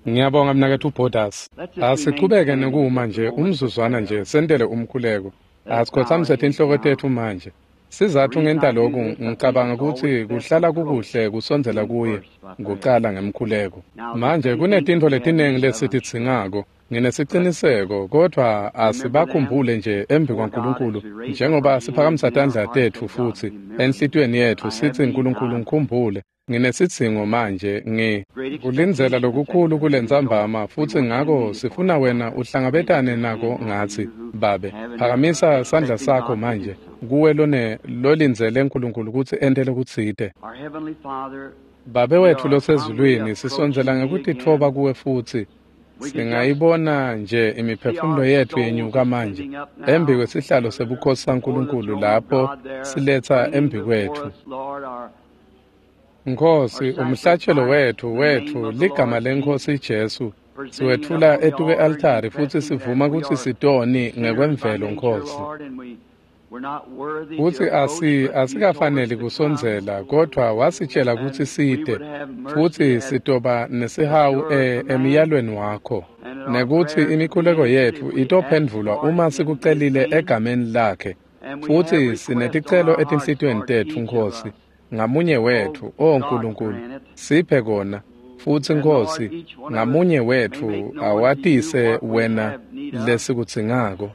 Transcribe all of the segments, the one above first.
Ngiyabonga mnaketfu Borders. Asichubeke nekuma nje umzuzwana nje sentele umkhuleko. Asikhothamise tinhloko tetfu manje. Sizatfu ngenta loku ngicabanga kutsi kuhlala kukuhle kusondzela kuye kucala ngemkhuleko. Manje kunetintfo letiningi lesitidzingako. Nginesiciniseko kodvwa asibakhumbule nje embi kwaNkulunkulu njengoba siphakamisa tandla tetfu futsi enhlitiyweni yetfu sitsi Nkulunkulu ngikhumbule. Nginesidzingo manje kulindzela lokukhulu kulentsambama futsi ngako sifuna wena uhlangabetane nako ngatsi Babe. Phakamisa sandla sakho manje kuwe lolindzele Nkulunkulu kutsi ente lokutsite. Babe wetfu losezulwini, sisondzela ngekutitfoba kuwe futsi singayibona nje imiphefumulo yetfu yenyuka manje embi kwesihlalo sebukhosi saNkulunkulu lapho siletsa embi kwetfu. Nkhosi, umhlatshelo wetfu ligama leNkhosi Jesu siwetfula etukwe-altari futsi sivuma kutsi sitoni ngekwemvelo Nkhosi. Futsi asikafaneli kusondzela kodvwa wasitshela kutsi site futsi sitoba nesihawu emiyalweni wakho nekutsi imikhuleko yetfu itophendvulwa uma sikucelile egameni lakhe. Futsi sineticelo etinhlitiyweni tetfu Nkhosi. Ngamunye wetfu, O Nkulunkulu, siphe kona futsi Nkhosi, ngamunye wetfu awatise wena lesikudzingako.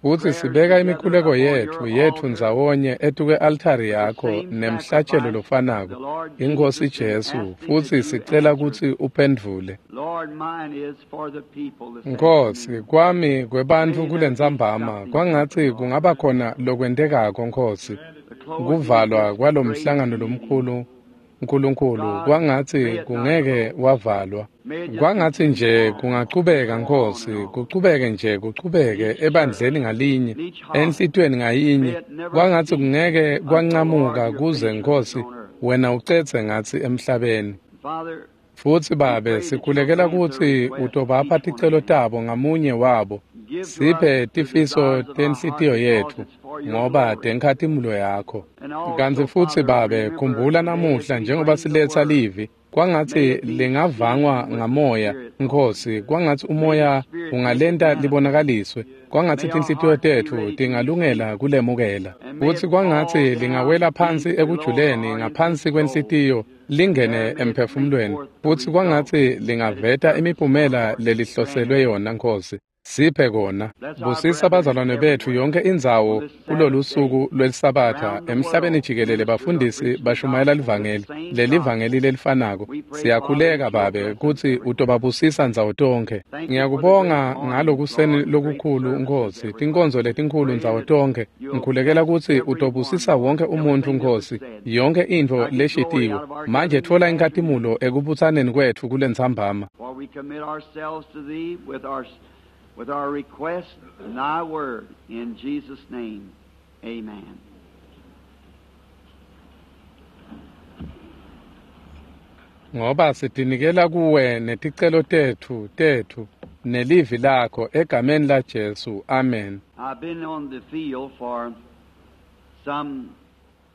Futsi sibeka imikhuleko yetfu ndzawonye etukwe-altari yakho nemhlatshelo lofanako, iNkhosi Jesu, futsi sicela kutsi uphendvule. Nkhosi, kwami kwebantfu kulentsambama kwangatsi kungaba khona lokwentekako Nkhosi, kuvalwa kwalomhlangano lomkhulu Nkulunkulu, kwangatsi kungeke wavalwa. Kwangatsi nje kungachubeka Nkhosi, kuchubeke nje kuchubeke ebandleni ngalinye, enhlitiyweni ngayinye. Kwangatsi kungeke kwancamuka kuze Nkhosi wena ucedze ngatsi emhlabeni. Futsi Babe, sikhulekela kutsi utobapha ticelo tabo ngamunye wabo. Siphe tifiso tenhlitiyo yetfu ngoba tenkhatimulo yakho. Kantsi futsi Babe, khumbula namuhla njengoba siletsa livi, kwangatsi lingavangwa ngamoya Nkhosi, kwangatsi umoya ungalenta libonakaliswe, kwangatsi tinhlitiyo tetfu tingalungela kulemukela. Futsi kwangatsi lingawela phansi ekujuleni ngaphansi kwenhlitiyo lingene emphefumulweni, futsi kwangatsi lingaveta imiphumela lelihloselwe yona Nkhosi. Siphe kona. Busisa bazalwane betfu yonke indzawo kulolu suku lwelisabatha emhlabeni jikelele. Bafundisi bashumayela livangeli, lelivangeli lelifanako. Siyakhuleka Babe kutsi utobabusisa ndzawo tonkhe. Ngiyakubonga ngalokuseni lokukhulu Nkhosi, tinkonzo letinkhulu ndzawo tonkhe. Ngikhulekela kutsi utobusisa wonke umuntfu Nkhosi, yonke intfo leshitiwe. Manje tfola inkhatimulo ekubutsaneni kwetfu kulentsambama. With our request and thy word, in Jesus' name, amen. Ngoba sitinikela kuwe neticelo tetfu nelivi lakho egameni la Jesu, amen. I've been on the field for some.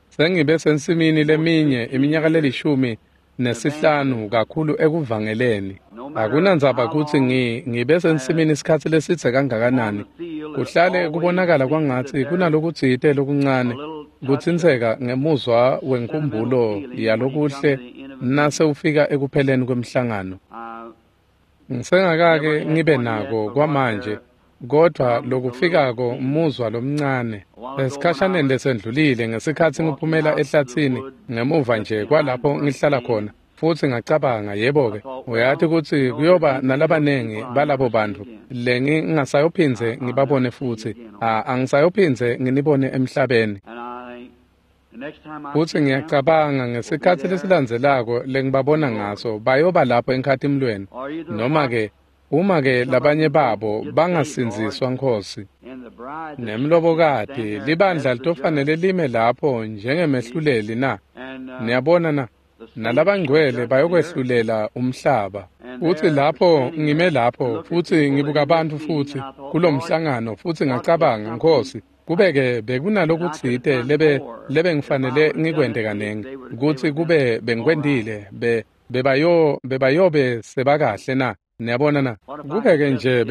Sengibe sensimini leminye iminyaka 15 kakhulu ekuvangeleni. Akunandzaba kutsi ngibe sensimini isikhatsi lesidze kangakanani, kuhlale kubonakala kwangatsi kunalokutsite lokuncane kutsintseka ngemuzwa wenkhumbulo yalokuhle nase ufika ekupheleni kwemhlangano. Ngisengakake ngibe nako kwamanje, kodvwa lokufikako muzwa lomncane. Esikhashaneni lesendlulile ngesikhatsi ngiphumela ehlathini ngemuva nje kwalapho ngihlala khona, futsi ngacabanga, yebo-ke, uyati kutsi kuyoba nalabanengi balabo bantfu lengingasayophindze ngibabone futsi, angisayophindze nginibone emhlabeni. Futsi ngiyacabanga ngesikhatsi lesilandzelako lengibabona ngaso bayoba lapho enkhatimulweni, noma-ke uma-ke labanye babo bangasindziswa Nkhosi. Nemlobokati libandla litofanele lime lapho njengemehluleli na? Niyabona na? Nalabangcwele bayokwehlulela umhlaba. Futsi lapho ngime lapho futsi ngibuka bantfu futsi kulomhlangano futsi ngacabanga, Nkhosi, Kube-ke bekunalokutsite lebe ngifanele ngikwente kanengi, kutsi kube bengikwentile, bebayobe sebakahle na? Niyabona na? Kube-ke nje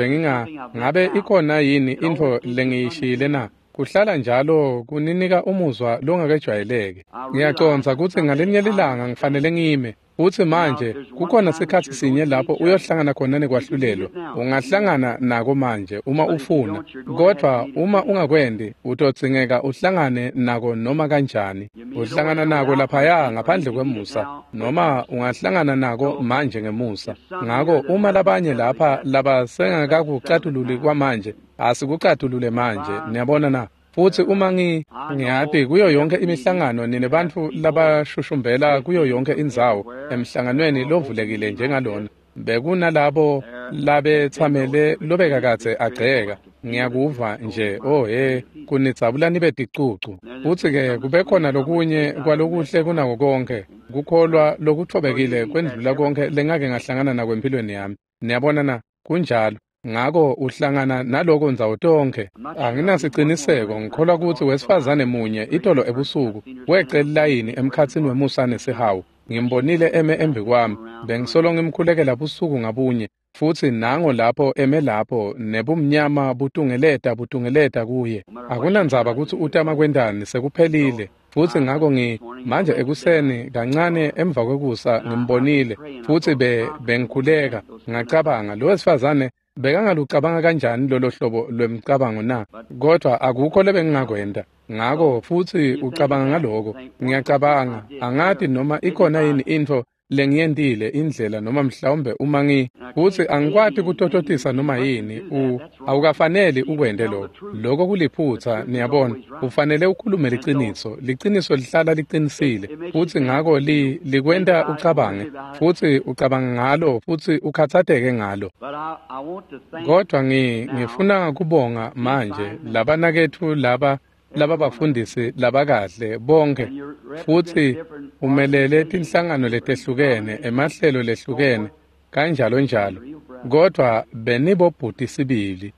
ngabe ikhona yini intfo lengiyishiyile na? Kuhlala njalo kuninika umuzwa longakejwayeleki. Ngiyacondza kutsi ngalinye lilanga ngifanele ngime. Futsi manje kukhona sikhatsi sinye lapho uyohlangana khona nekwahlulelwa. Ungahlangana nako manje uma ufuna, kodvwa uma ungakwendi utodzingeka uhlangane nako noma kanjani. Uhlangana nako laphaya ngaphandle kwemusa, noma ungahlangana nako manje ngemusa. Ngako uma labanye lapha labasengakakucatululi kwamanje, asikucatulule manje, niyabona na? Futsi uma ngiyati kuyo yonke imihlangano nine bantfu labashushumbela kuyo yonke indzawo emhlanganweni lovulekile njengalona, bekunalabo labetsamele lobekakadze agceka. Ngiyakuva nje, oh he, kunidzabula nibe ticucu. Futsi-ke kube khona lokunye kwalokuhle kunako konke, kukholwa lokutfobekile kwendlula konke lengake ngahlangana nako empilweni yami. Niyabona na? Kunjalo. Ngako uhlangana naloko ndzawo tonkhe. Anginasiciniseko, ngikholwa kutsi wesifazane munye itolo ebusuku wece lilayini emkhatsini wemusa nesihawu. Ngimbonile eme embi kwami, bengisolo ngimkhulekela busuku ngabunye, futsi nango lapho eme lapho nebumnyama butungeleta kuye. Akunandzaba kutsi utama kwentani, sekuphelile. Futsi ngako manje ekuseni kancane emva kwekusa ngimbonile, futsi bengikhuleka, ngacabanga lo wesifazane bekangalucabanga kanjani lolo hlobo lwemcabango na? Kodwa akukho lebengingakwenta. Ngako futsi ucabanga ngaloko. Ngiyacabanga, angati noma ikhona yini intfo lengiyentile indlela noma mhlawumbe uma futsi angikwati kutototisa noma yini. Awukafaneli ukwente lokho. Lokho kuliphutsa, niyabona. Ufanele ukhulume liciniso. Liciniso lihlala liqinisile. Futsi ngako likwenta ucabange, futsi ucabanga ngalo, futsi ukhatsateke ngalo. Kodwa ngifuna kubonga manje labanaketfu laba bafundisi labakahle bonke, futsi umelele tinhlangano letehlukene, emahlelo lehlukene, kanjalo njalo. Kodwa benibobhuti sibili.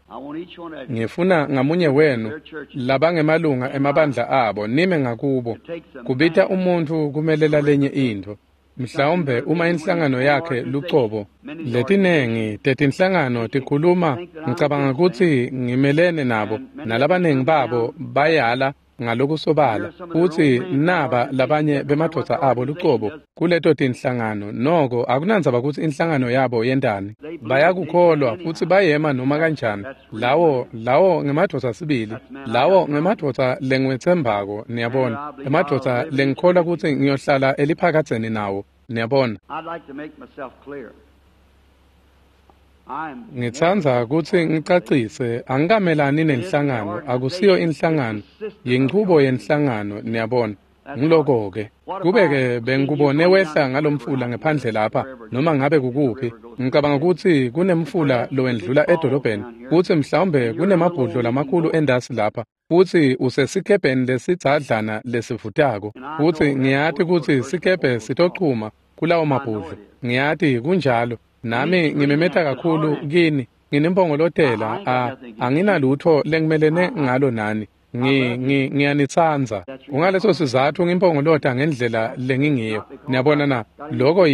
Ngifuna ngamunye wenu labangemalunga emabandla abo nime ngakubo. Kubita umuntfu kumelela lenye intfo. Mhlawumbe uma inhlangano yakhe lucobo, letinengi tetinhlangano tikhuluma, ngicabanga kutsi ngimelene nabo, nalabanengi babo bayala ngalokusobala, futsi naba labanye bemadvodza abo lucobo kuleto tinhlangano. Noko akunandzaba kutsi inhlangano yabo yentani, bayakukholwa futsi bayema noma kanjani. Lawo ngemadvodza sibili, lawo ngemadvodza lengiwetsembako, niyabona, emadvodza lengikholwa kutsi ngiyohlala eliphakadzeni nawo, niyabona. Ngitsandza kutsi ngicacise, angikamelani nenhlangano, akusiyo inhlangano, yinchubo yenhlangano, niyabona. Ngiloko-ke. Kube-ke bengikubone wehla ngalomfula ngephandle lapha, noma ngabe kukuphi, ngicabanga kutsi kunemfula lowendlula edolobheni, futsi mhlawumbe kunemabhudlo lamakhulu endasi lapha, futsi usesikebheni lesidzadlana lesivutako, futsi ngiyati kutsi sikebhe sitochuma kulawo mabhudlo. Ngiyati kunjalo. Nami ngimemeta kakhulu kini, nginimpongolotela, anginalutho lengimelene ngalo nani. Ngiyanitsandza. Kungaleso sizatfu ngimpongolota ngendlela lengingiyo. Niyabona na? Loko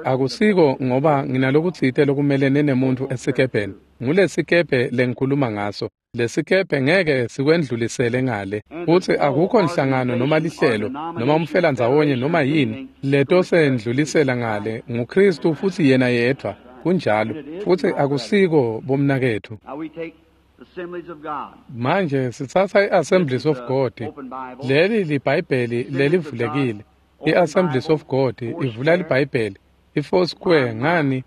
akusiko ngoba nginalokutsite lokumelene nemuntfu esikebheni. Ngulesikebhe lengikhuluma ngaso. Lesikebhe ngeke sikwendlulisele ngale. Futsi akukho nhlangano noma lihlelo noma umfelandzawonye noma yini letosendlulisela ngale. NguKristu futsi yena yedvwa. Kunjalo. Futsi akusiko bomnaketfu. Manje sitsatsa i-Assemblies of God. Leli liBhayibheli lelivulekile. I-Assemblies of God ivula liBhayibheli. I-Foursquare ngani?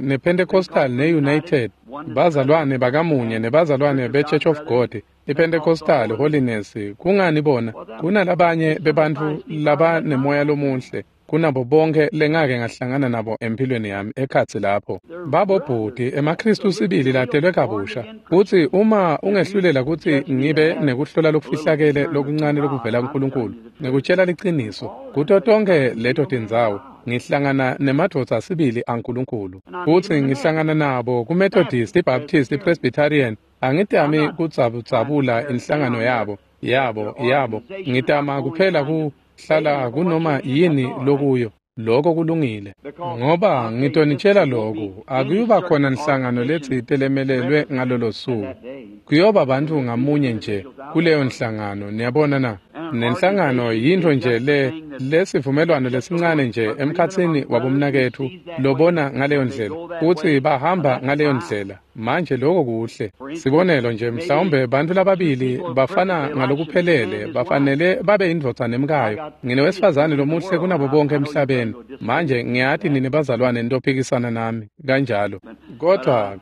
Ne-Pentecostal ne-United, bazalwane bakamunye nebazalwane be-Church of God, i-Pentecostal Holiness. Kungani bona? Kunalabanye bebantfu labanemoya lomuhle kunabo bonke lengake ngahlangana nabo empilweni yami ekhatsi lapho. Babobhuti emaKristu sibili latelwe kabusha. Futsi uma ungehlulela kutsi ngibe nekuhlola lokufihlakele lokuncane lokuvela kuNkulunkulu, ngikutshela liciniso, kuto tonke leto tindzawo ngihlangana nemadvodza sibili aNkulunkulu. Futsi ngihlangana nabo kuMethodist, iBaptist, iPresbyterian, Angitami kudzabudzabula inhlangano yabo, yabo. Ngitama kuphela kuhlala kunoma yini lokuyo. Lokho kulungile. Ngoba ngitonitshela lokhu, akuyuba khona nhlangano letsite lemelelwe ngalolo suku. Kuyoba bantfu ngamunye nje kuleyo nhlangano, niyabona na? Nenhlangano yintfo nje lesivumelwano lesincane nje emkhatsini wabomnaketfu lobona ngaleyo ndlela, kutsi bahamba ngaleyo ndlela. Manje lokho kuhle. Sibonelo nje, mhlawumbe bantfu lababili bafana ngalokuphelele, bafanele babe indvodza nemkayo. Nginewesifazane lomuhle kunabo bonke emhlabeni. Manje ngiyati nini bazalwane nitophikisana nami kanjalo. Kodwa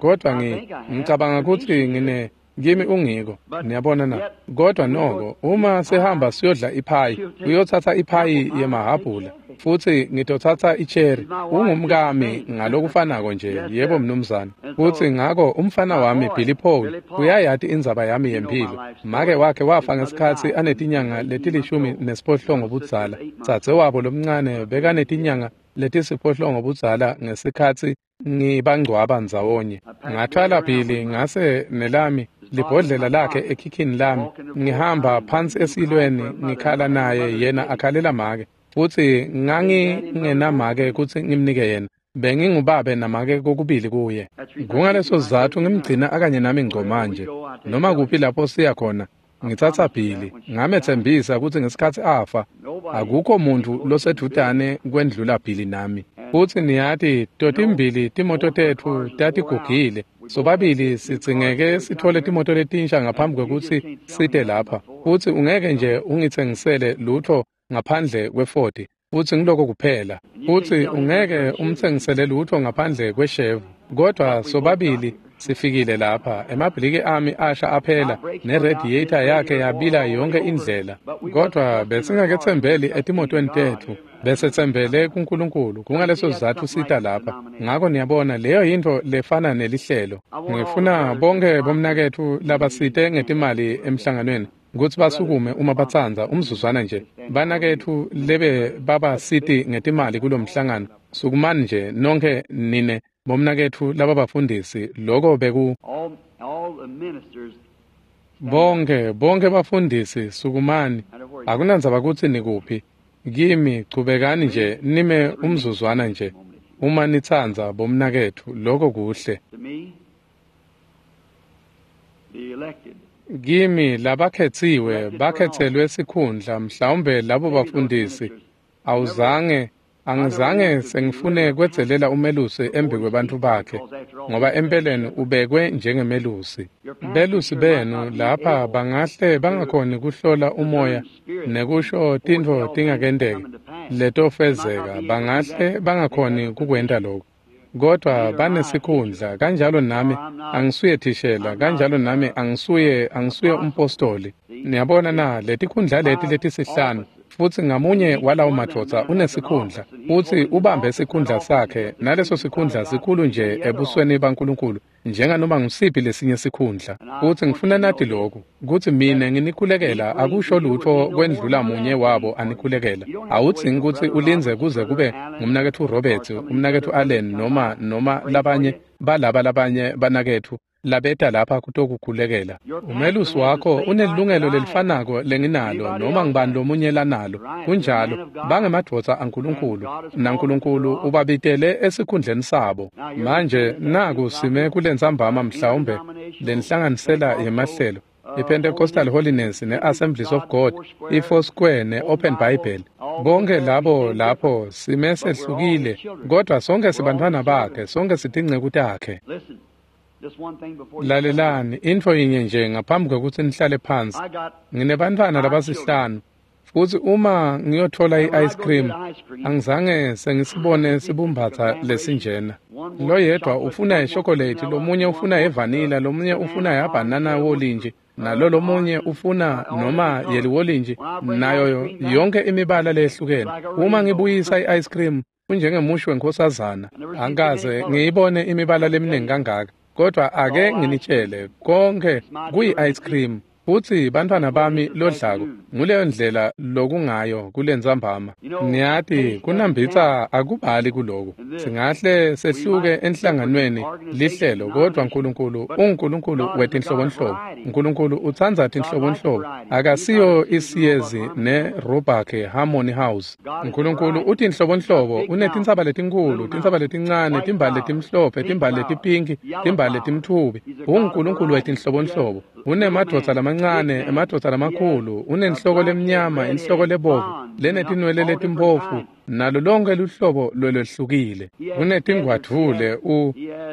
ngicabanga kutsi ngine kimi ungiko, niyabona na? Kodwa noko uma sihamba siyodla iphayi, uyotsatsa iphayi yemahabhula futsi ngitotsatsa icherry. Ungumkami ngalokufanako nje, yebo mnumzane. Futsi ngako umfana wami Billy Paul uyayati indzaba yami yemphilo. Make wakhe wafa ngesikhatsi anetinyanga leti-18 budzala. Dzadzewabo lomncane bekanetinyanga leti-8 budzala ngesikhatsi ngibangcwaba ndzawonye. Ngathwala Billy ngase nelami libhodlela lakhe ekhikhini lami, ngihamba phansi esilweni ngikhala naye, yena akhalela make. Futsi ngangingenamake kutsi ngimnike yena. Bengingubabe namake kokubili kuye. Kungaleso sizatfu ngimgcina akanye nami ngco manje. Noma kuphi lapho siya khona, ngitsatsa Billy. Ngametsembisa kutsi ngesikhatsi afa, akukho muntfu losedvutane kwendlula Billy nami. Futsi niyati, totimbili timoto tetfu tatigugile. Sobabili sidzingeke sithole timoto letinsha ngaphambi kwekutsi site lapha. Futsi ungeke nje ungitsengisele lutfo ngaphandle kwe-40, futsi ngiloko kuphela. Futsi ungeke umtsengisele lutfo ngaphandle kweshevu. Kodwa sobabili sifikile lapha, emabhiliki ami asha aphela, neradiator yakhe yabila yonke indlela. Kodwa besingaketsembeli etimotweni tetfu, besetsembele kuNkulunkulu. Kungaleso sizatfu sita lapha. Ngako niyabona, leyo yintfo lefana nelihlelo. Ngifuna bonke bomnaketfu labasite ngetimali emhlanganweni kutsi basukume uma batsandza umzuzwana nje. Banaketfu lebe babasiti ngetimali kulomhlangano, sukumani nje nonke nine bomnaketfu lababafundisi. Lokho beku bonke bafundisi sukumani. Akunandzaba kutsi nikuphi. Kimi chubekani nje nime umzuzwana nje uma nitsandza bomnaketfu. Lokho kuhle. Kimi labakhetsiwe bakhetselwe sikhundla, mhlawumbe labo bafundisi. Angizange sengifune kwedzelela umelusi embi kwebantfu bakhe, ngoba empeleni ubekwe njengemelusi. Belusi benu lapha bangahle bangakhoni kuhlola umoya nekusho tintfo tingakenteki letofezeka, bangahle bangakhoni kukwenta lokho. Kodwa banesikhundla, kanjalo nami angisuye thishela, kanjalo nami angisuye umpostoli. Niyabona na, letikhundla leti letisihlanu, futsi ngamunye walawo madvodza unesikhundla, futsi ubambe sikhundla sakhe, naleso sikhundla sikhulu nje ebusweni baNkulunkulu njenganoma ngusiphi lesinye sikhundla. Futsi ngifuna nati lokhu, kutsi mine nginikhulekela akusho lutfo kwendlula munye wabo anikhulekela. Awudzingi kutsi ulindze kuze kube ngumnaketfu Roberts, umnaketfu Allen, noma labanye balaba labanye banaketfu labeta lapha kutokukhulekela. Umelusi wakho unelilungelo lelifanako lenginalo noma ngibani lomunye lanalo. Kunjalo, bangemadvodza aNkulunkulu, naNkulunkulu ubabitele esikhundleni sabo. Manje naku sime kulentsambama mhlawumbe lenhlanganisela yemahlelo, iPentecostal Holiness ne-Assemblies of God, i-Foursquare ne-Open Bible. Bonke labo lapho sime sehlukile, kodwa sonke sibantfwana bakhe, sonke sitinceku takhe. Lalelani, intfo yinye nje ngaphambi kwekutsi nihlale phansi. Nginebantfwana labasihlanu, futsi uma ngiyothola i-ice cream, angizange sengisibone sibumbatsa lesinjena. Loyedwa ufuna ishokolate, lomunye ufuna ivanila, lomunye ufuna yabhanana wolinji, nalo lomunye ufuna noma yeliwolintji, nayo yonke imibala leyehlukene. Uma ngibuyisa i-ice cream, kunjengemushi wenkosazana. Angikaze ngiyibone imibala leminingi kangaka. Kodwa ake nginitshele, konke kuyi-ice cream. Futsi bantfwana bami lodlako, nguleyo ndlela lokungayo kulentsambama. Niyati kunambitsa akubali kuloku. Singahle sehluke enhlanganweni lihlelo, kodwa Nkulunkulu unguNkulunkulu wetinhlobonhlobo. Nkulunkulu utsandza tinhlobonhlobo. Akasiyo isiyezi ne-Robach Harmony House. Nkulunkulu utinhlobonhlobo, unetintsaba letinkhulu, tintsaba letincane, timbali letimhlophe, timbali letipinki, timbali letimtfubi. UnguNkulunkulu wetinhlobonhlobo. Unemadvodza lamancane, emadvodza lamakhulu, unenhloko lemnyama, inhloko lebovu, lenetinwele letimphofu, nalo lonke luhlobo lolwehlukile. Unetingwadvule,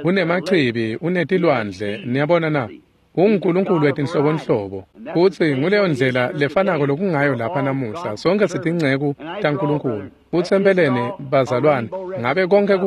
unemachibi, unetilwandle, niyabona na? UnguNkulunkulu wetinhlobonhlobo. Futsi nguleyo ndlela lefanako lokungayo lapha namuhla. Sonke sitinceku taNkulunkulu. Futsi empeleni bazalwane, ngabe konke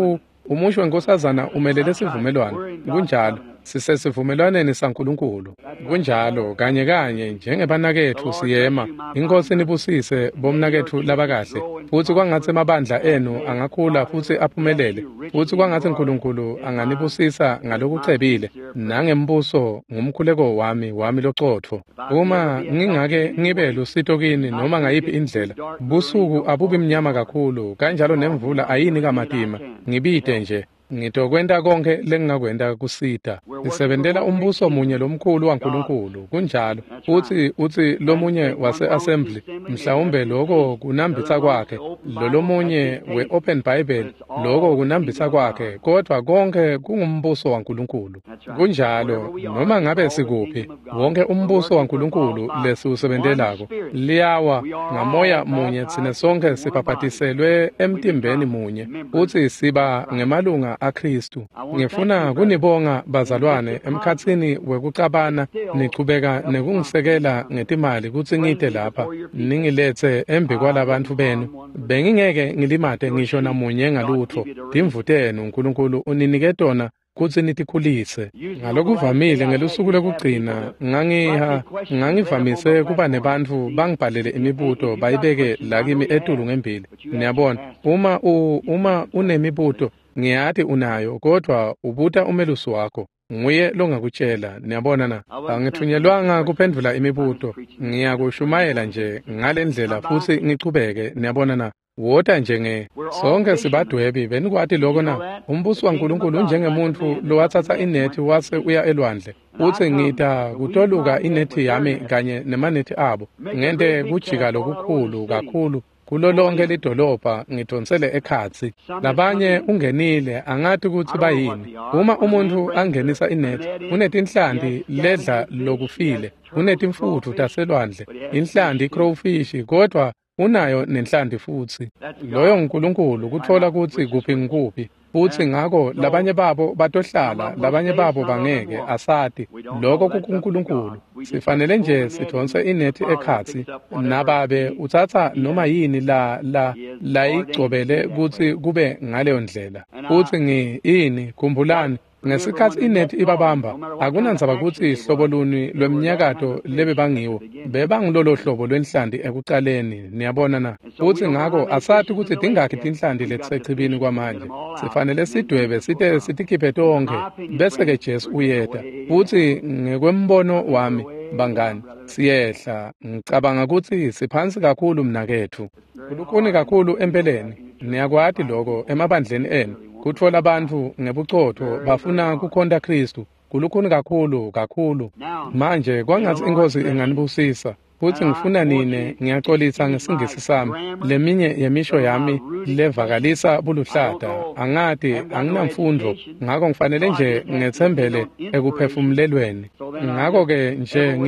umusho wenkosazana umelele sivumelwano. Kunjalo, sisesivumelwaneni saNkulunkulu. Kunjalo, kanye kanye njengebanaketfu siyema. Inkosi nibusise bomnaketfu labakahle. Futsi kwangatsi emabandla enu angakhula futsi aphumelele. Futsi kwangatsi Nkulunkulu anganibusisa ngalokucebile nangembuso ngumkhuleko wami locotfo. Uma ngingake ngibe lusito kini noma ngayiphi indlela, busuku abubi mnyama kakhulu, kanjalo nemvula ayini kamatima. Ngibite nje. Ngitokwenta konke lengingakwenta kusita. Sisebentela umbuso munye lomkhulu waNkulunkulu. Kunjalo. Futsi utsi lomunye wase-assembly, mhlawumbe loko kunambitsa kwakhe, lolomunye we-Open Bible, loko kunambitsa kwakhe, kodwa konke kungumbuso waNkulunkulu. Kunjalo, noma ngabe sikuphi, wonke umbuso waNkulunkulu lesiwusebentelako liyawa ngamoya munye, tsine sonke sibhabhatiselwe emtimbeni munye, futsi siba ngemalunga aKristu. Ngifuna kunibonga bazalwane emkhatsini wekucabana nichubeka nekungisekela ngetimali kutsi ngite lapha ningiletse embi kwalabantfu benu. Bengingeke ngilimate ngisho namunye ngalutfo. Timvu tenu Nkulunkulu uninike tona kutsi nitikhulise. Ngalokuvamile ngelusuku lokugcina ngangivamise kuba nebantfu bangibhalele imibuto bayibeke la kimi etulu ngembili. Niyabona, uma unemibuto, ngiyati unayo, kodwa ubuta umelusi wakho. Nguye longakutshela. Niyabona na? Angithunyelwanga kuphendvula imibuto. Ngiyakushumayela nje ngalendlela futsi ngichubeke. Niyabona na? Wota njenge sonke sibadwebi. Benikwati loko na? Umbuso waNkulunkulu unjengemuntfu lowatsatsa inethi wase uya elwandle. Utsi ngita kutoluka inethi yami kanye nemanethi abo, ngente kujika lokukhulu kakhulu kulo lonke lidolobha, ngidonsele ekhatsi. Labanye ungenile, angati kutsi bayini. Uma umuntfu angenisa inethi, unetinhlanti ledla lokufile, unetimfutfu taselwandle, inhlanti crowfish, kodwa unayo nenhlanti futsi. Loyo nguNkulunkulu kutfola kutsi kuphi ngikuphi. Futsi ngako labanye babo batohlala, labanye babo bangeke, asati. Loko kukuNkulunkulu. Sifanele nje sidonse inethi ekhatsi. Nababe utsatsa noma yini la layigcobele kutsi kube ngaleyo ndlela. Futsi ini khumbulani, ngesikhatsi inethi ibabamba, akunandzaba kutsi hlobo luni lwemnyakato lebebangiwo, bebangulolo hlobo lwenhlanti ekucaleni. Niyabona na? Futsi ngako asati kutsi tingakhi tinhlanti letisechibini kwamanje. Sifanele sidwebe site sitikhiphe tonkhe, bese-ke Jesu uyeta. Futsi ngekwembono wami, bangani, siyehla. Ngicabanga kutsi siphansi kakhulu mnaketfu. Kulukhuni kakhulu empeleni. Niyakwati loko emabandleni enu. Kutfola bantfu ngebucotfo bafuna kukhonta Kristu. Kulukhuni kakhulu kakhulu. Manje kwangatsi iNkhosi inganibusisa. Futsi ngifuna nine, ngiyacolisa ngesingisi sami. Leminye yemisho yami levakalisa buluhlata. Angati, anginamfundvo, ngako ngifanele nje ngetsembele ekuphefumulelweni. Ngako-ke nje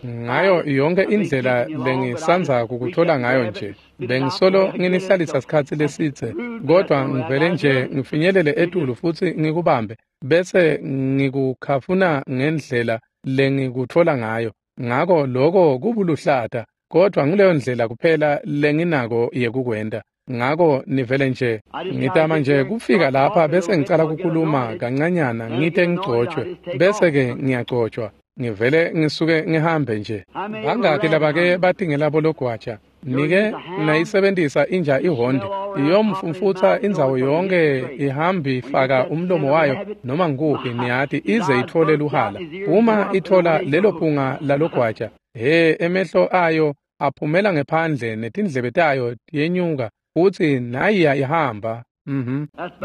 ngayo yonke indlela lengisandza kukuthola ngayo nje. Bengisolo nginihlalisa sikhatsi lesidze, kodwa ngivele nje ngifinyelele etulu futsi ngikubambe, bese ngikukhafuna ngendlela lengikutfola ngayo. Ngako loko kubuluhlata, kodwa nguleyo ndlela kuphela lenginako yekukwenta. Ngako nivele nje ngitama nje kufika lapha bese ngicala kukhuluma kancanyana, ngite ngigcotshwe, bese-ke ngiyagcotshwa. Ngivele ngisuke ngihambe nje. Bangaki labake batingela bologwaja? Nike nayisebentisa inja ihonde, iyomfumfutsa indzawo yonke, ihambi faka umlomo wayo noma ngikuphi, niyati, ize itfole luhala. Uma itfola lelo phunga lalogwaja, He, emehlo ayo aphumela ngephandle netindlebe tayo tiyenyuka, futsi nayiya ihamba.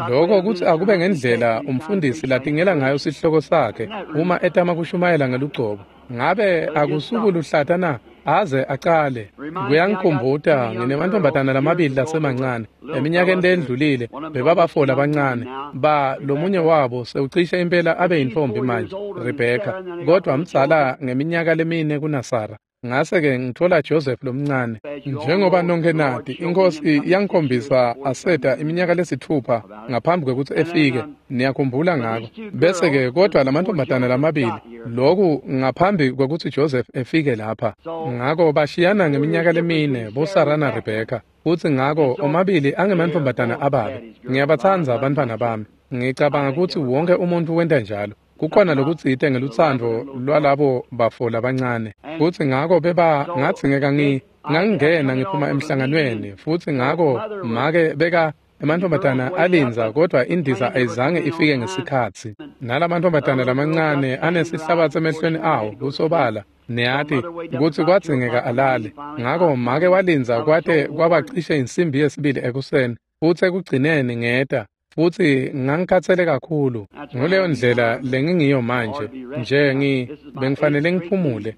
Lokho kutsi akube ngendlela umfundisi latingela ngayo sihloko sakhe uma etama kushumayela ngelugcobo. Ngabe akusukuluhlata na? Aze acale. Kuyangikhumbuta nginemantombazana lamabili lasemancane eminyakeni lendlulile bebabafola abancane ba lomunye wabo sewucishe impela abe yintombi manje, Rebecca, kodwa mdzala ngeminyaka lemine kunaSara. Ngase-ke ngithola Joseph lomncane. Njengoba nonke nati, iNkosi yangikhombisa aseta iminyaka lesithupha ngaphambi kwekutsi efike. Niyakhumbula ngako. Bese-ke kodwa lamantombazana lamabili, loku ngaphambi kwekutsi Joseph efike lapha. Ngako bashiyana ngeminyaka lemine boSara naRebecca. Futsi ngako omabili angemantombazana ababe. Ngiyabatsandza abantwana bami. Ngicabanga kutsi wonke umuntu wenta njalo. Kukhona lokutsite ngelutsandvo lwalabo bafo labancane. Futsi ngako beba ngadzingeka ngangingena ngiphuma emhlanganweni, futsi ngako make beka emantombazana alindza, kodwa indiza ayizange ifike ngesikhatsi. Nalamantombazana lamancane anesihlabatsi emehlweni awo kusobala, niyati kutsi kwadzingeka alale. Ngako make walindza kwate kwabacishe insimbi yesibili ekuseni, futsi ekugcineni ngeta. Futsi ngangikhathele kakhulu. Nguleyo ndlela lengingiyo manje. Nje bengifanele ngiphumule.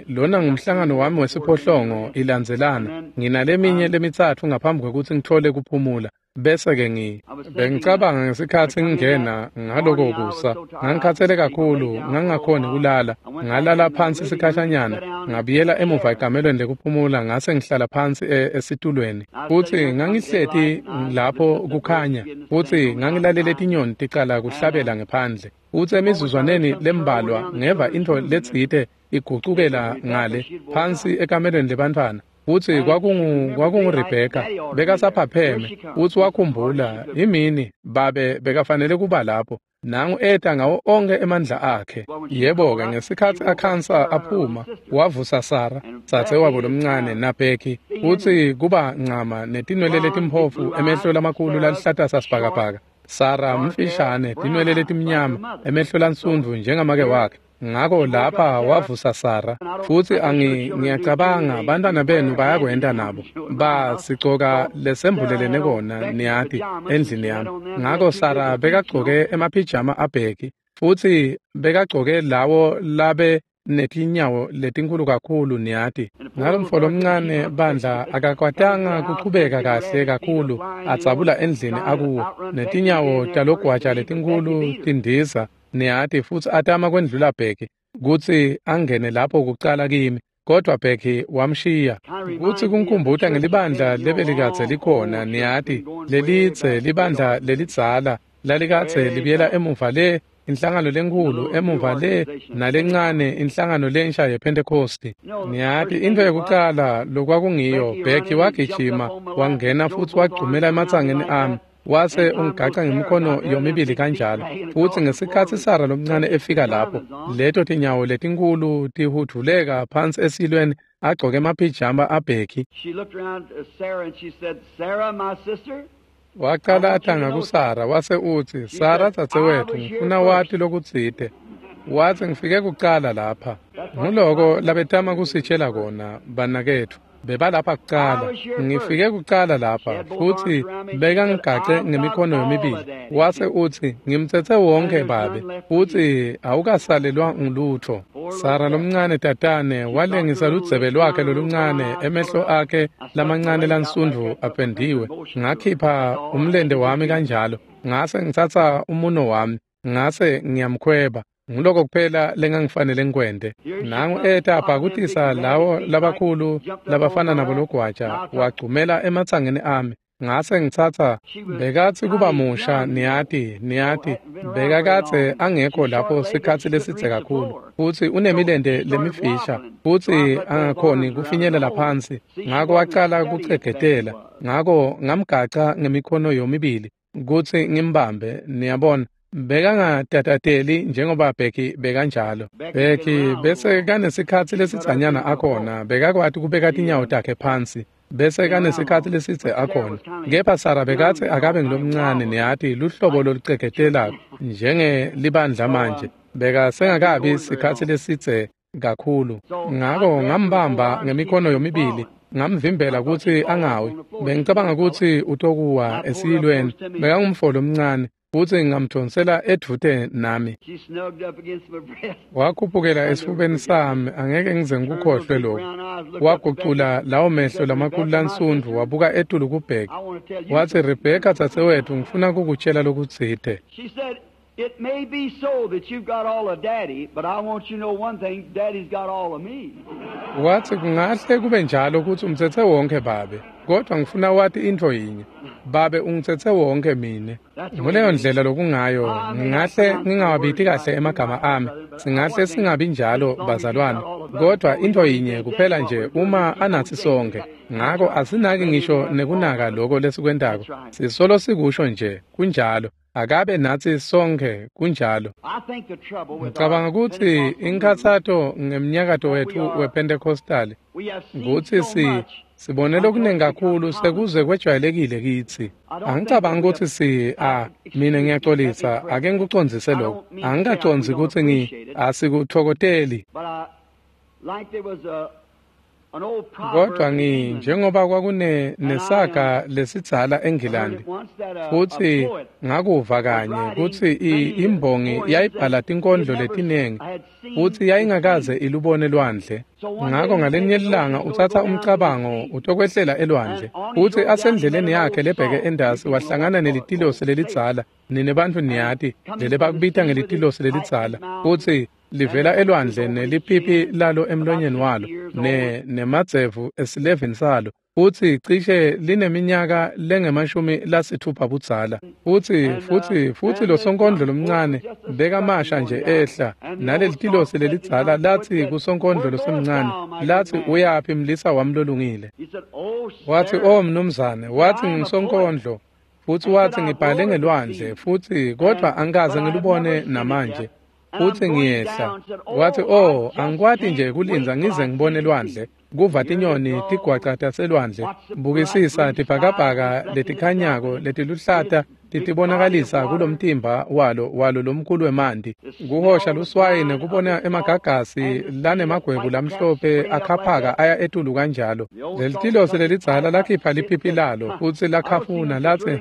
Lona ngumhlangano wami wesiphohlongo ilandzelana. Nginaleminye lemitsatfu ngaphambi kwekutsi ngitfole kuphumula. Bese-ke bengicabanga ngesikhatsi ngingena ngaloko kusa. Ngangikhathele kakhulu, ngangingakhoni kulala. Ngalala phansi sikhashanyana, ngabuyela emuva ekamelweni lekuphumula, ngase ngihlala phansi esitulweni. Futsi ngangihleti lapho kukhanya, futsi ngangilalele tinyoni ticala kuhlabela ngephandle. Futsi emizuzwaneni lembalwa ngeva intfo letsite igucukela ngale phansi ekamelweni lebantfwana. Futsi kwakunguRebecca, bekasaphapheme, futsi wakhumbula imini babe bekafanele kuba lapho. Nangu eta ngawo onke emandla akhe. Yebo-ke, ngesikhatsi akhansa aphuma, wavusa Sara, dzadzewabo lomncane, naBheki, futsi kuba ncama netinwele letimphofu, emehlo lamakhulu laluhlata sasibhakabhaka. Sara mfishane, tinwele letimnyama, emehlo lansundvu njengamake wakhe. Ngako lapha wavusa Sara. Futsi ngiyacabanga bantwana benu bayakwenta nabo. Basigcoka lesembulelene kona, niyati, endlini yami. Ngako Sara bekagcoke emaphijama aBheki, futsi bekagcoke lawo labe netinyawo letinkhulu kakhulu, niyati. Ngalomfo lomncane bandla akakwatanga kuchubeka kahle kakhulu adzabula endlini akuwo, netinyawo talogwaja letinkhulu tindiza, niyati, futsi atama kwendlula Bheki kutsi angene lapho kucala kimi, kodwa Bheki wamshiya. Kutsi kungikhumbuta ngelibandla lebelikadze likhona, niyati, lelitse libandla lelidzala lalikadze libuyela emuva le, inhlangano lenkhulu emuva le nalencane inhlangano lensha yePhentekhosti. Niyati, intfo yekucala lokwakungiyo, Bheki wagijima wangena futsi wagcumela ematsangeni ami, wase ungigaca ngemikhono yomibili kanjalo. Futsi ngesikhatsi Sara lomncane efika lapho, leto tinyawo letinkhulu tihudvuleka phansi esilweni, agcoke emaphijama aBheki. Wacala atanga kuSara, wase utsi, Sara dzadzewetfu, ngifuna wati lokutsite. Watsi, ngifike kucala lapha. Nguloko labetama kusitshela kona, banaketfu. Bebalapha kucala. Ngifike kucala lapha, futsi bekangigace ngemikhono yomibili. Wase utsi, ngimtsetse wonke babe, futsi awukasalelwa ngulutfo. Sara lomncane tatane walengisa ludzebe lwakhe loluncane, emehlo akhe lamancane lansundvu apendiwe. Ngakhipha umlente wami kanjalo, ngase ngitsatsa umuno wami, ngase ngiyamkhweba. Nguloko kuphela lengangifanele ngikwente. Nangu eta abhakutisa lawo labakhulu labafana nabo logwaja, wagcumela ematsangeni ami. Ngase ngitsatsa, bekatsi kuba musha, niyati, bekakadze angekho lapho sikhatsi lesidze kakhulu, futsi unemilente lemifisha, futsi angakhoni kufinyelela phansi. Ngako wacala kuchegetela, ngako ngamgaca ngemikhono yomibili kutsi ngimbambe, niyabona. Bekangatatateli njengoba Bheki bekanjalo. Bheki bese kanesikhatsi lesidzanyana akhona, bekakwati kubeka tinyawo takhe phansi, bese kanesikhatsi lesidze akhona. Kepha Sara bekatsi akabe ngilomncane, niyati, luhlobo lolucegetelako njengelibandla manje. Bekasengakabi sikhatsi lesidze kakhulu. Ngako ngambamba ngemikhono yomibili, ngamvimbela kutsi angawi. Bengicabanga kutsi utokuwa esiyilweni. Bekangumfo lomncane, futsi ngamdvonsela edvute nami. Wakhuphukela esifubeni sami, angeke ngize ngikukhohlwe lokho. Wagucula lawo mehlo lamakhulu lansundvu, wabuka etulu kubheka. Watsi, "Rebheka dzadzewetfu, ngifuna kukutshela lokutsite." It may be so that you've got all of Daddy, but I want you to know one thing, Daddy's got all of me. Wathi kungahle kube njalo ukuthi umthethe wonke babe, kodwa ngifuna wati intfo yinye. Babe ungithethe wonke mine. Nguleyo ndlela lokungayo, ngingahle ngingawabiti kahle emagama ami, singahle singabi njalo bazalwane, kodwa intfo yinye kuphela nje uma anathi sonke. Ngako asinaki ngisho nekunaka lokho lesikwentako. Sisolo sikusho nje, kunjalo. Akabe natsi sonke, kunjalo. Ngicabanga kutsi inkhatsato ngemnyakato wetfu wePentecostal kutsi sibone lokuningi kakhulu sekuze kwejwayelekile kitsi. Angicabangi kutsi mina ngiyaxolisa, ake ngikucondzise lokho. Angikacondzi kutsi asikutfokoteli. Kodwa njengoba kwakune nesaga lesidzala eNgilandi, futsi ngakuva kanye kutsi imbongi yayibhala tinkondlo letinengi, futsi yayingakaze ilubone lwandle. Ngako ngalenye lilanga utsatsa umcabango utokwehlela elwandle, futsi asendleleni yakhe lebheke endasi wahlangana nelitilosi lelidzala. Nine bantfu niyati lelebakubita ngelitilosi lelidzala, futsi livela elwandle nelipipi lalo emlonyeni walo nemadzevu esilevini salo, futsi cishe lineminyaka lengemashumi-lasitfupha budzala. Futsi losonkondlo lomncane bekamasha nje ehla nalelitilosi lelidzala lathi kusonkondlo losemncane, lathi, "Uyaphi mlisa wami lolungile?" Wathi, "Oh mnumzane," wathi, "ngisonkondlo." Futsi wathi, "Ngibhale ngelwandle, futsi kodwa angikaze ngilubone namanje. Futsi ngiyehla." Wathi, "Oh, angikwati nje kulindza ngize ngibone lwandle, kuva tinyoni tigwaca taselwandle, bukisisa tibhakabhaka letikhanyako letiluhlata titibonakalisa kulomtimba walo lomkhulu wemanti, kuhosha luswayi nekubona emagagasi lanemagwebu lamhlophe akhaphaka aya etulu kanjalo." Lelitilosi lelidzala lakhipha lipipi lalo futsi lakhafuna lathi,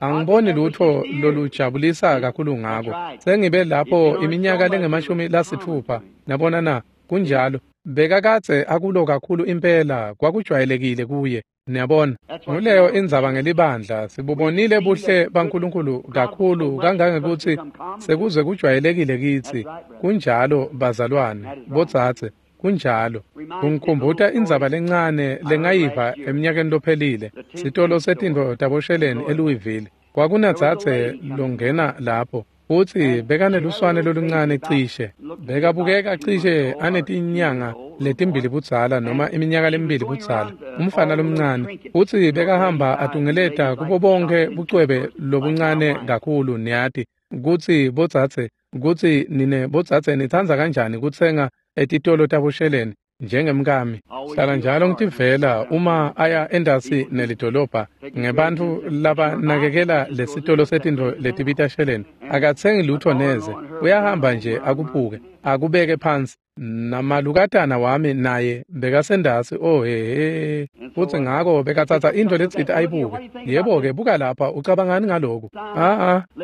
"Angiboni lutfo lolujabulisa kakhulu ngako. Sengibe lapho iminyaka lengemashumi-lasitfupha. Nabona na, kunjalo." Bekakadze akulo kakhulu impela, kwakujwayelekile kuye. Niyabona, nguleyo indzaba ngelibandla. Sibubonile buhle baNkulunkulu kakhulu kangangekutsi sekuze kujwayelekile kitsi. Kunjalo bazalwane, bodzadze, kunjalo. Kungikhumbuta indzaba lencane lengayiva eminyakeni lophelile, sitolo setintfo tabosheleni eLouisville. Kwakunadzadze longena lapho, futsi bekaneluswane loluncane cishe. Bekabukeka cishe anetinyanga letimbili budzala noma iminyaka lemibili budzala, umfana lomncane. Futsi bekahamba atungeleta kubo bonke bucwebe lobuncane kakhulu, niyati kutsi bodzadze, kutsi nine bodzadze nitsandza kanjani kutsenga etitolo tabosheleni njengemkami. Hlala njalo ngitivela uma aya endasi nelidolobha ngebantfu labanakekela lesitolo setintfo letibita sheleni. Akatsengi lutfo neze, uyahamba nje akuphuke, akubeke phansi. Namalukatana wami naye bekasendasi, oh he. Futsi ngako bekatsatsa intfo letsite ayibuke. "Yebo-ke, buka lapha, ucabangani ngaloku?"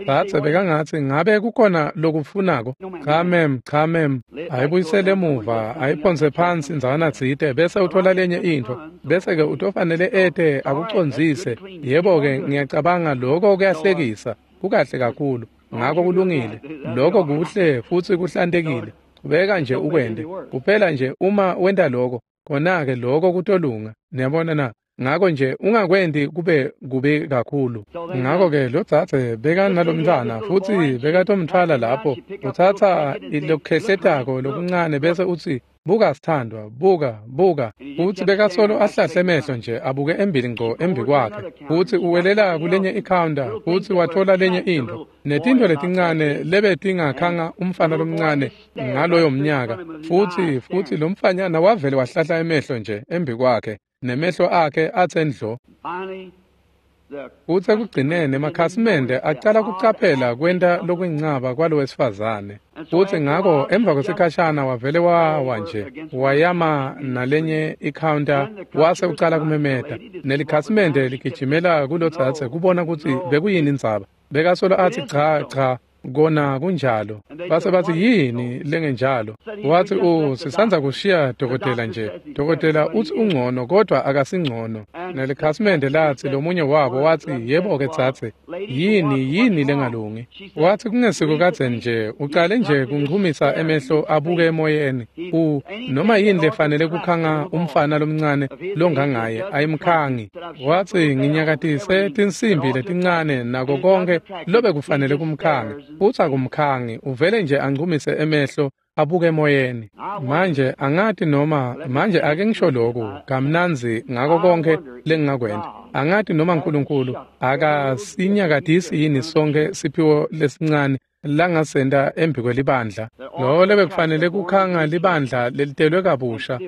Dzadze bekangatsi, "Ngabe kukhona lokufunako?" "Cha mem, cha mem." Ayibuyisele emuva, ayiphonse phansi ndzawana tsite, bese uthola lenye intfo, bese-ke utofanele ete akucondzise. "Yebo-ke, ngiyacabanga lokho kuyahlekisa, kukahle kakhulu." Ngako kulungile, lokho kuhle futsi kuhlantekile. Chubeka nje ukwente, kuphela nje uma wenta lokho, khona-ke lokho kutolunga. Niyabona na? Ngako nje ungakwenti kube kubi kakhulu. Ngako-ke lodzadze bekanalomntfwana futsi bekatomtfwala lapho, utsatsa lokukhehletako lokuncane bese utsi, "Buka sithandwa, buka, buka." Futsi bekasolo ahlahle emehlo nje abuke embili ngco embi kwakhe. Futsi uwelela kulenye ikhawunta futsi watfola lenye intfo, netintfo letincane lebetingakhanga umfana lomncane ngaloyo mnyaka. Futsi lomfanyana wavele wahlahla emehlo nje embi kwakhe, nemehlo akhe atse ndlo. Futsi ekugcineni emakhasimende acala kucaphela kwenta lokuyincaba kwalowesifazane. Futsi ngako emva kwesikhashana wavele wawa nje, wayama nalenye ikhawunta wase ucala kumemeta. Nelikhasimende ligijimela kulodzadze kubona kutsi bekuyini indzaba. Bekasolo atsi cha cha, kona kunjalo. Base batsi yini lengenjalo? Watsi sisandza kushiya dokotela nje. Dokotela utsi ungcono kodwa akasingcono. Nelikhasimende latsi lomunye wabo watsi yebo-ke dzadze, yini lengalungi? Watsi kungesiko kadzeni nje, ucale nje kunchumisa emehlo abuke emoyeni. Noma yini lefanele kukhanga umfana lomncane longangaye ayimkhangi. Watsi nginyakatise tinsimbi letincane nako konke lobekufanele kumkhanga. Futsi akumkhangi, uvele nje anchumise emehlo abuke emoyeni. Manje angati noma manje ake ngisho lokhu kamnandzi ngako konke lengingakwenta. Angati noma uNkulunkulu akasinyakatisi yini sonke siphiwo lesincane langasenta embi kwelibandla. Loko lebekufanele kukhanga libandla lelitelwe kabusha.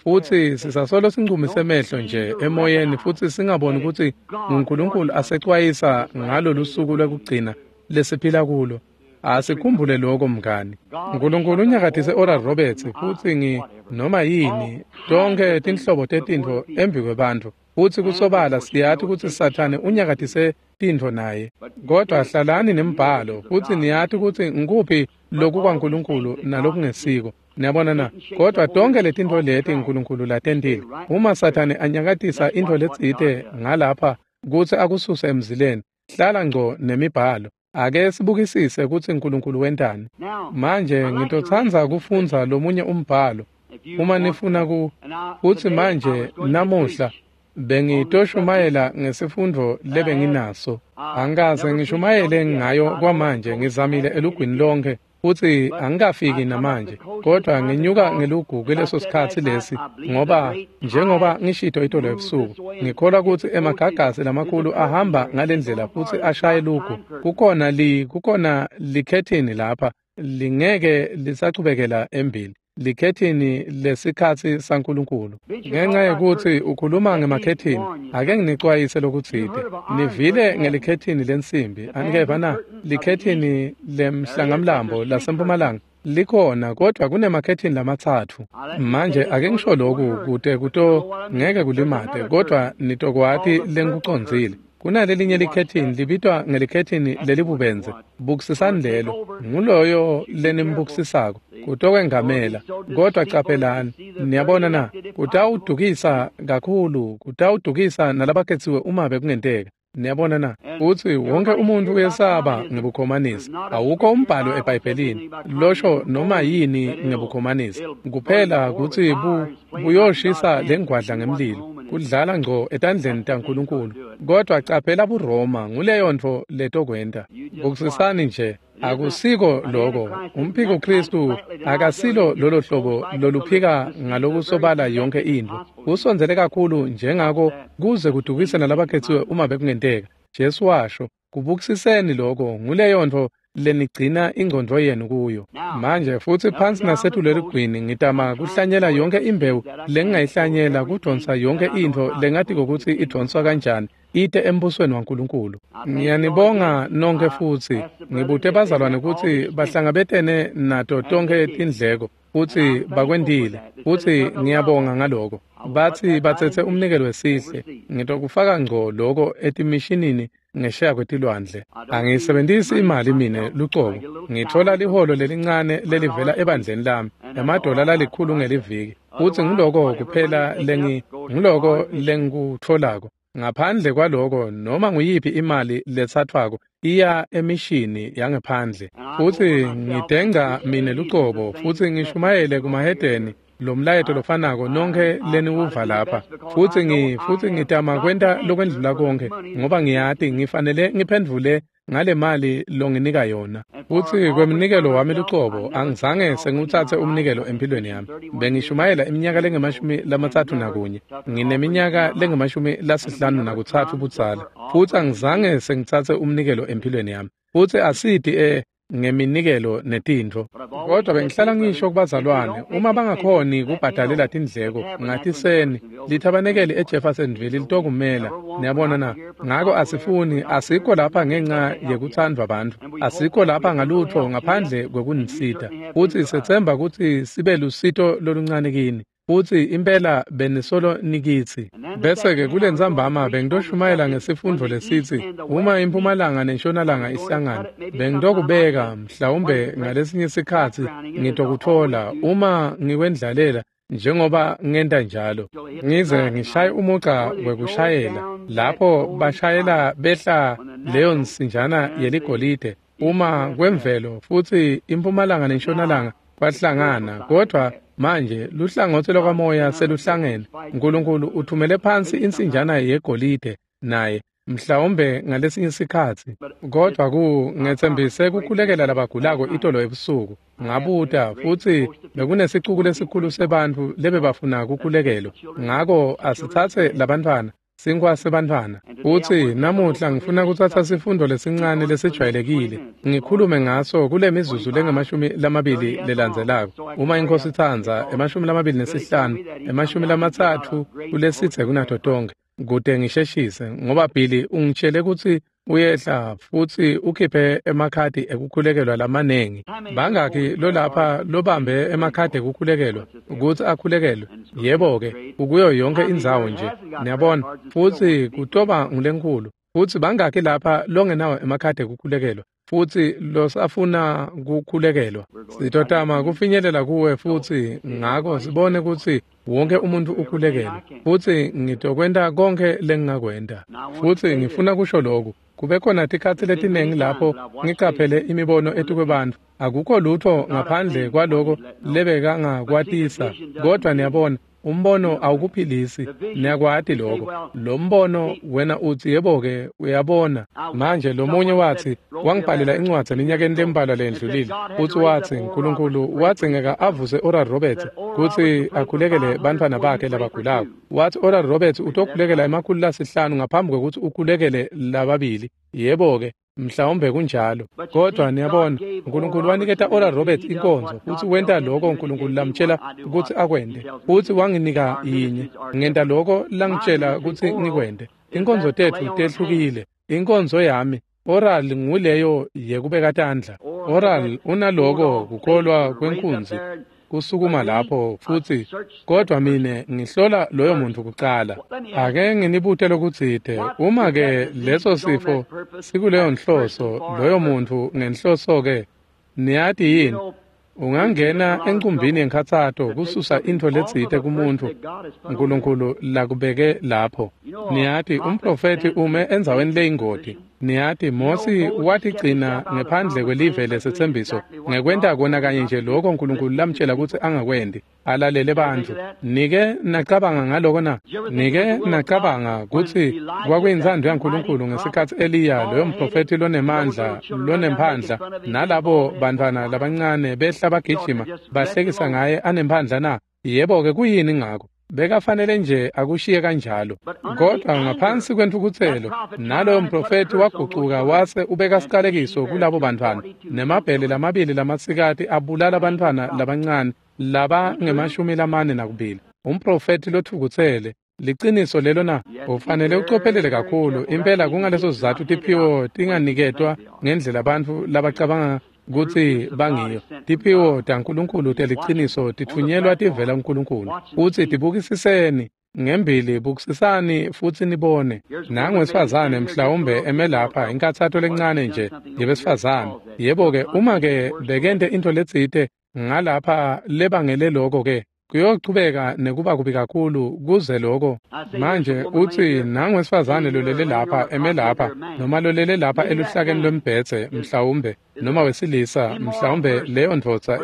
Futsi sisasolo sinchumise emehlo nje emoyeni futsi singaboni kutsi uNkulunkulu asecwayisa ngalolu suku lwekugcina lesiphila kulo. Asikhumbule lokho mngani. uNkulunkulu unyakatise Oral Roberts futsi noma yini tonke tinhlobo tetintfo embi kwebantfu. Futsi kusobala siyati kutsi Sathane unyakatise tintfo naye. Kodwa hlalani nembhalo futsi niyati kutsi ngikuphi loku kwaNkulunkulu nalokungesiko. Niyabona na? Kodwa tonke letintfo leti uNkulunkulu latentile. Uma Sathane anyakatisa intfo letsite ngalapha kutsi akususe emzileni, hlala ngco nemibhalo. Ake sibukisise kutsi uNkulunkulu wentani. Manje ngitotsandza kufundza lomunye umbhalo uma nifuna futsi manje namuhla bengitoshumayela ngesifundvo lebenginaso. Angikaze ngishumayele ngayo kwamanje, ngizamile elugwini lonke futsi angikafiki namanje, kodwa nginyuka ngelugu kuleso sikhatsi lesi ngoba njengoba ngishito itolo ebusuku, ngikholwa kutsi emagagasi lamakhulu ahamba ngalendlela futsi ashaye lugu. Kukhona likhethini lapha lingeke lisachubekela embili. Likhethini lesikhatsi saNkulunkulu. Ngenxa yekutsi ukhuluma ngemakhethini, ake nginicwayise lokutsite. Nivile ngelikhethini lensimbi, anikeva na? Likhethini lemhlangamlambo lasempumalanga likhona, kodwa kunemakhethini lamatsatfu. Manje ake ngisho lokhu kute kuto ngeke kulimate, kodwa nitokwati lengikucondzile. Kunalelinye likhethini libitwa ngelikhethini lelibubenze. Bukisisani lelo, nguloyo lenimbukisisako kutokwengamela. Kodwa caphelani, niyabona na? Kutawudukisa kakhulu, kutawudukisa nalabakhetsiwe uma bekungenteka. Niyabona na? Futsi wonke umuntu uyesaba ngebukhomanisi. Awukho umbhalo eBhayibhelini losho noma yini ngebukhomanisi. Kuphela kutsi buyoshisa lengwadla ngemlilo, kudlala ngco etandleni taNkulunkulu. Kodwa caphela buRoma, nguleyo ntfo letokwenta. Bukisisani nje, akusiko loko. Umphiko Kristu akasilo lolo hlobo loluphika ngalokusobala yonke intfo. Usondzele kakhulu njengako kuze kudukise nalabakhetsiwe uma bekungenteka. Jesu washo, kubukisiseni loko, nguleyo ntfo lenigcina ingcondvo yenu kuyo. Manje futsi phansi nasetulu eligwini ngitama kuhlanyela yonke imbewu lengingayihlanyela, kudonsa yonke intfo lengatiko kutsi idonswa kanjani ite embusweni waNkulunkulu. Ngiyanibonga nonke futsi ngibute bazalwane kutsi bahlangabetene nato tonke tindleko futsi bakwentile, futsi ngiyabonga ngaloko. Batsi batsetse umnikelo wesihle, ngitokufaka ngco loko etimishinini ngesheya kwetilwandle. Angiyisebentisi imali mine lucobo. Ngithola liholo lelincane lelivela ebandleni lami, emadola lalikhulu ngeliviki, futsi ngiloko kuphela ngiloko lengikutfolako. Ngaphandle kwaloko, noma nguyiphi imali letsatswako iya emishini yangephandle. Futsi ngidenga mine lucobo futsi ngishumayele kumahedeni lomlayeto lofanako nonke leniwuva lapha. Futsi ngitama kwenta lokwendlula konke ngoba ngiyati ngifanele ngiphendvule ngale mali longinika yona. Futsi kwemnikelo wami lucobo angizange sengiwutsatse umnikelo empilweni yami. Bengishumayela iminyaka lengama-31, ngineminyaka lengama-53 budzala, futsi angizange sengitsatse umnikelo empilweni yami. Futsi asidi ngeminikelo netintfo. Kodwa bengihlala ngisho kubazalwane, uma bangakhoni kubhadalela tindleko, ngatiseni lithabanekeli eJeffersonville litokumela. Niyabona na? Ngako asifuni, asikho lapha ngenxa yekuthandwa bantfu, asikho lapha ngalutho ngaphandle kwekunisita, futsi sethemba kutsi sibe lusito loluncane kini. Futsi impela benisolo nikitsi. Bese-ke kulentsambama bengitoshumayela ngesifundvo lesitsi uma impumalanga nentshonalanga ihlangana, bengitokubeka mhlawumbe ngalesinye sikhatsi ngitokutfola uma ngikwendlalela njengoba ngenta njalo, ngize ngishaye umugca wekushayela lapho bashayela behla leyo nsinjana yeligolide uma kwemvelo, futsi impumalanga nentshonalanga kwahlangana. Kodwa manje luhlangotsi lwakamoya seluhlangene. Nkulunkulu uthumele phansi insinjana yegolide naye mhlawumbe ngalesinye sikhatsi. Kodwa ngetsembise kukhulekela labagulako itolo ebusuku. Ngabuta futsi bekunesicuku lesikhulu sebantfu lebebafuna kukhulekelwa. Ngako asitsatse labantfwana, sinkwa sebantfwana. Futsi namuhla ngifuna kutsatsa sifundo lesincane lesijwayelekile ngikhulume ngaso kule mizuzu lengamashumi lamabili lelandzelako, uma inkosi itsandza, 25, 30 kulesitse kunato tonkhe, kute ngisheshise, ngoba Billy ungitshele kutsi uyehla futsi ukhiphe emakhadi ekukhulekelwa lamanengi. Bangakhi lolapha lobambe emakhadi ekukhulekelwa kutsi akhulekelwe? Yebo-ke, ukuyo yonke indzawo nje, niyabona, futsi kutoba ngulenkhulu. Futsi bangakhi lapha longenawo emakhadi ekukhulekelwa futsi losafuna kukhulekelwa? Sitotama kufinyelela kuwe futsi ngako sibone kutsi wonke umuntu ukhulekelwe, futsi ngitokwenta konkhe lengingakwenta. Futsi ngifuna kusho lokhu: kube khona tikhatsi letiningi lapho ngicaphele imibono etikwebantfu, akukho lutho ngaphandle kwaloko lebekangakwatisa. Kodwa niyabona, umbono awukuphilisi, niyakwati lokho. Lo mbono, wena utsi, yebo-ke, uyabona manje, lomunye watsi wangibhalela incwadzi eminyakeni lembalwa lendlulile, futsi watsi Nkulunkulu wadzingeka avuse Oral Roberts kutsi akhulekele bantfwana bakhe labagulako. Watsi Oral Roberts utokhulekela 500 ngaphambi kwekutsi ukhulekele lababili. Yebo-ke, mhlawumbe kunjalo. Kodwa niyabona, Nkulunkulu waniketa Oral Roberts inkonzo, futsi wenta lokho Nkulunkulu lamtshela kutsi akwente. Futsi wanginika yinye, ngenta lokho langitshela kutsi ngikwente. Inkonzo tetfu tehlukile. Inkonzo yami oral nguleyo yekubeka tandla. Oral unaloko kukholwa kwenkunzi kusukuma lapho futsi, kodwa mine ngihlola loyo muntu kucala. Ake nginibute lokutsite: uma-ke leso sifo sikuleyo nhloso, loyo muntu ngenhloso-ke, niyati yini, ungangena encumbini yenkhatsato kususa intfo letsite kumuntfu Nkulunkulu lakubeke lapho. Niyati, umprofethi ume endzaweni leyingoti. Niyati, Mosi watigcina ngephandle kwelive lesetsembiso ngekwenta kona kanye nje lokho Nkulunkulu lamtshela kutsi angakwenti, alalele bantfu. Nike nacabanga ngaloko na? Nike nacabanga kutsi kwakuyintsandvo yaNkulunkulu ngesikhatsi Eliya, loyo mprofethi lonemandla lonemphandla, nalabo bantfwana labancane behla bagijima bahlekisa ngaye anemphandla na? Yebo-ke, kuyini ngako? Bekafanele nje akushiye kanjalo. Kodwa ngaphansi kwentfukutselo, naloyo mprofethi wagucuka wase ubeka siqalekiso kulabo bantfwana, nemabhele lamabili lamasikati abulala bantfwana labancane laba nge-42. Umprofethi lotfukutsele. Liciniso lelo na? Ufanele ucophelele kakhulu impela. Kungaleso sizatfu tiphiwo tinganiketwa ngendlela bantfu labacabanga kutsi bangiyo. Tiphiwo taNkulunkulu teliciniso titfunyelwa tivela kuNkulunkulu, futsi tibukisiseni ngembili, bukisisani futsi nibone. Nangu wesifazane mhlawumbe eme lapha, inkathato lencane nje yebesifazane. Yebo-ke, uma-ke bekente intfo letsite ngalapha lebangele loko-ke, kuyochubeka nekuba kubi kakhulu kuze loko. Manje utsi, nangu wesifazane lolele lapha, eme lapha, noma lolele lapha eluhlakeni lwembhedze mhlawumbe, noma wesilisa mhlawumbe, leyo ndvodza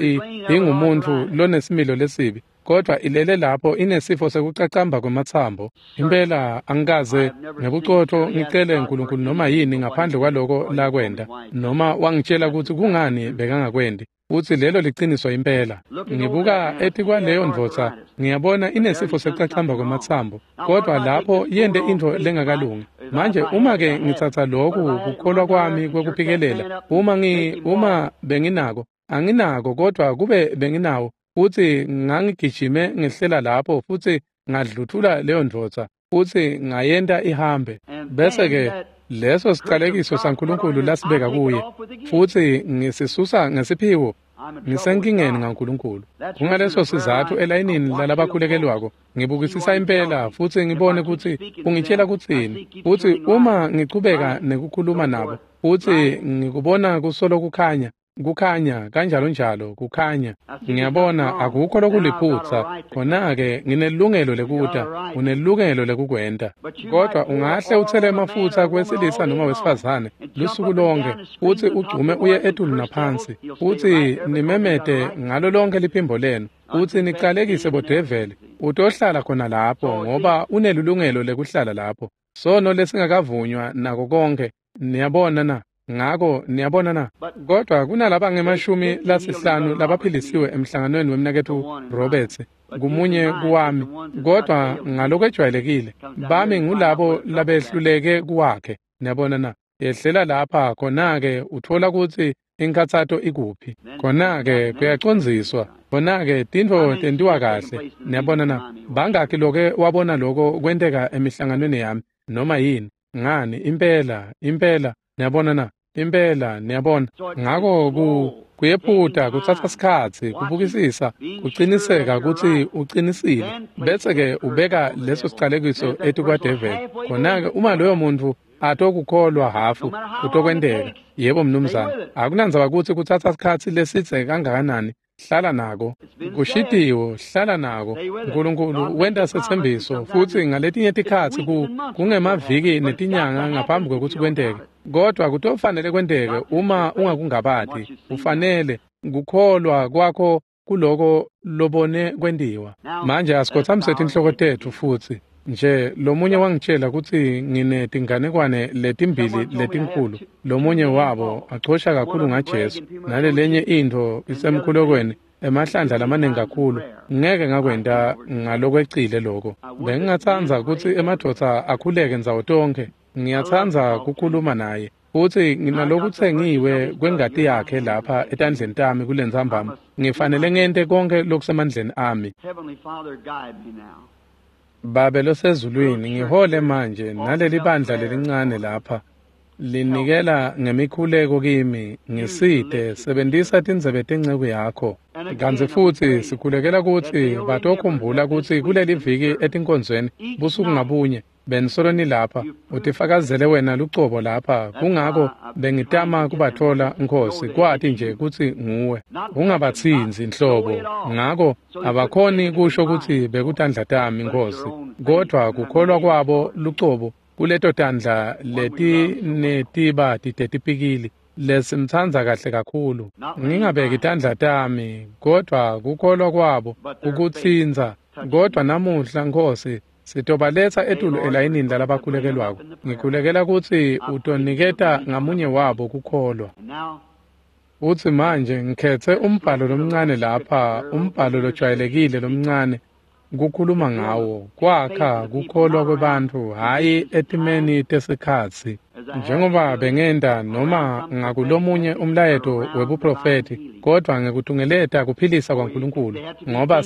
ingumuntfu lonesimilo lesibi, kodwa ilele lapho inesifo sekucacamba kwematsambo. Impela angikaze ngebucotfo ngicele Nkulunkulu noma yini ngaphandle kwaloko lakwenta noma wangitshela kutsi kungani bekangakwenti, futsi lelo liciniso impela. Ngibuka etikwaleyo ndvodza, ngiyabona inesifo sekucacamba kwematsambo, kodwa lapho yente intfo lengakalungi. Manje uma-ke ngitsatsa loku kukholwa kwami kwekuphikelela, uma benginako, anginako kodwa kube benginawo, futsi ngangigijime ngehlela lapho futsi ngadluthula leyo ndvodza futsi ngayenta ihambe, bese-ke leso sicalekiso saNkulunkulu lasibeka kuye futsi ngisisusa ngesiphiwo, ngisenkingeni ngaNkulunkulu. Kungaleso sizatfu elayinini lalabakhulekelwako ngibukisisa impela futsi ngibone kutsi ungitshela kutsini, futsi uma ngichubeka nekukhuluma nabo futsi ngikubona kusolo kukhanya, kukhanya kanjalo njalo kukhanya, ngiyabona akukho lokuliphutsa, khona-ke nginelungelo lekuta, unelungelo lekukwenta. Kodwa ungahle uthele emafutsa kwesilisa noma wesifazane lusuku lonke, futsi ugcume uye etulu naphansi, futsi nimemete ngalo lonke liphimbo lenu, futsi nicalekise bodeveli, utohlala khona lapho ngoba unelungelo lekuhlala lapho. Sono lesingakavunywa nako konke, niyabona na? Ngako niyabona na? Kodwa kunalaba nge-50 labaphilisiwe emhlanganweni wemnaketfu Roberts kumunye kuwami, kodwa ngalokwejwayelekile bami ngulabo labehluleke kuwakhe. Niyabona na? Yehlela lapha khona-ke utfola kutsi inkhatsato ikuphi, khona-ke kuyacondziswa, khona-ke tintfo tentiwa kahle. Niyabona na? Bangakhi loke wabona loko kwenteka emihlanganweni yami noma yini? Ngani, impela, impela. Niyabona na? Impela, niyabona. Ngako kuyephuta, kutsatsa sikhatsi, kubukisisa, kuciniseka kutsi ucinisile, bese-ke ubeka leso sicalekiso etikwadeveli. Khona-ke uma loyo muntfu atokukholwa hafu, kutokwenteka. Yebo mnumzane, akunandzaba kutsi kutsatsa sikhatsi lesidze kangakanani, hlala nako. Kushitiwo, hlala nako. Nkulunkulu wenta setsembiso, futsi ngaletinye tikhatsi kungemaviki netinyanga ngaphambi kwekutsi kwenteke. Kodwa kutofanele kwenteke uma ungakungabati. Ufanele kukholwa kwakho kuloko lobone kwentiwa. Manje asikhotsamise tinhloko tetfu futsi. Nje lomunye wangitshela kutsi nginetinganekwane letimbili letinkhulu, lomunye wabo achosha kakhulu ngaJesu, nalelenye intfo isemkhulekweni emahlandla lamaningi kakhulu. Ngeke ngakwenta ngalokwecile loko. Bengingatsandza kutsi emadvodza akhuleke ndzawo tonkhe. Ngiyatsandza kukhuluma naye, futsi nginalokutsengiwe kwengati yakhe lapha etandleni tami kulentsambama. Ngifanele ngente konke lokusemandleni ami. Babe losezulwini, ngihole manje naleli bandla lelincane lapha linikela ngemikhuleko kimi, ngisite, sebentisa tindzebe tenceku yakho. Kantsi futsi sikhulekela kutsi batokhumbula kutsi kuleli viki etinkonzweni busuku ngabunye benisolo nilapha, utifakazele wena lucobo lapha. Kungako bengitama kubatfola, Nkhosi, kwati nje kutsi nguwe, ungabatsintsi nhlobo. Ngako abakhoni kusho kutsi bekutandla tami, Nkhosi, kodwa kukholwa kwabo lucobo kuleto tandla letinetiba tetipikili lesimtsandza kahle kakhulu. Ngingabeki tandla tami, kodwa kukholwa kwabo kukutsintsa. Kodwa namuhla, Nkhosi, sitobaletsa etulu elayinini lalabakhulekelwako. Ngikhulekela kutsi utoniketa ngamunye wabo kukholwa. Utsi manje ngikhetse umbhalo lomncane lapha, umbhalo lojwayelekile lomncane kukhuluma ngawo, kwakha kukholwa kwebantfu, hhayi etimeni tesikhatsi. Njengoba bengenta noma ngakulomunye umlayeto webuprofethi, kodwa ngekutungeleta kuphilisa kwaNkulunkulu, ngoba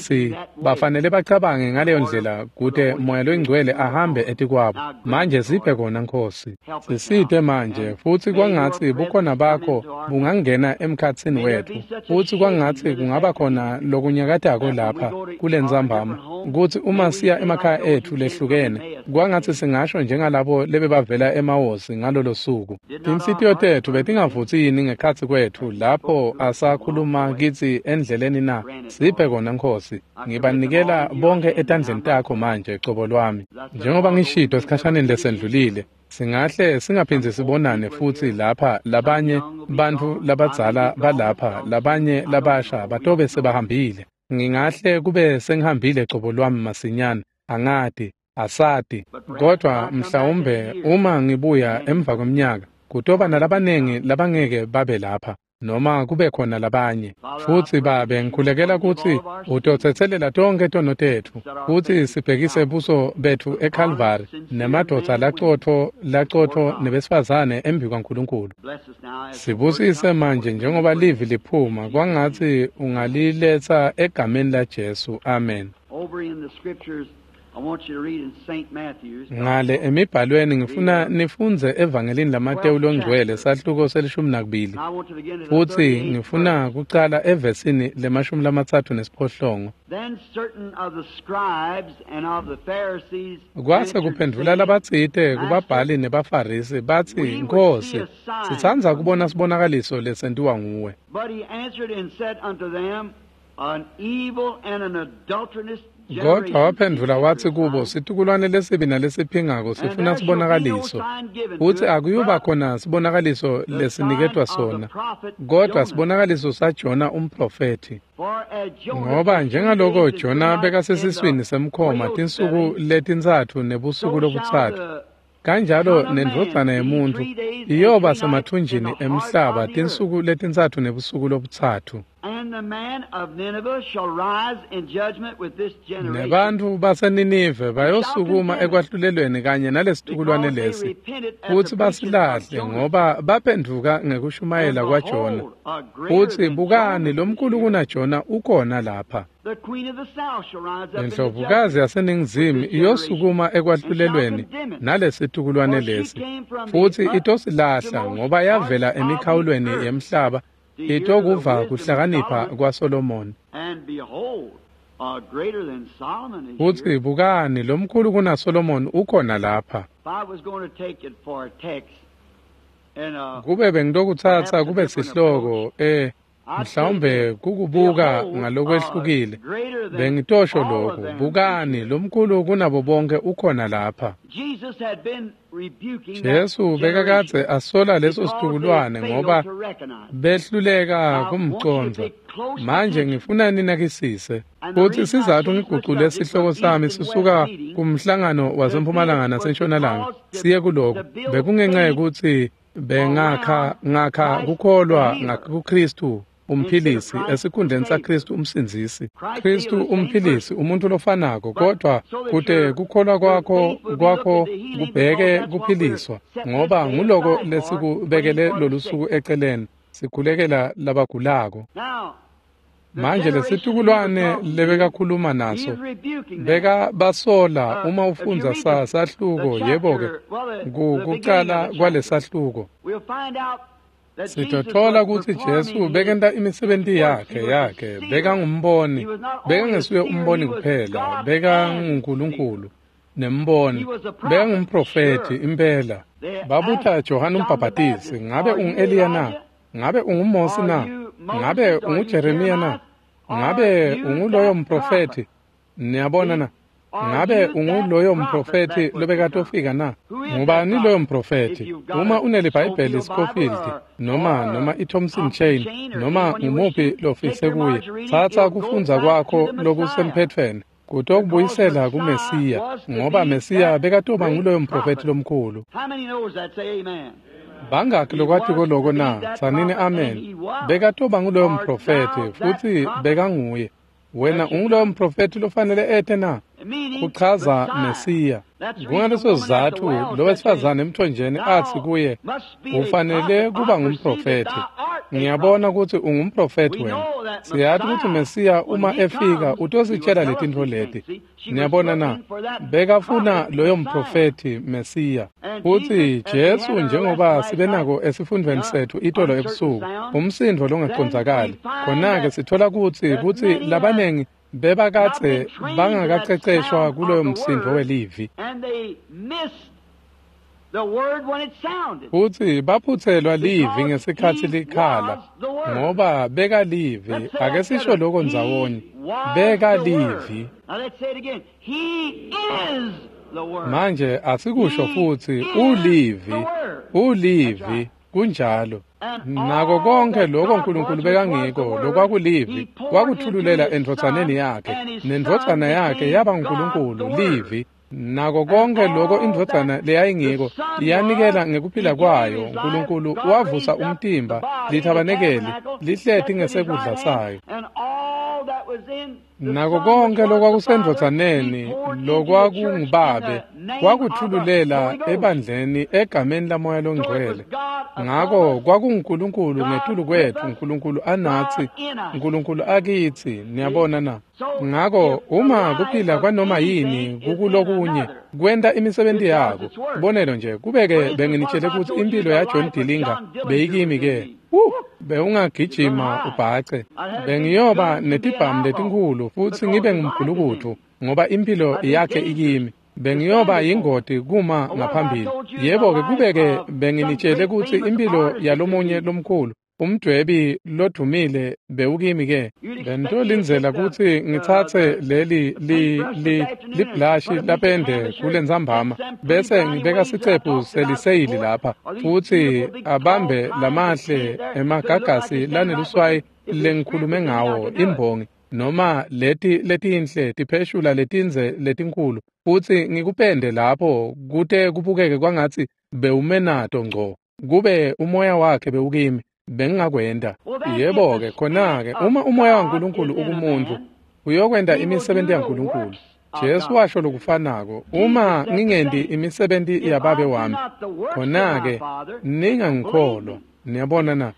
bafanele bacabange ngaleyo ndlela kute Moya loyiNgcwele ahambe etikwabo. Manje siphe kona, Nkhosi. Sisite manje, futsi kwangatsi bukhona bakho bungangena emkhatsini wetfu, futsi kwangatsi kungaba khona lokunyakatako lapha kulentsambama, kutsi uma siya emakhaya etfu lehlukene, kwangatsi singasho njengalabo lebebavela emawosi ngalolo suku. Tinhlitiyo tetfu betingavutsi yini ngekhatsi kwetfu lapho asakhuluma kitsi endleleni na? Siphe kona, Nkhosi. Ngibanikela bonke etandleni takho manje, cobo lwami. Njengoba ngishito esikhashaneni lesendlulile, singahle singaphindzi sibonane futsi lapha. Labanye bantfu labadzala balapha, labanye labasha batobe sebahambile. Ngingahle kube sengihambile cobo lwami masinyane, angati, asati. Kodwa mhlawumbe uma ngibuya emva kweminyaka, kutoba nalabanengi labangeke babe lapha. noma kube khona labanye. Futsi Babe, ngikhulekela kutsi utotsetselela tonkhe tono tetfu, futsi sibhekise buso betfu eKalvari nemadvodza lacotfo nebesifazane embi kwaNkulunkulu. Sibusise manje njengoba livi liphuma, kwangatsi ungaliletsa egameni laJesu. Amen. Ngale emibhalweni ngifuna nifundze evangelini laMateyu longcwele sahluko se-12, futsi ngifuna kucala evesini le-38. Kwase kuphendvula labatsite kubabhali nebaFarisi batsi, Nkhosi, sitsandza kubona sibonakaliso lesentiwa nguwe. Kodwa waphendvula watsi kubo, situkulwane lesibi nalesiphingako sifuna sibonakaliso, futsi akuyuba khona sibonakaliso lesiniketwa sona, kodwa sibonakaliso saJona umprofethi. Ngoba njengaloko Jona bekasesiswini semkhoma tinsuku letintsatfu nebusuku lobutsatfu, kanjalo nendvodzana yemuntfu iyoba semathunjini emhlaba tinsuku letintsatfu nebusuku lobutsatfu. Nebantfu baseNinive bayosukuma ekwahlulelweni kanye nalesitukulwane lesi, futsi basilahle ngoba baphendvuka ngekushumayela kwaJona. Futsi bukani, lomkhulu kunaJona ukhona lapha. Indlovukazi yaseNingizimu iyosukuma ekwahlulelweni nalesitukulwane lesi, futsi itosilahla ngoba yavela emikhawulweni yemhlaba itokuva kuhlakanipha kwaSolomoni. Futsi bukani, lomkhulu kunaSolomoni ukhona lapha. Kube bengitokutsatsa kube sihloko mhlawumbe kukubuka ngalokwehlukile, bengitosho lokhu, bukani, lomkhulu kunabo bonke ukhona lapha. Jesu bekakadze asola leso situkulwane ngoba behluleka kumcondza. Manje ngifuna ninakisise. Futsi sizatfu ngigucule sihloko sami sisuka kumhlangano wasempumalanga nasentshonalanga siye kuloko, bekungenxa yekutsi bengakha kukholwa kuKristu umphilisi esikhundleni saKristu umsindzisi. Kristu umphilisi, umuntu lofanako, kodwa kute kukholwa kwakho kubheke kuphiliswa, ngoba nguloko lesikubekele lolusuku eceleni, sikhulekela labagulako. Manje lesitukulwane lebekakhuluma naso beka basola. Uma ufundza sahluko, yebo-ke, kucala kwalesahluko sitothola kutsi Jesu bekenta imisebenti yakhe, bekangumboni, bekangesuye umboni kuphela, bekanguNkulunkulu nemboni, bekangumprofethi impela. Babuta Johane umbhabhatisi, ngabe ungu-Eliya na? Ngabe unguMosi na? Ngabe unguJeremiya na? Ngabe unguloyo mprofethi? Niyabona na? Ngabe unguloyo mprofethi lobekatofika na? Ngubani loyo mprofethi? Uma uneliBhayibheli Scofield noma iThompson Chain noma ngumuphi lofise kuye, tsatsa kufundza kwakho lokusemphethweni kutokubuyisela kuMesiya, ngoba Mesiya bekatoba nguloyo mprofethi lomkhulu. Bangakhi lokwatiko loko na? Tsanini amen. Bekatoba nguloyo mprofethi, futsi bekanguye. Wena unguloyo mprofethi lofanele ete na? Kuchaza Mesiya. Kungaleso sizatfu lowesifazane emthonjeni atsi kuye, ufanele kuba ngumprofethi. Ngiyabona kutsi ungumprofethi wena. Siyati kutsi Mesiya uma efika utositshela letintfo leti. Niyabona na? Bekafuna loyo mprofethi Mesiya. Futsi Jesu, njengoba sibe nako esifundvweni setfu itolo ebusuku, umsindvo longacondzakali. Khona-ke sithola kutsi labanengi bebakadze bangakaceceshwa kuloyo msindvo welivi, futsi baphutselwa livi ngesikhatsi likhala, ngoba bekalivi. Ake sisho lokho ndzawonye, bekalivi. Manje asikusho futsi, ulivi, ulivi, kunjalo. Nako konke lokho uNkulunkulu bekangiko, lokwakulivi, wakuthululela endvodzaneni yakhe, nendvodzana yakhe yaba nguNkulunkulu, livi. Nako konke lokho indvodzana leyayingiko yanikela ngekuphila kwayo. Nkulunkulu wavusa umtimba, lithabanekeli lihleti ngesekudla sayo. Nako konke lokwakusendvodzaneni lokwakungubabe wakuthululela ebandleni egameni laMoya loNgcwele. Ngako kwakunguNkulunkulu ngetulu kwetfu, Nkulunkulu anatsi, Nkulunkulu akitsi. Niyabona na? Ngako uma kuphila kwanoma yini kukulokunye kwenta imisebenti yako. Bonelo nje kubeke benginitshele ukuthi impilo ya John Dillinger beyikimi ke. Bewungagijima ubhace. Bengiyoba netibhamu letinkhulu futhi ngibe ngumgulukutfu ngoba impilo yakhe ikimi. Bengiyoba yingoti kuma ngaphambili. Yebo-ke kubeke benginitshele ukuthi impilo yalomunye lomkhulu umdwebi lodumile bewukimi ke. Bentolindzela ukuthi ngitsatse leli liblashi lapende kulentsambama bese ngibeka sicephu seliseyili lapha futhi abambe lamahle emagagasi laneluswayi lengikhulume ngawo imbongi noma leti letinhle tipheshula letindze letinkulu futhi ngikupende lapho kute kubukeke kwangatsi bewumenato ngco kube umoya wakhe bewukimi bengingakwenta. Yebo-ke khona-ke uma umoya waNkulunkulu ukumuntu uyokwenta imisebenzi yaNkulunkulu. Jesu washo lokufanako, uma ngingenti imisebenzi yababe wami khona-ke ningangikholwa. Niyabona na?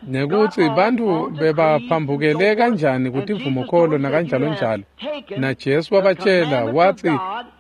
Nekuthi bantfu bebaphambukele kanjani kutivumokholo nakanjalo njalo. Na Jesu wabatshela wathi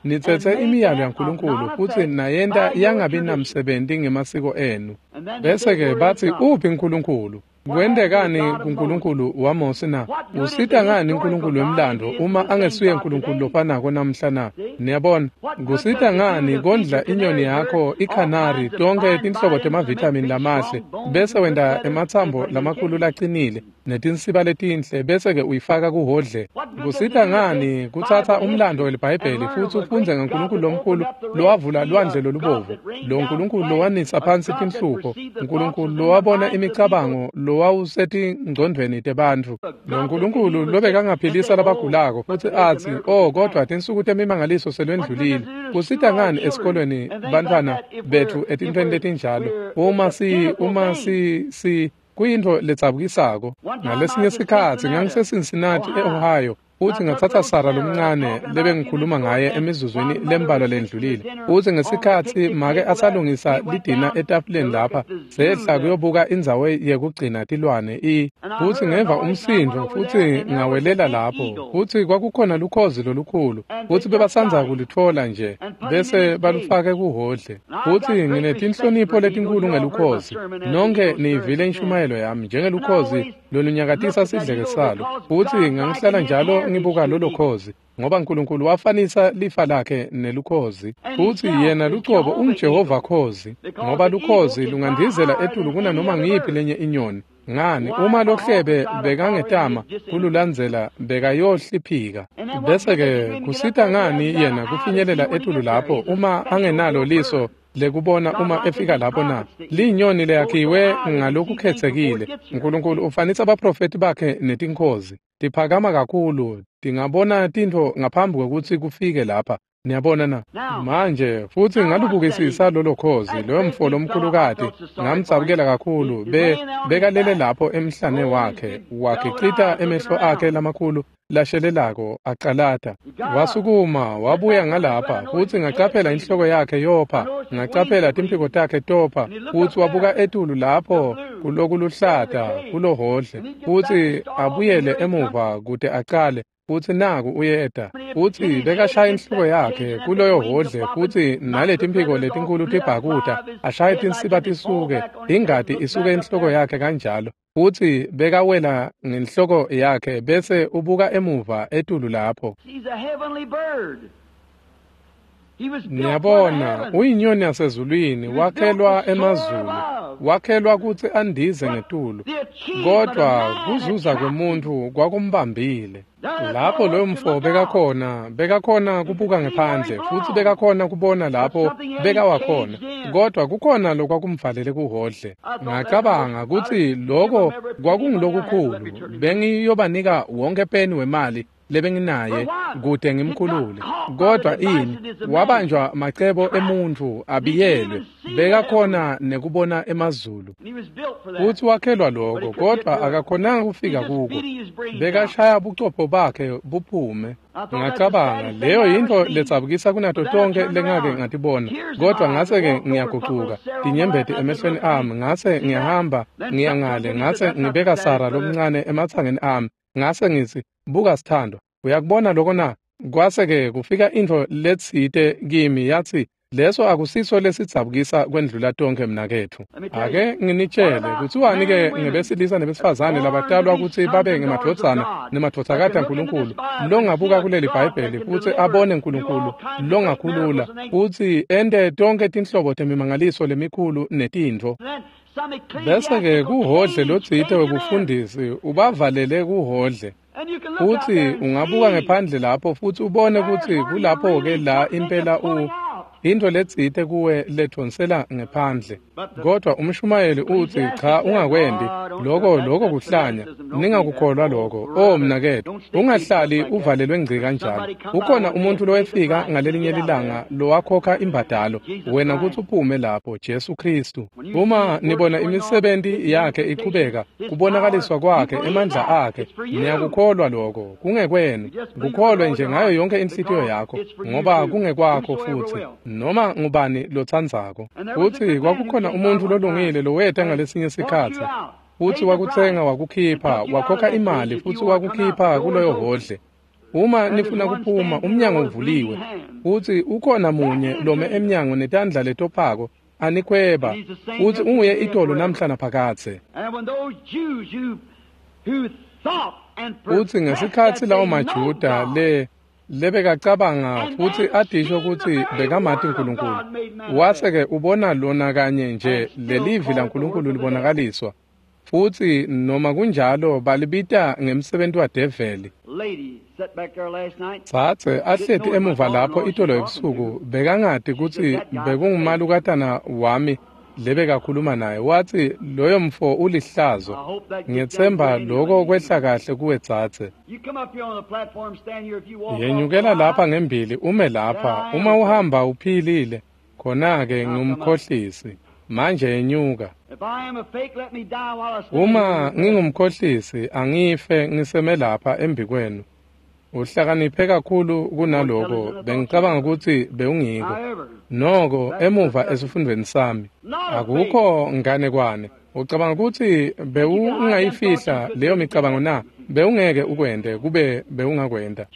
nitsetse imiyalo yaNkulunkulu futhi nayenta yangabi namsebenzi ngemasiko enu. Bese-ke bathi uphi uNkulunkulu? Kwentekani kuNkulunkulu waMose na? Usita ngani uNkulunkulu wemlando uma angesuye uNkulunkulu lofanako namhla na? Niyabona, kusita ngani kondla inyoni yakho ikhanari tonke tinhlobo temavithamini lamahle bese wenta ematsambo lamakhulu lacinile netinsiba letinhle bese-ke uyifaka kuhodle? Kusita ngani kutsatsa umlando weliBhayibheli futhi ufundze ngaNkulunkulu lomkhulu lowavula lwandle lolubovu, lo Nkulunkulu lowanisa phansi tinhlupho, Nkulunkulu lowabona imicabango lowawusetingcondvweni tebantfu, lo Nkulunkulu lobekangaphilisa labagulako futhi atsi, oh kodwa tinsuku temimangaliso selwendlulile. Kusita ngani esikolweni bantfwana betfu etintfweni letinjalo uma si kuyintfo ledzabukisako? Ngalesinye sikhatsi ngangiseCincinnati e-Ohio futhi ngathatha Sara lomncane lebengikhuluma ngaye emizuzwini lembalwa lendlulile. Futhi ngesikhatsi make asalungisa lidina etafuleni lapha sehla kuyobuka indzawo yekugcina tilwane futhi ngeva umsindo futhi ngawelela lapho futhi kwakukhona lukhozi lolukhulu futhi bebasandza kulutfola nje bese balufake kuhodle. Futhi nginetinhlonipho letinkulu ngelukhozi. Nonke niyivile inshumayelo yami njengelukhozi lolunyakatisa sidleke salo. Futhi ngangihlala njalo ngibuka lolo khozi ngoba uNkulunkulu wafanisa lifa lakhe nelukhozi. Futhi yena lucobo unguJehova khozi ngoba lukhozi lungandizela etulu kunanoma ngiyiphi lenye inyoni. Ngani uma lohlebe bekangetama kululandzela bekayohliphika. Bese-ke kusita ngani yena kufinyelela etulu lapho uma angenalo liso lekubona uma efika lapho na? Linyoni leyakhiwe ngalokukhetsekile. uNkulunkulu ufanisa abaprofeti bakhe netinkhozi. Tiphakama kakhulu, tingabona tintfo ngaphambi kwekutsi kufike lapha. Niyabona na? Manje futhi ngalubukisisa lolo khozi, loyo mfo lomkhulukati, ngamdzabukela kakhulu. Bekalele lapho emhlane wakhe, wagicita emehlo akhe lamakhulu lashelelako acalata. Wasukuma wabuya ngalapha futhi ngacaphela inhloko yakhe yopha, ngacaphela timphiko takhe topha, futhi wabuka etulu lapho kulokuluhlata kulohodle, futhi abuyele emuva kute acale. Futhi naku uyeta futhi bekashaya inhloko yakhe kuloyo hodle futhi naletimphiko letinkulu tibhakuta ashaye tinsiba tisuke ingati isuke inhloko yakhe kanjalo futhi bekawela ngenhloko yakhe bese ubuka emuva etulu lapho. Niyabona, uyinyoni yasezulwini, wakhelwa emazulu, wakhelwa kutsi andize ngetulu, kodwa kuzuza kwemuntfu kwakumbambile. Lapho loyo mfo bekakhona kubuka ngephandle futhi bekakhona kubona lapho bekawakhona, kodwa kukhona lokwakumvalele kuhodle. Ngacabanga kutsi loko kwakungulokukhulu, bengiyobanika wonke peni wemali lebenginaye kute ngimkhulule. Kodwa ini wabanjwa macebo emuntfu abiyelwe, bekakhona nekubona emazulu. Futhi wakhelwa lokho, kodwa akakhonanga kufika kuko. Bekashaya buchopho bakhe buphume. Ngacabanga leyo yintfo letsabukisa kunato tonkhe lengake ngatibona, kodwa ngase-ke ngiyagucuka tinyembeti emehlweni ami, ngase ngiyahamba ngiyangale, ngase ngibeka Sara lomncane ematsangeni ami, ngase ngitsi, buka sithandwa, uyakubona lokho na? Kwase-ke kufika intfo letsite kimi yatsi, leso akusiso lesidzabukisa kwendlula tonkhe mnaketfu. Ake nginitshele kutsiwani-ke ngebesilisa nebesifazane labatalwa kutsi babe ngemadvodzana nemadvodzakati aNkulunkulu, longabuka kuleli Bhayibheli futsi abone Nkulunkulu longakhulula futsi ente tonkhe tinhlobo temimangaliso lemikhulu netintfo. Bese-ke kuhodle lotsite webufundisi ubavalele kuhodle. Futsi ungabuka ngephandle lapho futsi ubone kutsi kulapho-ke la impela into letsite kuwe lethonsela ngephandle. Kodwa umshumayeli utsi, cha, ungakwendi lokho, kuhlanya, ningakukholwa lokho. Oh mnaketfu, ungahlali uvalelwe ngci kanjalo. Ukhona umuntu lowefika ngalelinye lilanga lowakhokha imbadalo wena kutsi uphume lapho, Jesu Kristu. Uma nibona imisebenti yakhe ichubeka, kubonakaliswa kwakhe, emandla akhe, niyakukholwa lokho. Kungekwenu, kukholwe nje ngayo yonke inhlitiyo yakho, ngoba kungekwakho futhi noma ngubani lotsandzako. Futsi kwakukhona umuntu lolungile loweta ngalesinye sikhatsi, futsi wakutsenga wakukhipha, wakhokha imali futsi wakukhipha kuloyo hodle. Uma nifuna kuphuma, umnyango uvuliwe, futsi ukhona munye lome emnyango netandla letophako anikhweba, futsi unguye itolo namhla naphakadze. Futsi ngesikhatsi lawo maJuda lebekacabanga futsi adisho kutsi bekamati Nkulunkulu, wase-ke ubona lona kanye nje lelivi laNkulunkulu libonakaliswa, futsi noma kunjalo balibita ngemsebenti wadeveli. Tsatse ahleti emuva lapho itolo ebusuku, bekangati kutsi bekungumalukatana wami lebekakhuluma naye. Watsi, loyo mfo ulihlazo. Ngiyetsemba lokho kwehla kahle kuwe tsatse. Yenyukela lapha ngembili ume lapha, uma uhamba uphilile, khona-ke ngumkhohlisi. Manje yenyuka. Uma ngingumkhohlisi, angife ngiseme lapha embikwenu. Uhlakaniphe kakhulu kunaloko bengicabanga kutsi bewungiko. Noko emuva esifundweni sami akukho nganekwane. Ucabanga kutsi bewungayifihla leyo micabango na? Bewungeke ukwente kube bewungakwenta.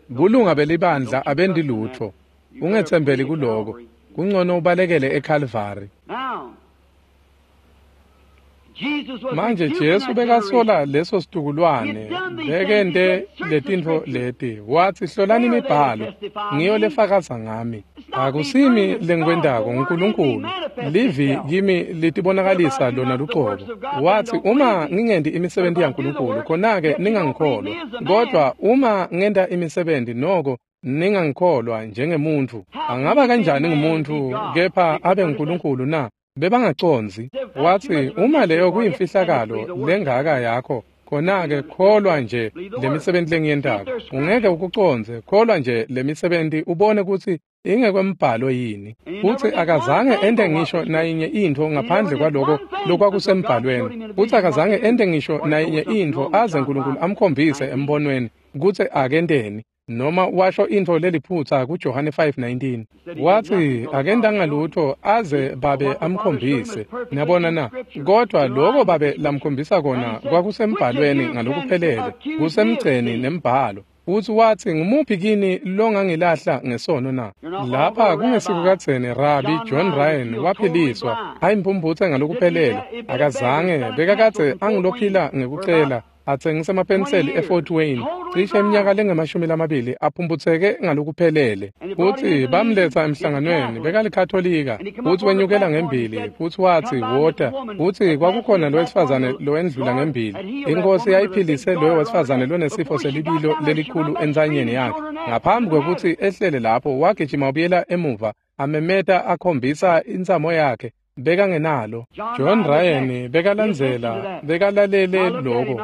Bulunga belibandla abendi lutfo. Ungetsembeli kuloko. Kungcono ubalekele eCalvary. Manje Jesu bekasola leso situkulwane bekente letintfo leti. Watsi, hlolani imibhalo, ngiyo lefakaza ngami. Akusimi lengikwentako, nguNkulunkulu. Livi kimi litibonakalisa lona lucobo. Watsi, uma ngingenti imisebenti yaNkulunkulu, khona-ke ningangikholwa. Kodwa uma ngenta imisebenti, noko ningangikholwa njengemuntfu. Angaba kanjani ngumuntu kepha abe nguNkulunkulu na? Bebangacondzi. Watsi, uma leyo kuyimfihlakalo lengaka yakho, khona-ke kholwa nje lemisebenti lengiyentako. Ungeke ukucondze, kholwa nje lemisebenti ubone kutsi ingekwembhalo yini. Futsi akazange ente ngisho nayinye intfo ngaphandle kwaloko lokwakusembhalweni. Futsi akazange ente ngisho nayinye intfo aze Nkulunkulu amkhombise embonweni kutsi akenteni, noma washo intfo leliphutsa kuJohane 5:19. Watsi akentanga lutfo aze babe amkhombise. Niyabona na? Kodwa loko babe lamkhombisa kona kwakusembhalweni ngalokuphelele, kusemgceni nembhalo. Futsi watsi, ngumuphi kini longangilahla ngesono na? Lapha kungesikukadzeni Rabi John Ryan waphiliswa, ayimphumphutse ngalokuphelele. Akazange, bekakadze angulophila ngekucela, atsengisa emapenseli eFort Wayne cishe iminyaka lengama-20, aphumputseke ngalokuphelele. Futsi bamletsa emhlanganweni, bekalikhatolika, futsi wenyukela ngembili, futsi watsi, wota. Futsi kwakukhona lo wesifazane lowendlula ngembili. Inkosi yayiphilise loyo wesifazane lonesifo selibilo lelikhulu entsanyeni yakhe. Ngaphambi kwekutsi ehlele lapho, wagijima ubuyela emuva, amemeta akhombisa intsamo yakhe. Bekangenalo. John Ryan bekalandzela, bekalalele lokho.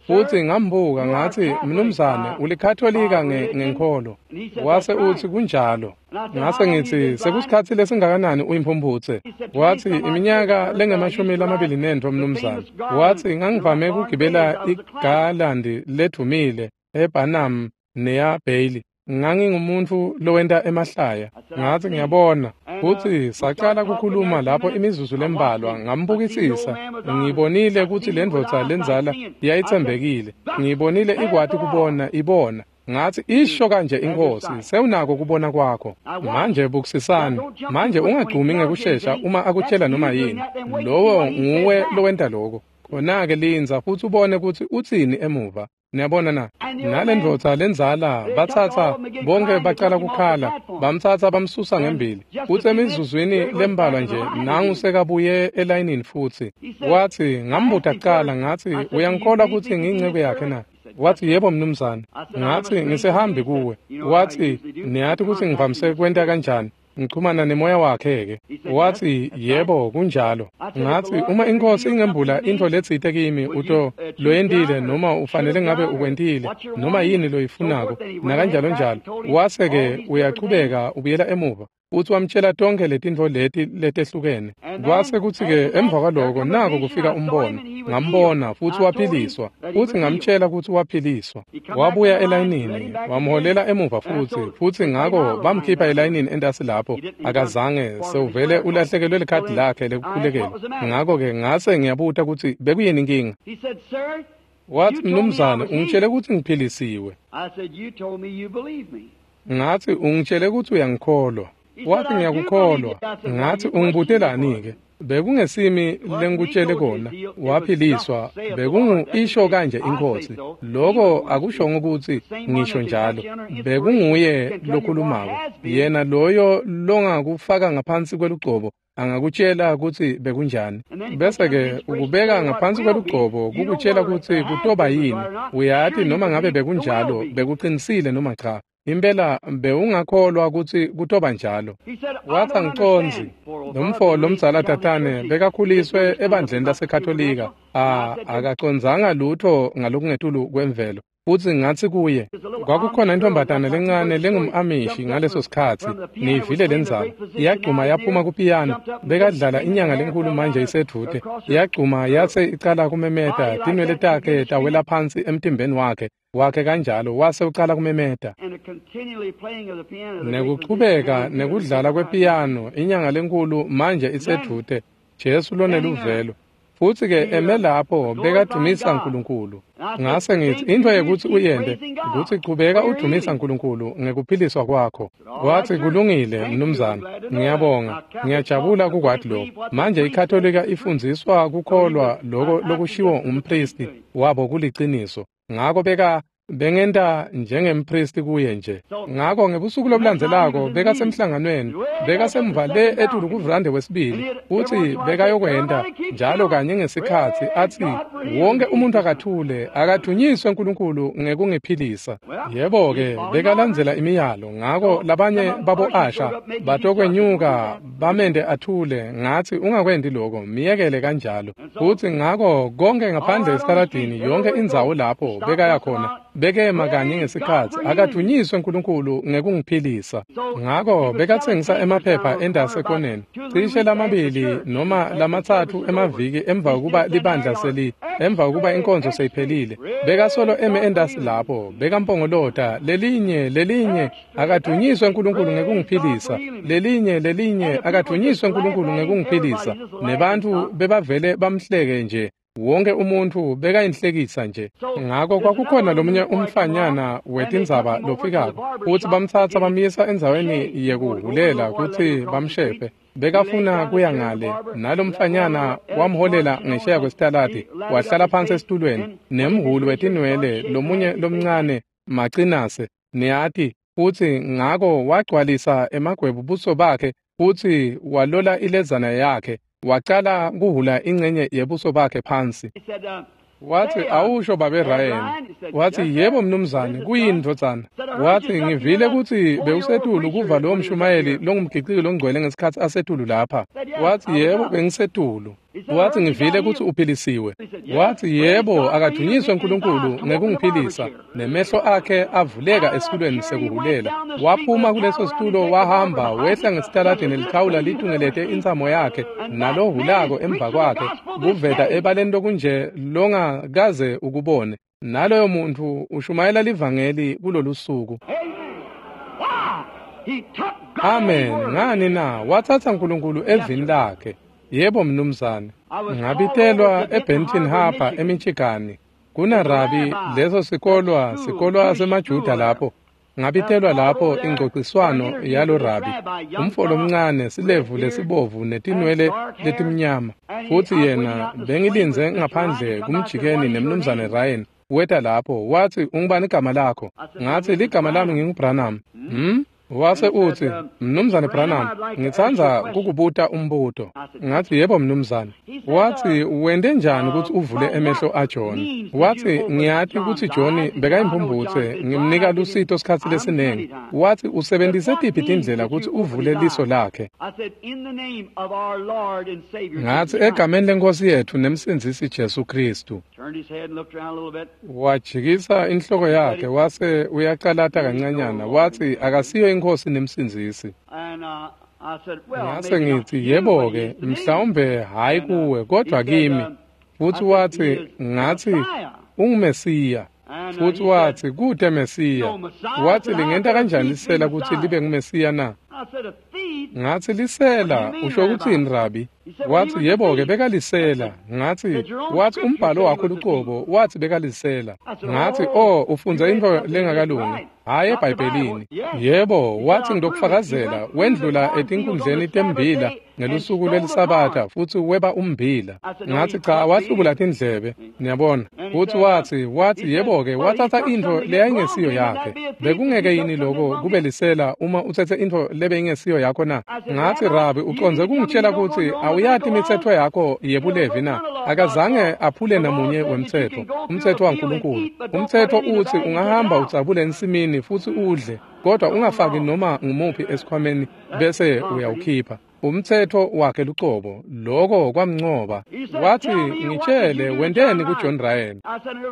Futsi ngambuka ngatsi, "Mnumzane, ulikhatolika ngenkholo." Wase utsi, "Kunjalo." Ngase ngitsi, "Sekusikhatsi lesingakanani uyimphumphutse?" Watsi, "Iminyaka lengu-28, mnumzane." Watsi, "Ngangivame kugibela igalandi ledvumile eBarnum neya Bailey. Ngangingumuntfu lowenta emahlaya." Ngatsi, "Ngiyabona." Futsi sacala kukhuluma lapho imizuzu lembalwa, ngambukisisa. Ngibonile kutsi lendvodza lendzala yayitsembekile. Ngibonile ikwati kubona ibona. Ngatsi, "Isho kanje iNkhosi, sewunako kubona kwakho. Manje bukisisani. Manje ungagcumi ngekushesha uma akutshela noma yini. Lowo nguwe lowenta lokho. Khona-ke lindza futsi ubone kutsi utsini emuva." Niyabona na? Nalendvodza lendzala batsatsa bonke bacala kukhala, bamtsatsa bamsusa ngembili. Futsi emizuzwini lembalwa nje nangu sekabuye elayinini futsi. Watsi, ngambuta kucala ngatsi, "Uyangikholwa kutsi ngiyinceku yakhe na?" Watsi, "Yebo mnumzane." Ngatsi, "Ngisehambi kuwe." Watsi, "Niyati kutsi ngivamise kwenta kanjani? Ngichumana nemoya wakhe-ke." Watsi, "Yebo, kunjalo." Ngatsi, "Uma iNkhosi ingembula intfo letsite kimi uto loyentile noma ufanele ngabe ukwentile noma yini loyifunako nakanjalo njalo." Wase-ke uyachubeka ubuyela emuva. Futsi wamtshela tonkhe letintfo leti letehlukene. Kwase kutsi-ke emva kwaloko nako kufika umbono. Ngambona futsi waphiliswa. Futsi ngamtshela kutsi waphiliswa. Wabuya elayinini, wamholela emuva futsi. Futsi ngako bamkhipha elayinini entasi lapho. Akazange, sewuvele ulahlekelwe likhadi lakhe lekukhulekelwa. Ngako-ke ngase ngiyabuta kutsi bekuyini inkinga. Watsi, "Mnumzane, ungitshele kutsi ngiphilisiwe." Ngatsi, "Ungitshele kutsi uyangikholwa." Watsi, "Ngiyakukholwa." Ngatsi, "Ungibutelani-ke? Bekungesimi lengikutshele kona. Waphiliswa. Bekungu isho kanje iNkhosi. Lokho akushongo kutsi ngisho njalo. Bekunguye lokhulumako. Yena loyo longakufaka ngaphansi kwelugcobo angakutshela kutsi bekunjani. Bese-ke ukubeka ngaphansi kwelugcobo kukutshela kutsi kutoba yini. Uyati noma ngabe bekunjalo, bekuqinisile noma cha. Impela bewungakholwa kutsi kutoba njalo." Watsi, "Angicondzi." Lomfo lomdzala tatane bekakhuliswe ebandleni laseKhatolika. Akacondzanga lutho ngalokungetulu kwemvelo. Futsi ngatsi kuye, kwakukhona intombatana lencane lengum-Amishi ngaleso sikhatsi, niyivile lendzaba. Yagcuma yaphuma kupiyano, bekadlala inyanga lenkulu manje isedvute. Yagcuma yase icala kumemeta, tinwele takhe tawela phansi emtimbeni wakhe kanjalo, wase ucala kumemeta. Nekuchubeka nekudlala kwepiyano, inyanga lenkulu manje isedvute, Jesu loneluvelo. Futsi-ke eme lapho bekadumisa Nkulunkulu. Ngase ngitsi, "Intfo yekutsi uyente kutsi chubeka udumisa Nkulunkulu ngekuphiliswa kwakho." Watsi, "Kulungile mnumzane, ngiyabonga, ngiyajabula kukwati lokho." Manje iKhatolika ifundziswa kukholwa loko lokushiwo ngumpristi wabo kuliciniso. Ngako bengenta njengempristi kuye nje. Ngako ngebusuku lobulandzelako bekasemhlanganweni, bekasemva le etulu kuvrande wesibili, futsi bekayokwenta njalo kanye ngesikhatsi atsi, "Wonke umuntu akathule, akadunyiswe Nkulunkulu ngekungiphilisa." Yebo-ke, bekalandzela imiyalo. Ngako labanye babo-asha batokwenyuka bamente athule. Ngatsi, "Ungakwenti loko, miyekele kanjalo." Futsi ngako konke ngaphandle esitaladini, yonke indzawo lapho bekaya khona, bekema kanye ngesikhatsi, "Akadunyiswe Nkulunkulu ngekungiphilisa." Ngako bekatsengisa emaphepha endasi ekoneni, cishe lamabili noma lamatsatfu emaviki emva kokuba libandla emva kokuba inkonzo seyiphelile. Bekasolo eme endasi lapho, bekampongolota, "Lelinye, lelinye, akadunyiswe Nkulunkulu ngekungiphilisa. Lelinye, lelinye, akadunyiswe Nkulunkulu ngekungiphilisa." Nebantfu bebavele bamhleke nje. Wonke umuntfu bekayinhlekisa nje. Ngako kwakukhona lomunye umfanyana wetindzaba lofikako, futsi bamtsatsa bamyisa endzaweni yekuhulela kutsi bamshefe. Bekafuna kuya ngale, nalomfanyana wamholela ngesheya kwesitaladi, wahlala phansi esitulweni, nemhulu wetinwele lomunye lomncane macinase, niyati, futsi ngako wagcwalisa emagwebu buso bakhe futsi walola ilezana yakhe. Wacala kuhula ingcenye yebuso bakhe phansi. Wathi, awusho babe Ryan. Wathi, yebo mnumzane, kuyini ndvodzana? Wathi, ngivile kutsi bewusetulu kuva lowo mshumayeli longumgiciki longcwele ngesikhatsi asetulu lapha. Wathi, yebo bengisetulu. Wathi, ngivile kutsi uphilisiwe. Wathi, yebo, akadunyiswe uNkulunkulu ngekungiphilisa. Nemehlo akhe avuleka esitulweni sekuhulela. Waphuma kuleso situlo wahamba wehla ngesitaladini lithawula litungelete intsamo yakhe nalohulako emva kwakhe kuveta ebaleni lokunje longakaze ukubone. Naloyo muntu ushumayela livangeli kulolu suku. Amen. Ngani na? Wathatha uNkulunkulu evini lakhe. Yebo mnumzane. Ngabitelwa eBenton Harbor eMichigan. Kuna rabi leso sikolwa semaJuda lapho. Ngabitelwa lapho ingcociswano yalo rabi. Umfo lomncane silevu lesibovu netinwele letimnyama. Futhi yena bengilinze ngaphandle kumjikeni nemnumzane Ryan. Weta lapho wathi, ungubani igama lakho? Ngathi, ligama lami nginguBranham. Wase uthi, mnumzane Branham, ngitsandza kukubuta umbuto. Ngathi, yebo mnumzane. Wathi, wente njani ukuthi uvule emehlo aJohn? Wathi, ngiyati ukuthi John bekayimphumphutse, ngimnika lusito sikhatsi lesiningi. Wathi, usebenzise tiphi tindlela ukuthi uvule liso lakhe? Ngathi, egameni lenkosi yethu nemsindzisi Jesu Kristu. Wajikisa inhloko yakhe wase uyacalata kancanyana, wathi akasiyo inkosi nemsindzisi. Ngase ngithi, yebo-ke, mhlawumbe hhayi kuwe kodwa kimi. Futhi wathi, ngathi unguMesiya. Futhi wathi, kute Mesiya. Wathi, lingenta kanjani lisela ukuthi libe nguMesiya na? Ngathi, lisela usho ukuthini rabi? Wathi, yebo-ke, bekalisela. Ngathi, wathi umbhalo wakho lucobo wathi bekalisela. Ngathi, oh, ufundza intfo lengakalungi, hhayi eBhayibhelini. Yebo, wathi ngitokufakazela, wendlula etinkundleni tembila ngelusuku lweliSabatha futhi weba umbila. Ngathi, cha, wahlubula tindlebe, niyabona. Futhi wathi yebo-ke, wathatha intfo leyayingesiyo yakhe. Bekungeke yini lokho kube lisela uma uthethe intfo lebeyingesiyo yakho na? Ngathi, rabi, ucondze kungitshela ukuthi awuyati imitsetfo yakho yebulevi na? Akazange aphule namunye wemtsetfo, umtsetfo waNkulunkulu. Umtsetfo uthi ungahamba udzabule ensimini futhi udle, kodwa ungafaki noma ngumuphi esikhwameni bese uyawukhipha. Umtsetfo wakhe lucobo, lokho kwamncoba. Wathi, ngitshele wenteni kuJohn Ryan?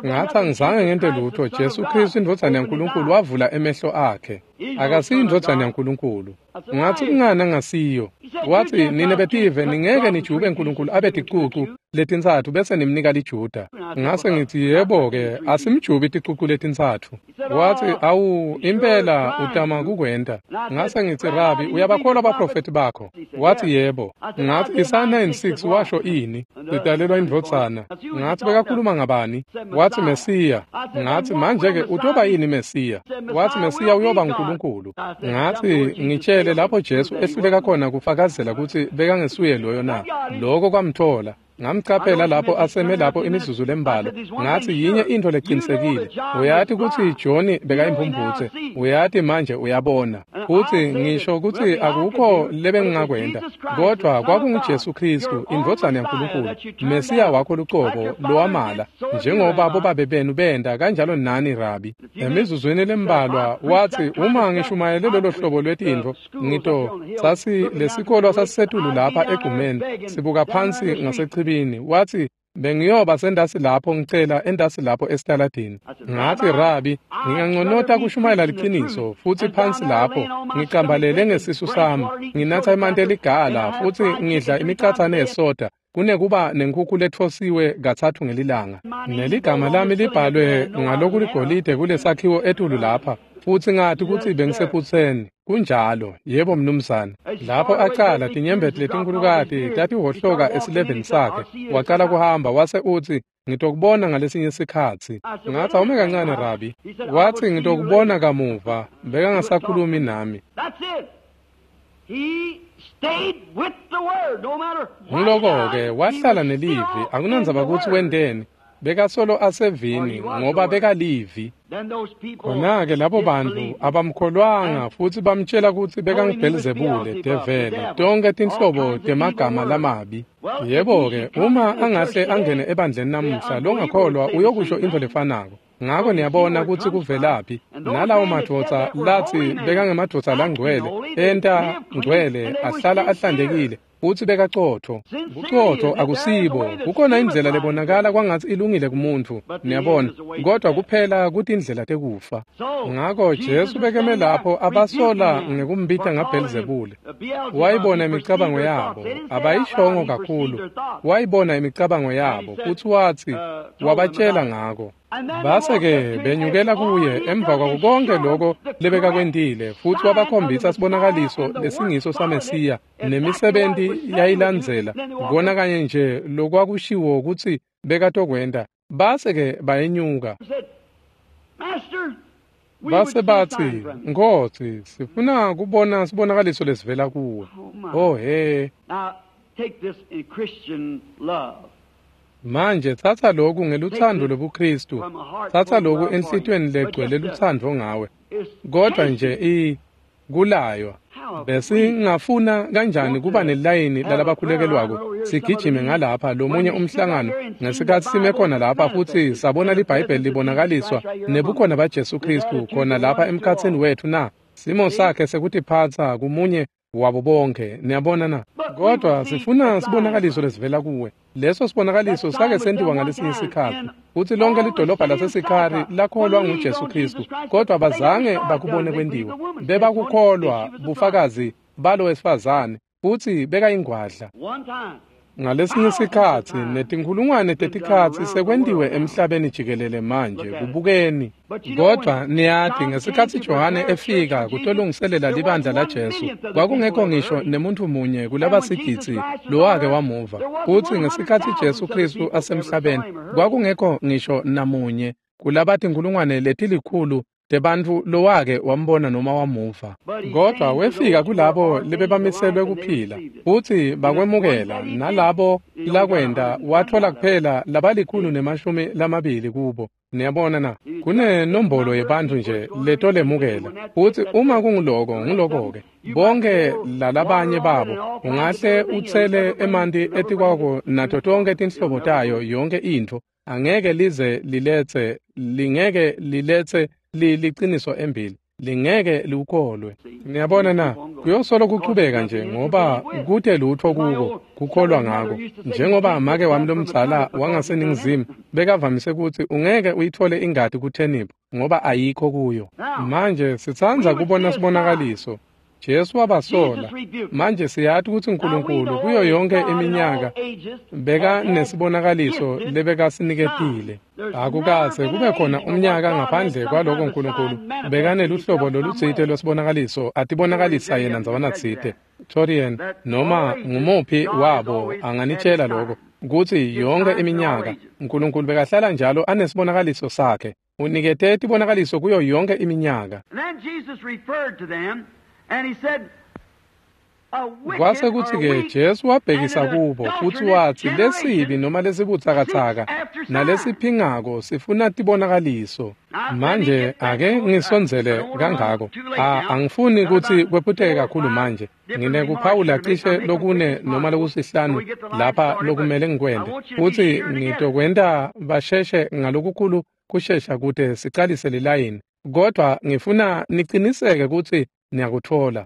Ngathi, angizange ngente lutho. Jesu Kristu indvodzana yaNkulunkulu wavula emehlo akhe. Akasiyo indvodzana yaNkulunkulu. Ngathi, kungani angasiyo? Wathi, nine betive ningeke nijube uNkulunkulu abe ticucu letintsatfu bese nimnika liJuda. Ngase ngithi, yebo-ke, asimjubi ticucu letintsatfu. Wathi, awu, impela utama kukwenta. Ngase ngithi, rabi, uyabakholwa abaprofethi bakho? Wathi, yebo. Ngathi, Isaya 9:6 washo ini? Lidalelwa indvodzana. Ngathi, bekakhuluma ngabani? Wathi, Mesiya. Ngathi, manje-ke utoba yini Mesiya? Wathi, Mesiya uyoba uNkulunkulu. Ngathi, ngitshele lapho Jesu ehluleka khona kufakazela kutsi bekangesuye loyo na? Lokho kwamthola. Ngamcaphela lapho aseme lapho imizuzu lembalwa. Ngathi, yinye intfo leqinisekile. Uyati kutsi John bekayimphumphutse. Uyati manje uyabona. Futhi ngisho kutsi akukho lebengingakwenta. Kodwa kwakunguJesu Kristu, indvodzana yaNkulunkulu, Mesiya wakho lucobo lowamala, njengoba bobabe benu benta kanjalo nani rabi. Emizuzwini lembalwa wathi, uma ngishumayele lolo hlobo lwetintfo, ngito sasi lesikolwa sasisetulu lapha egumeni, sibuka phansi ngasechibini. Wathi, bengiyoba sendasi lapho ngicela endasi lapho esitaladini. Ngathi, rabi, nginganconota kushumayela liqiniso futhi phansi lapho ngicambalele ngesisu sami, nginatha emanti eligala futhi ngidla imicathane yesoda kunekuba nenkhukhu lethosiwe kathathu ngelilanga. Neligama lami libhalwe ngalokuligolide kulesakhiwo etulu lapha. Futhi ngathi kutsi bengisephutseni. Kunjalo, yebo mnumzane. Lapho acala tinyembeti letinkhulukati tatihohloka esileveni sakhe. Wacala kuhamba wase uthi, ngitokubona ngalesinye sikhatsi. Ngathi, awume kancane rabi. Wathi, ngitokubona kamuva. Bekangasakhulumi nami. Ngiloko-ke wahlala nelivi, akunandzaba kutsi wenteni. Bekasolo asevini ngoba bekalivi. Khona-ke labo bantfu abamkholwanga futsi bamtjela kutsi bekanguBhelzebule, develi, tonkhe tinhlobo temagama lamabi. Yebo-ke, uma angahle angene ebandleni namuhla, longakholwa uyokusho intfo lefanako. Ngako niyabona kutsi kuvelaphi. Nalawo madvodza latsi bekangemadvodza langcwele, enta ngcwele, ahlala ahlantekile, futsi bekacotfo. Bucotfo akusibo. Kukhona indlela lebonakala kwangatsi ilungile kumuntfu, niyabona, kodwa kuphela kutindlela tekufa. Ngako Jesu bekeme lapho abasola ngekumbita ngaBhelzebule. Wayibona imicabango yabo, abayishongo kakhulu. Wayibona imicabango yabo, futsi watsi, wabatjela ngako. Base-ke benyukela kuye emva kwako konke loko lebekakwentile, futsi wabakhombisa sibonakaliso lesingiso saMesiya nemisebenti yayilandzela, kona kanye nje lokwakushiwo kutsi bekatokwenta. Base-ke bayenyuka. Base batsi, Nkhosi, sifuna kubona sibonakaliso lesivela kuwe. Oh he. Manje tsatsa loku ngelutsandvo lobuKristu, tsatsa loku enhlitiyweni legcwele lutsandvo ngawe. Kodwa nje kulaywa. Besingafuna kanjani kuba nelayini lalabakhulekelwako sigijime ngalapha lomunye umhlangano ngesikhatsi sime khona lapha futsi sabona liBhayibheli libonakaliswa nebukhona baJesu Kristu khona lapha emkhatsini wethu na? Simo sakhe sekutiphatsa kumunye wabo bonke, niyabona na? Kodwa sifuna sibonakaliso lesivela kuwe. Leso sibonakaliso sake sentiwa ngalesinye isikhatsi, futsi lonke lidolobha laseSikhari lakholwa nguJesu Kristu, kodwa bazange bakubone kwentiwa. Bebakukholwa bufakazi balo wesifazane, futsi bekayingwadla. Ngalesinye isikhatsi netinkhulungwane tetikhatsi sekwentiwe emhlabeni jikelele manje, kubukeni. Kodwa niyati ngesikhatsi Johane efika kutolungiselela libandla laJesu, kwakungekho ngisho nemuntfu munye kulabasigidzi lowake wamuva. Futsi ngesikhatsi Jesu Kristu asemhlabeni, kwakungekho ngisho namunye kulabatinkhulungwane letilikhulu tebantfu lowake wambona noma wamuva. Kodwa wefika kulabo lebebamiselwe kuphila, futsi bakwemukela, nalabo lakwenta watfola kuphela labali-120 kubo. Niyabona na? Kunenombolo yebantfu nje letolemukela, futsi uma kunguloko nguloko-ke. Bonke lalabanye babo ungahle utsele emanti etikwako nato tonke tinhlobo tayo yonke intfo, angeke lize liletse, lingeke liletse liqiniso embili, lingeke liukholwe. Niyabona na? Kuyosolo kuchubeka nje ngoba kute lutho kuko kukholwa ngako. Njengoba make wami lomdzala wangaseningizimu bekavamise kutsi ungeke uyithole ingati kutheniphu ngoba ayikho kuyo. Manje sitsandza kubona sibonakaliso. Jesu wabasola. Manje siyati kutsi uNkulunkulu kuyo yonke iminyaka bekanesibonakaliso lebekasiniketile. Akukaze kube khona umnyaka ngaphandle kwaloko uNkulunkulu bekaneluhlobo lolutsite lwesibonakaliso atibonakalisa yena ndzawanatsite. Torian noma ngumuphi wabo anganitshela lokho kutsi yonke iminyaka uNkulunkulu bekahlala njalo anesibonakaliso sakhe. Unikete tibonakaliso kuyo yonke iminyaka. Kwase kutsi-ke Jesu wabhekisa kubo futsi watsi lesibi noma lesibutsakatsaka nalesiphingako sifuna tibonakaliso. Manje ake ngisondzele kangako. Angifuni kutsi kwephuteke kakhulu manje. Nginekuphawula cishe lokune noma lokusihlanu lapha lokumele ngikwente, futsi ngitokwenta basheshe ngalokukhulu kushesha kute sicalise lilayini. Kodwa ngifuna niciniseke kutsi niyakutfola.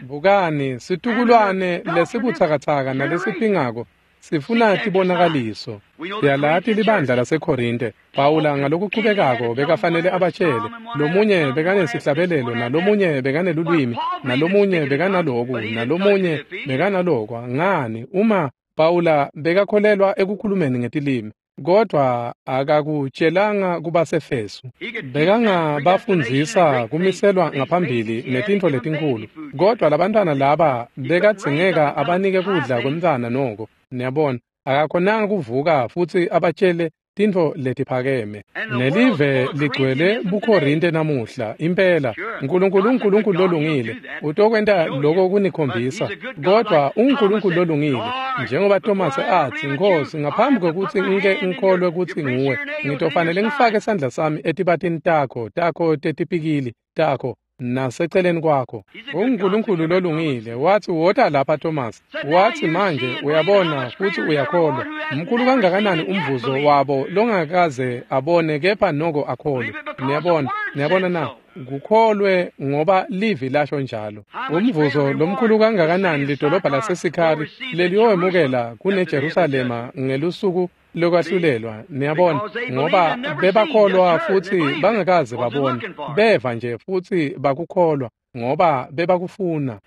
Bukani, situkulwane lesibutsakatsaka nalesiphingako sifuna tibonakaliso. Siyalati libandla laseKorinte. Pawula ngalokuchubekako bekafanele abatshele, lomunye bekanesihlabelelo, nalomunye bekanelulwimi, nalomunye bekanaloku, nalomunye bekanalokwa. Ngani uma Pawula bekakholelwa ekukhulumeni ngetilimi, kodwa akakutshelanga kubaseFesu. Bekangabafundzisa kumiselwa ngaphambili netintfo letinkhulu, kodwa labantwana laba bekadzingeka abanike kudla kwemntfwana noko. Niyabona, akakhonanga kuvuka futsi abatshele tintfo letiphakeme. Nelive ligcwele buKorinte namuhla, impela. Nkulunkulu uNkulunkulu lolungile, utokwenta lokho kunikhombisa. Kodwa uNkulunkulu lolungile, njengoba Thomas athi, Nkosi, ngaphambi kokuthi ngike ngikholwe kutsi nguwe, ngitofanele ngifake sandla sami etibatini takho tetipikili takho naseceleni kwakho. UNkulunkulu lolungile wathi, wota lapha Thomas. Wathi, manje uyabona futhi uyakholwa. Mkhulu kangakanani umvuzo wabo longakaze abone kepha noko akholwe. Niyabona, niyabona na? Kukholwe ngoba livi lasho njalo. Umvuzo lomkhulu kangakanani lidolobha laseSikhari leliyowemukela kuneJerusalema ngelusuku lokwahlulelwa. Niyabona, ngoba bebakholwa futhi bangakaze babone, beva nje futhi bakukholwa ngoba bebakufuna.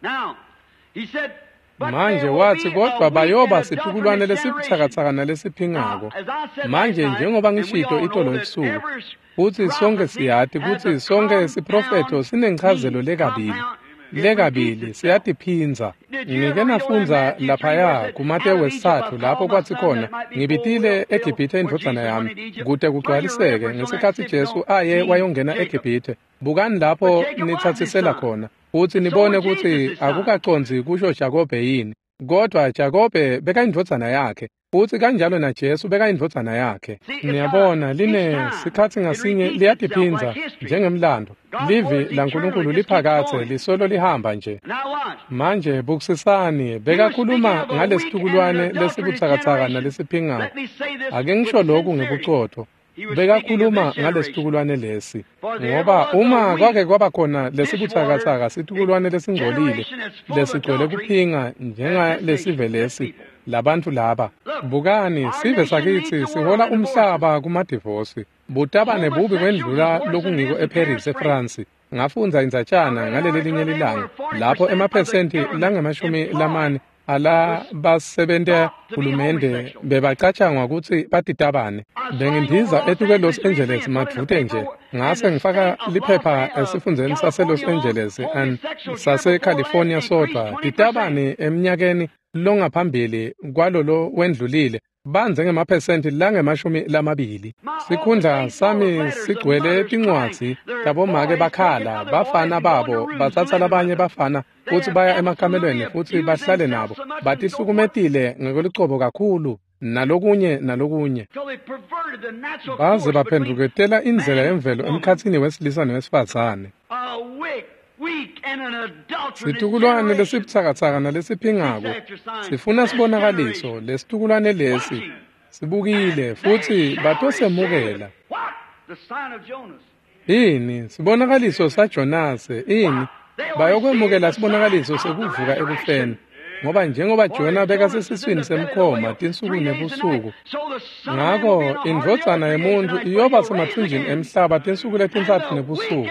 Manje wathi, kodwa bayoba situkulwane lesibuthakathaka nalesiphingako. Manje njengoba ngishito itolo ebusuku, futhi sonke siyati kutsi sonke siprofetho sinenchazelo lekabili. Lekabili siyatiphindza. Ngike nafundza laphaya kuMatewu 3 lapho kwathi khona, ngibitile eGibhithe indvodzana yami kute kugcwaliseke ngesikhatsi Jesu aye wayongena eGibhithe. Bukani lapho nitsatsisela khona futhi nibone kutsi akukacondzi kusho Jakobe yini. Kodwa Jakobe bekayindvodzana yakhe, futhi kanjalo naJesu bekayindvodzana yakhe. Niyabona, line sikhatsi ngasinye liyatiphindza njengemlando. Livi laNkulunkulu liphakathe lisolo lihamba nje. Manje bukisisani, bekakhuluma ngalesitukulwane lesibutsakatsaka nalesiphingako. Ake ngisho lokhu ngebucotho. Bekakhuluma ngalesitukulwane lesi, ngoba uma kwake kwaba khona lesibutsakatsaka situkulwane lesingcolile lesigcwele kuphinga njengalesive lesi labantu laba. Bukani, sive sakitsi sihola umhlaba kumadivosi. Butabane bubi kwendlula lokungiko eParis eFrance. Ngafundza indzatshana ngaleli linye lilanga lapho emaphesenti lange-40 ala basebenta hulumende bebacatshangwa kutsi batitabane. Bengindiza etuke Los Angeles madvute nje, ngase ngifaka liphepha esifundzeni sase Los Angeles and sase California sodwa. Titabane eminyakeni longaphambili kwalolo wendlulile bandze ngemaphesenti lange-20. Sikhundla sami sigcwele tincwadzi tabomake bakhala, bafana babo batsatsa labanye bafana futsi baya emakamelweni futsi bahlale nabo. Batihlukumetile ngekwelucobo kakhulu nalokunye nalokunye. Baze baphendvuketela indlela yemvelo emkhatsini wesilisa newesifazane. Situkulwane lesibutsakatsaka nalesiphingako sifuna sibonakaliso. Lesitukulwane lesi sibukile futhi batosemukela. Ini sibonakaliso saJonase? Ini bayokwemukela sibonakaliso sekuvuka ekufeni, ngoba njengoba Jona bekasesiswini semkhoma tinsuku nebusuku, ngako indvodzana yemuntfu iyoba semathunjini emhlaba tinsuku letintsatfu nebusuku,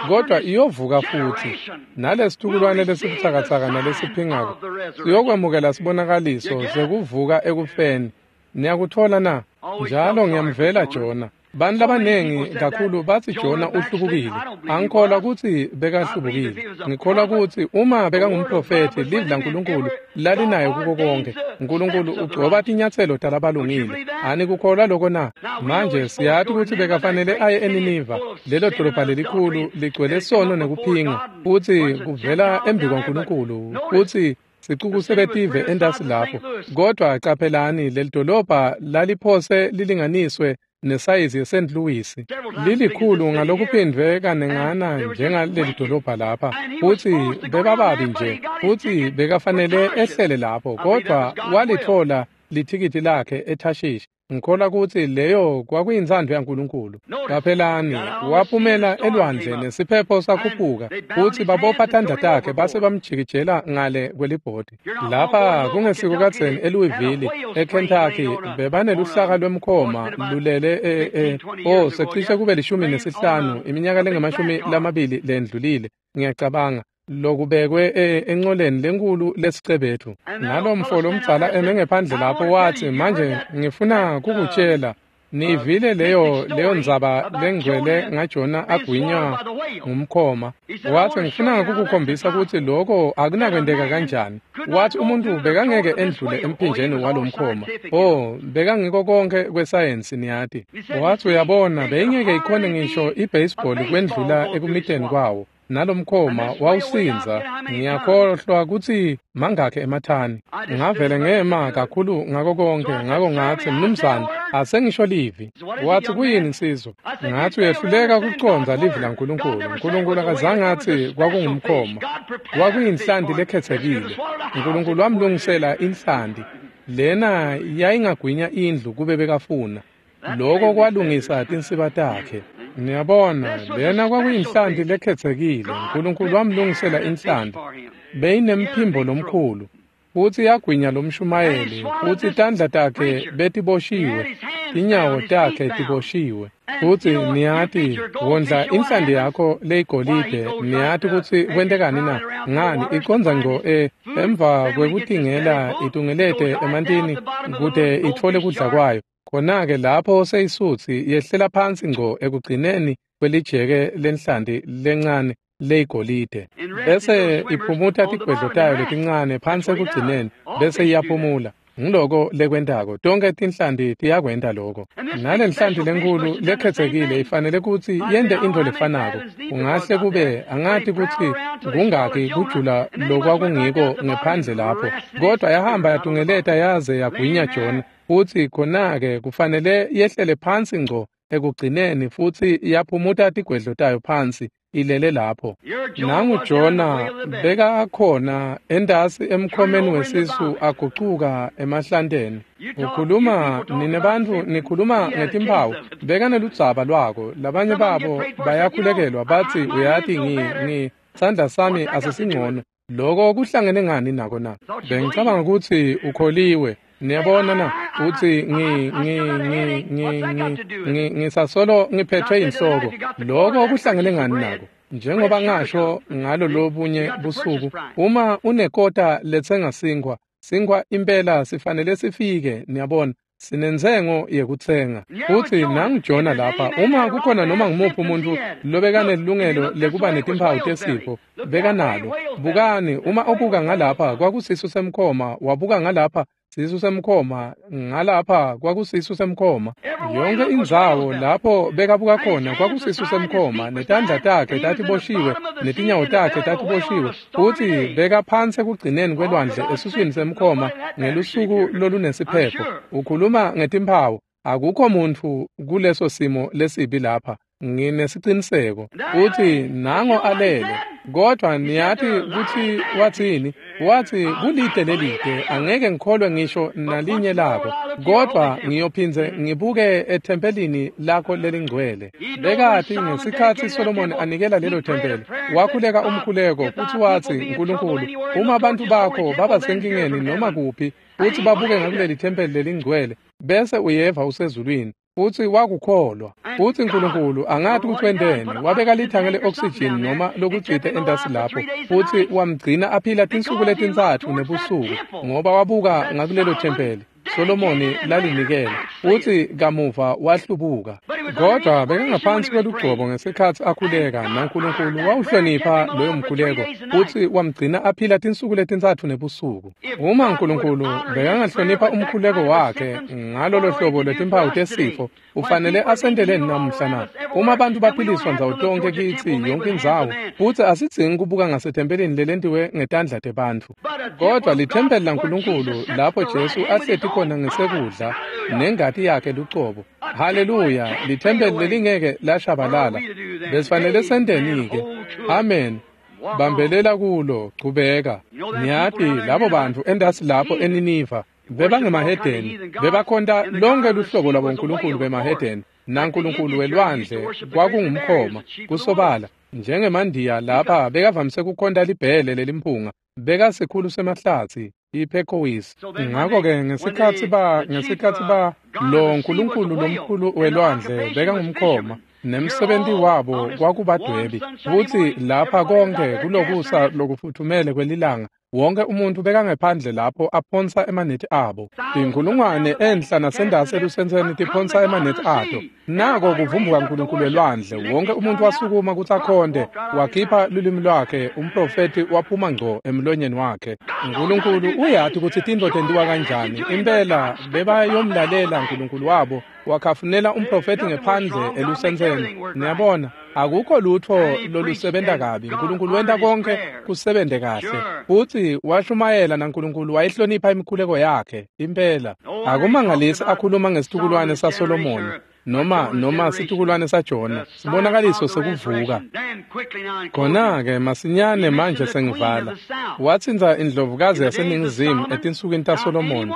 kodwa iyovuka futhi. Nalesitukulwane lesibutsakatsaka nalesiphingako siyokwemukela sibonakaliso sekuvuka ekufeni. Niyakuthola na? Njalo ngiyamvela Jona. Bantu labanengi kakhulu bathi Jona uhlubukile. Angikholwa kutsi bekahlubukile. Ngikholwa kutsi uma bekangumprofethi, livi laNkulunkulu lalinayo kuko konke. Nkulunkulu ugcoba tinyatselo talabalungile. Anikukholwa loko na? Manje siyati kutsi bekafanele aye eNiniva, lelo dolobha lelikhulu ligcwele sono nekuphinga, futsi kuvela embi kwaNkulunkulu, futsi sicuku sebetive entasi lapho. Kodwa caphelani, leli dolobha laliphose lilinganiswe nesayizi yeSt. Louis, lilikhulu ngalokuphindvwe kanengana njengaleli dolobha lapha, futsi bebababi nje, futsi bekafanele ehlele lapho, kodwa walithola lithikithi lakhe eThashishi. Ngikholwa kutsi leyo kwakuyintsandvo yaNkulunkulu. Caphelani, waphumela elwandle nesiphepho sakhuphuka, futsi babopha tandla takhe base bamjikijela ngale kwelibhodi. Lapha kungesiko kadzeni eLouisville, eKentucky, bebaneluhlaka lwemkhoma lulele secishe kube 15 iminyaka lengama-20 lendlulile, ngiyacabanga, lokubekwe enqoleni lenkulu lesicebethu. Nalomfo lomdzala eme ngephandle lapho wathi, manje ngifuna kukutshela, Nivile leyo ndzaba lengcwele ngaJona agwinywa ngumkhoma. Wathi ngifuna ukukukhombisa ukuthi lokho akunakwenteka kanjani. Wathi umuntu bekangeke endlule emphinjeni walomkhoma. Oh, bekangiko konke kwesayensi niyati. Wathi uyabona beyingeke ikhone ngisho ibaseball kwendlula ekumiteni kwawo. Nalomkhoma wawusinza ngiyakhohlwa ukuthi mangakhe emathani. Ngavele ngema kakhulu ngako konke, ngako ngathi mnumzane asengisho livi. Wathi kuyini insizwa? Ngathi uyehluleka ukucondza livi laNkulunkulu. uNkulunkulu akazange athi kwakungumkhoma, kwakuyinhlanti lekhethekile. uNkulunkulu wamlungisela inhlanti lena yayingagwinya indlu kube bekafuna. Lokho kwalungisa tinsiba takhe. Niyabona, lena kwakuyinhlanti lekhethekile. uNkulunkulu wamlungisela inhlanti. Beyinemphimbo lomkhulu. Futhi yagwinya lomshumayeli, futhi tandla takhe betiboshiwe, tinyawo takhe tiboshiwe. Futhi niyati, wondla inhlanti yakho leyigolide, niyati ukuthi kwentekani na? Ngani icondza ngco emva kwekutingela itungelete emantini kute itfole kudla kwayo. Khona-ke lapho seyisutsi yehlela phansi ngco ekugcineni kwelijeke lenhlanti lencane leyigolide, bese iphumuta tigwedlo tayo letincane phansi ekugcineni, bese iyaphumula. Ngiloko lekwentako. Tonke tinhlanti tiyakwenta lokho. Nalenhlanti lenkulu lekhethekile ifanele kutsi yente intfo lefanako. Kungahle kube angati kutsi kungakhi kujula lokwakungiko ngephandle lapho, kodwa yahamba yatungeleta yaze yagwinya Jona. Futhi khona-ke kufanele yehlele phansi ngco ekugcineni futhi yaphumuta tigwedlo tayo phansi ilele lapho. Nangu Jona bekakhona entasi emkhomeni wesisu agucuka emahlanteni. Ukhuluma nine bantfu nikhuluma ngetimphawu, bekaneludzaba lwako. Labanye babo bayakhulekelwa bathi uyati ngi sandla sami asisingcono. Lokho kuhlangene ngani nako na? Bengicabanga ukuthi ukholiwe. Niyabona na? Uthi ngisasolo ngiphethwe inhloko. Lokho kuhlangene ngani nako? Njengoba ngasho ngalo lobunye busuku, uma unekota letsenga sinkhwa, sinkhwa impela sifanele sifike, niyabona. Sinentsengo yekutsenga. Futhi nangu Jona lapha, uma kukhona noma ngumuphi umuntu lobekanelungelo lekuba netimphawu tesifo, bekanalo. Bukani, uma ubuka ngalapha kwakusisu semkhoma, wabuka ngalapha sisu semkhoma, ngalapha kwakusisu semkhoma. Yonke indzawo lapho bekabuka khona kwakusisu semkhoma, netandla takhe tatiboshiwe, netinyawo takhe tatiboshiwe. Futhi bekaphansi ekugcineni kwelwandle esuswini semkhoma ngelusuku lolunesiphepho. Ukhuluma ngetimphawu, akukho muntfu kuleso simo lesibi lapha. Nginesiciniseko. Uthi nango alele, kodwa niyati kutsi wathini? Wathi kulide lelide, angeke ngikholwe ngisho nalinye lako, kodwa ngiyophindze ngibuke ethempelini lakho lelingcwele. Bekati ngesikhatsi Solomoni anikela lelo thempeli, wakhuleka umkhuleko futhi wathi, Nkulunkulu, uma abantu bakho baba senkingeni noma kuphi, futhi babuke ngakuleli thempeli lelingcwele, bese uyeva usezulwini. Futhi wakukholwa. Futhi uNkulunkulu angathi ukuthi wenteni, wabeka lithange le-oxygen noma lokutsite entasi lapho, futhi wamgcina aphila tinsuku letintsatfu nebusuku, ngoba wabuka ngakulelo thempeli Solomoni lalinikela. Futhi kamuva wahlubuka, kodwa bekangaphansi kwelugcobo ngesikhatsi akhuleka, naNkulunkulu wawuhlonipha loyo mkhuleko futhi wamgcina aphila tinsuku letintsatfu nebusuku. Uma uNkulunkulu bekangahlonipha umkhuleko wakhe ngalolo hlobo lwetimphawu tesifo, ufanele asenteleni namuhla na? Uma abantu baphiliswa ndzawo tonke kitsi yonke indzawo, futhi asidzingi kubuka ngasethempelini lelentiwe ngetandla tebantfu, kodwa lithempeli laNkulunkulu lapho Jesu ahleti khona ngesekudla nengati yakhe lucobo. Haleluya! Lithempeli lelingeke lashabalala. Besifanele senteni-ke? Amen. Bambelela kulo, chubeka. Niyati labo bantfu entasi lapho eNiniva bebangemahedeni, bebakhonta lonke luhlobo lwabonkulunkulu bemahedeni, naNkulunkulu welwandle kwakungumkhoma kusobala. Njengemandiya lapha bekavamise kukhonta libhele lelimphunga, bekasikhulu semahlatsi iPekowis. Ngakho-ke ngesikhatsi ba lo nkulunkulu lomkhulu welwandle bekangumkhoma, nemsebenti wabo kwakubadwebi. Futhi lapha konke kulokusa lokufuthumele kwelilanga Wonke umuntu bekangephandle lapho aphonsa emanethi abo. Tinkulungwane enhla nasendase elusentseni tiphonsa emanethi ato. Nako kuvumbuka uNkulunkulu elwandle. Wonke umuntu wasukuma kutsi akhonde, wakhipha lulwimi lwakhe, umprofethi waphuma ngco emlonyeni wakhe. uNkulunkulu uyati kutsi tintfo tentiwa kanjani. Impela bebayomlalela uNkulunkulu wabo, wakhafunela umprofethi ngephandle elusentseni. Niyabona, akukho lutho lolusebenta kabi. uNkulunkulu wenta konke kusebente kahle. Futsi washumayela naNkulunkulu wayihlonipha imikhuleko yakhe. Impela akumangalisi akhuluma ngesitukulwane saSolomoni noma situkulwane saJona, sibonakaliso sekuvuka. Khona-ke masinyane manje sengivala. Watsintsa indlovukazi yaseNingizimu etinsukwini taSolomoni.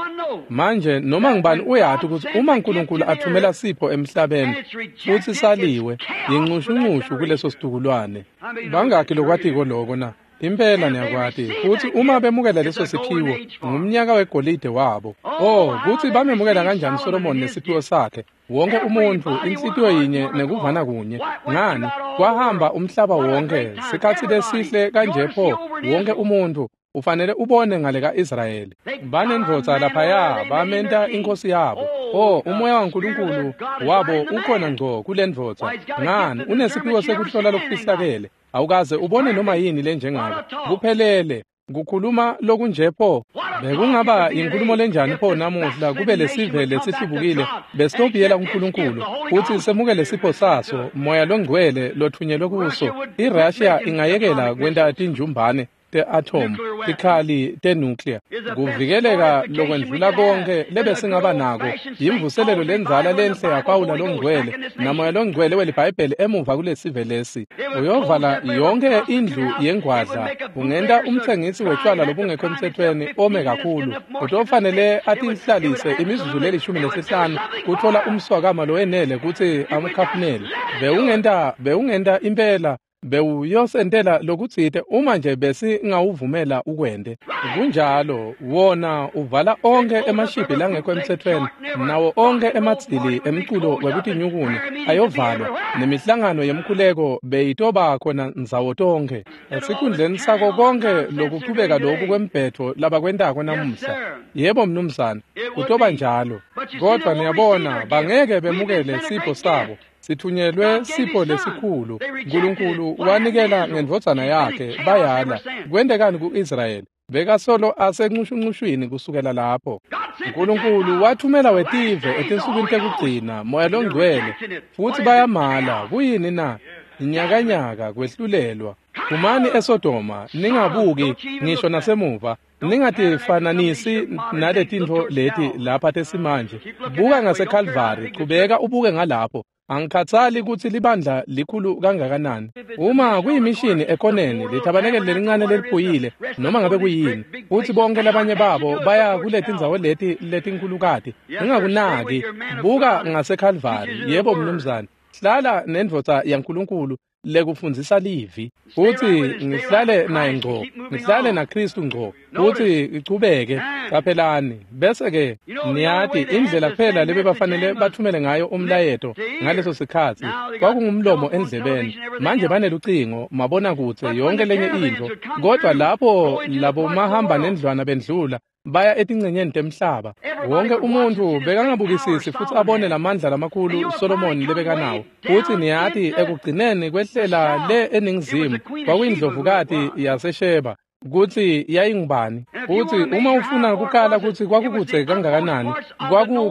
Manje noma ngibani uyati kutsi uma uNkulunkulu athumela sipho emhlabeni futsi saliwe, yinxushunxushu kuleso situkulwane. Bangakhi lokwatiko loko na? Impela niyakwati. Futsi uma bemukela leso siphiwo, ngumnyaka wegolide wabo. Oh, kutsi bamemukela kanjani Solomoni nesiphiwo sakhe. Wonke umuntfu, inhlitiyo yinye nekuvana kunye. Ngani, kwahamba umhlaba wonke, sikhatsi lesihle kanje pho, wonke umuntfu ufanele ubone ngale ka-Israyeli. Banendvodza laphaya, bamenta inkosi yabo. Oh, umoya waNkulunkulu wabo ukhona ngco kulendvodza. Ngani, unesiphiwo sekuhlola lokufihlakele. Awukaze ubone noma yini lenjengako. Kuphelele. Kukhuluma lokunje pho. Bekungaba inkhulumo lenjani pho namuhla kube lesive lesihlubukile besitobuyela kuNkulunkulu futsi semukele sipho saso, moya longcwele lothunyelwe kuso. IRussia ingayekela kwenta tinjumbane te-atom, tikhali te-nuclear. Kuvikeleka lokwendlula konke lebesingaba nako yimvuselelo lendzala lenhle yaPawula longcwele namoya longcwele weliBhayibheli emuva kulesive lesi. Uyovala yonke indlu yengwadla, ungenta umtsengisi wetshwala lobungekho emtsetfweni ome kakhulu. Utofanele atihlalise imizuzu leli-15 kutfola umswakama lowenele kutsi amkhafunele. Bewungenta impela bewuyosentela lokutsite uma nje besingawuvumela ukwente. Kunjalo, wona uvala onkhe emashibhi langekho emtsetfweni, nawo onkhe emadzili emculo wekutinyukuna ayovalwa, nemihlangano yemkhuleko beyitoba khona ndzawo tonkhe. Esikhundleni sako konke lokuchubeka loku kwembhetho labakwentako namuhla. Yebo mnumzane, kutoba njalo. Kodvwa niyabona, bangeke bemukele sipho sabo. Sithunyelwe sipho lesikhulu. uNkulunkulu wanikela ngendvodzana yakhe, bayala. Kwentekani ku-Israyeli? Bekasolo asenxushunxushwini kusukela lapho. uNkulunkulu wathumela wetive etinsukwini tekugcina, moya longcwele, futsi bayamala. Kuyini na? Inyakanyaka, kwehlulelwa. Phumani eSodoma, ningabuki ngisho nasemuva. Ningatifananisi naletintfo leti lapha tesimanje. Buka ngaseKalvari, chubeka ubuke ngalapho. Angikhathali kutsi libandla likhulu kangakanani. Uma kuyimishini ekoneni, lithabanekele lelincane leliphuyile, noma ngabe kuyini, futsi bonke labanye babo baya kuletindzawo leti letinkhulukati. Ningakunaki, buka ngaseKalvari. Yebo mnumzane, hlala nendvodza yaNkulunkulu lekufundzisa livi, futsi ngihlale naye ngco, ngihlale naKristu ngco, futsi ichubeke. Caphelani, bese-ke niyati indlela kuphela lebebafanele bathumele ngayo umlayeto ngaleso sikhatsi kwakungumlomo endlebeni. Manje banelucingo, mabonakudze, yonke lenye intfo, kodvwa lapho labo mahamba nendlwana bendlula baya etincenyeni temhlaba. Wonke umuntfu bekangabukisisi futsi abone lamandla lamakhulu Solomoni lebekanawo. Futsi niyati ekugcineni kwehlela le eNingizimu kwakuyindlovukati yaseSheba kutsi yayingubani. Futsi uma ufuna kukala kutsi kwakukudze kangakanani,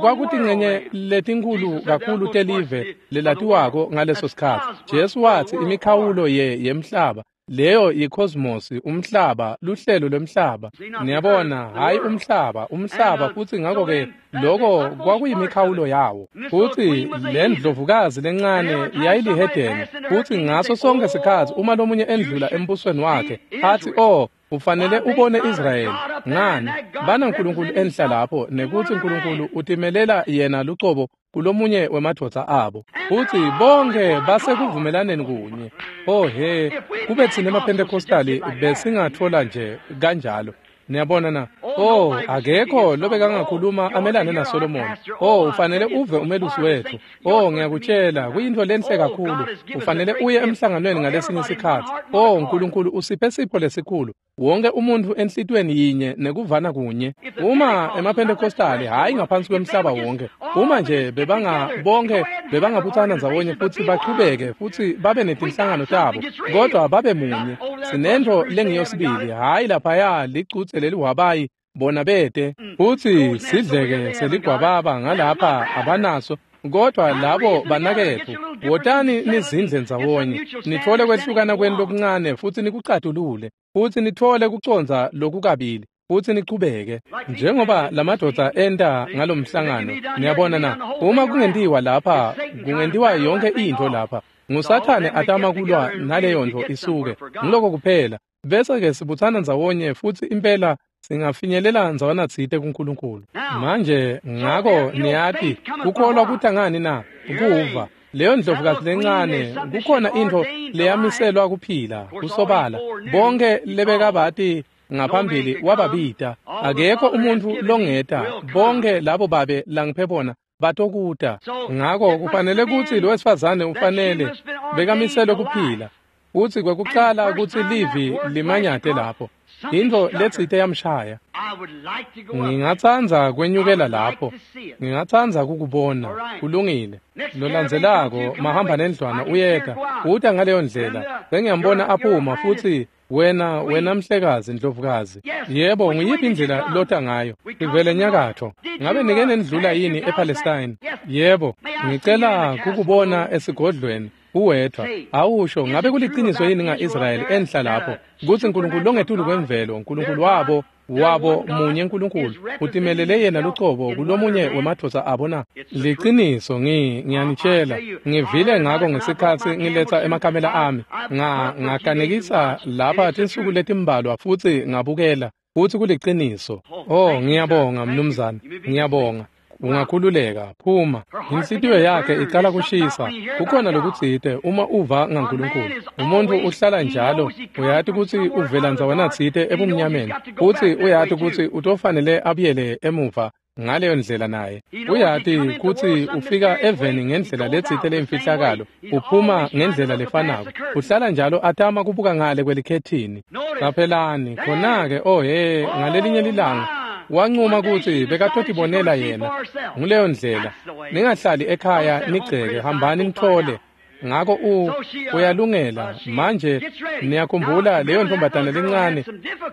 kwakutincenye letinkhulu kakhulu telive lelatiwako ngaleso sikhatsi. Jesu watsi imikhawulo yemhlaba, leyo yicosmos, umhlaba, luhlelo lwemhlaba. Niyabona, hayi umhlaba, umhlaba. Futsi ngakho-ke loko kwakuyimikhawulo yawo. Futsi le ndlovukazi lencane yayilihedeni. Futsi ngaso sonke sikhatsi uma lomunye endlula embusweni wakhe athi, oh, ufanele ubone Israyeli. Ngani, banaNkulunkulu enhla lapho, nekutsi uNkulunkulu utimelela yena lucobo kulomunye wemadvodza abo. Futsi bonke basekuvumelaneni kunye. Oh he, kube tsine emaPentecostali besingatfola nje kanjalo. Niyabona na? Oh, akekho lobekangakhuluma amelane naSolomon. Oh, ufanele uve umelusi wethu. Oh, ngiyakutshela, kuyintfo lenhle kakhulu. Ufanele uye emhlanganweni ngalesinye isikhatsi. Oh, uNkulunkulu usiphe sipho lesikhulu. Wonke umuntfu enhlitiyweni yinye nekuvana kunye. Uma emaPentecostali, hhayi ngaphansi kwemhlaba wonke, uma nje bonke bebangabutsana ndzawonye futsi bachubeke futsi babe netinhlangano tabo, kodwa babe munye. Sinentfo lengiyo sibili, hhayi laphaya licutse leliwabayi bona bete, futsi sidleke seligwababa ngalapha abanaso. Kodwa labo banaketfu, wotani nizindle ndzawonye, nitfole kwehlukana kwenu lokuncane futsi nikucatulule, futsi nitfole kucondza lokukabili, futsi nichubeke njengoba lamadvodza enta ngalomhlangano. Niyabona na? Uma kungentiwa lapha, kungentiwa yonke intfo lapha. NguSathane atama kulwa naleyo ntfo isuke. Ngiloko kuphela. Bese-ke sibutsana ndzawonye futsi impela singafinyelela ndzawana tsite kuNkulunkulu. Manje ngako niyati kukholwa kuta ngani na? Kuva. Leyo ndlovukazi lencane, kukhona intfo leyamiselwa kuphila, kusobala. Bonke lebekabati ngaphambili wababita. Akekho umuntfu longeta. Bonke labo babe langiphe bona batokuta. Ngako kufanele kutsi lo wesifazane ufanele bekamiselwe kuphila. Futsi kwekucala kutsi livi limanyate lapho, intfo letsite yamshaya. Ngingatsandza kwenyukela lapho. Ngingatsandza kukubona. Kulungile. Lolandzelako mahamba nendlwana uyeta. Uta ngaleyo ndlela. Sengiyambona aphuma futsi wena mhlekazi ndlovukazi. Yebo, nguyiphi indlela lota ngayo? Ivele nyakatfo. Ngabe nike nendlula yini ePalestine? Yebo, ngicela kukubona esigodlweni. Uwedvwa. Awusho, ngabe kuliciniso yini nga-Israyeli enhla lapho kutsi uNkulunkulu longetulu kwemvelo, uNkulunkulu wabo munye uNkulunkulu utimelele yena lucobo kulomunye wemadvodza abo na? Liciniso, ngiyanitshela, ngivile ngako ngesikhatsi ngiletsa emakamela ami. Ngakanekisa lapha tinsuku letimbalwa futsi ngabukela, futsi kuliciniso. Oh, ngiyabonga mnumzane, ngiyabonga. Ungakhululeka, phuma. Inhlitiyo yakhe icala kushisa. Kukhona lokutsite uma uva ngaNkulunkulu. Umuntu uhlala njalo, uyati kutsi uvela ndzawana tsite ebumnyameni, futsi uyati kutsi utofanele abuyele emuva ngaleyo ndlela naye. Uyati kutsi ufika eveni ngendlela letsite lemfihlakalo, uphuma ngendlela lefanako. Uhlala njalo atama kubuka ngale kwelikhethini. Qaphelani, khona-ke, oh he, ngalelinye lilanga wancuma kutsi bekatotibonela yena. Nguleyo ndlela. Ningahlali ekhaya nigceke, hambani nithole. Ngako uyalungela. Manje niyakhumbula leyo ntombazane lencane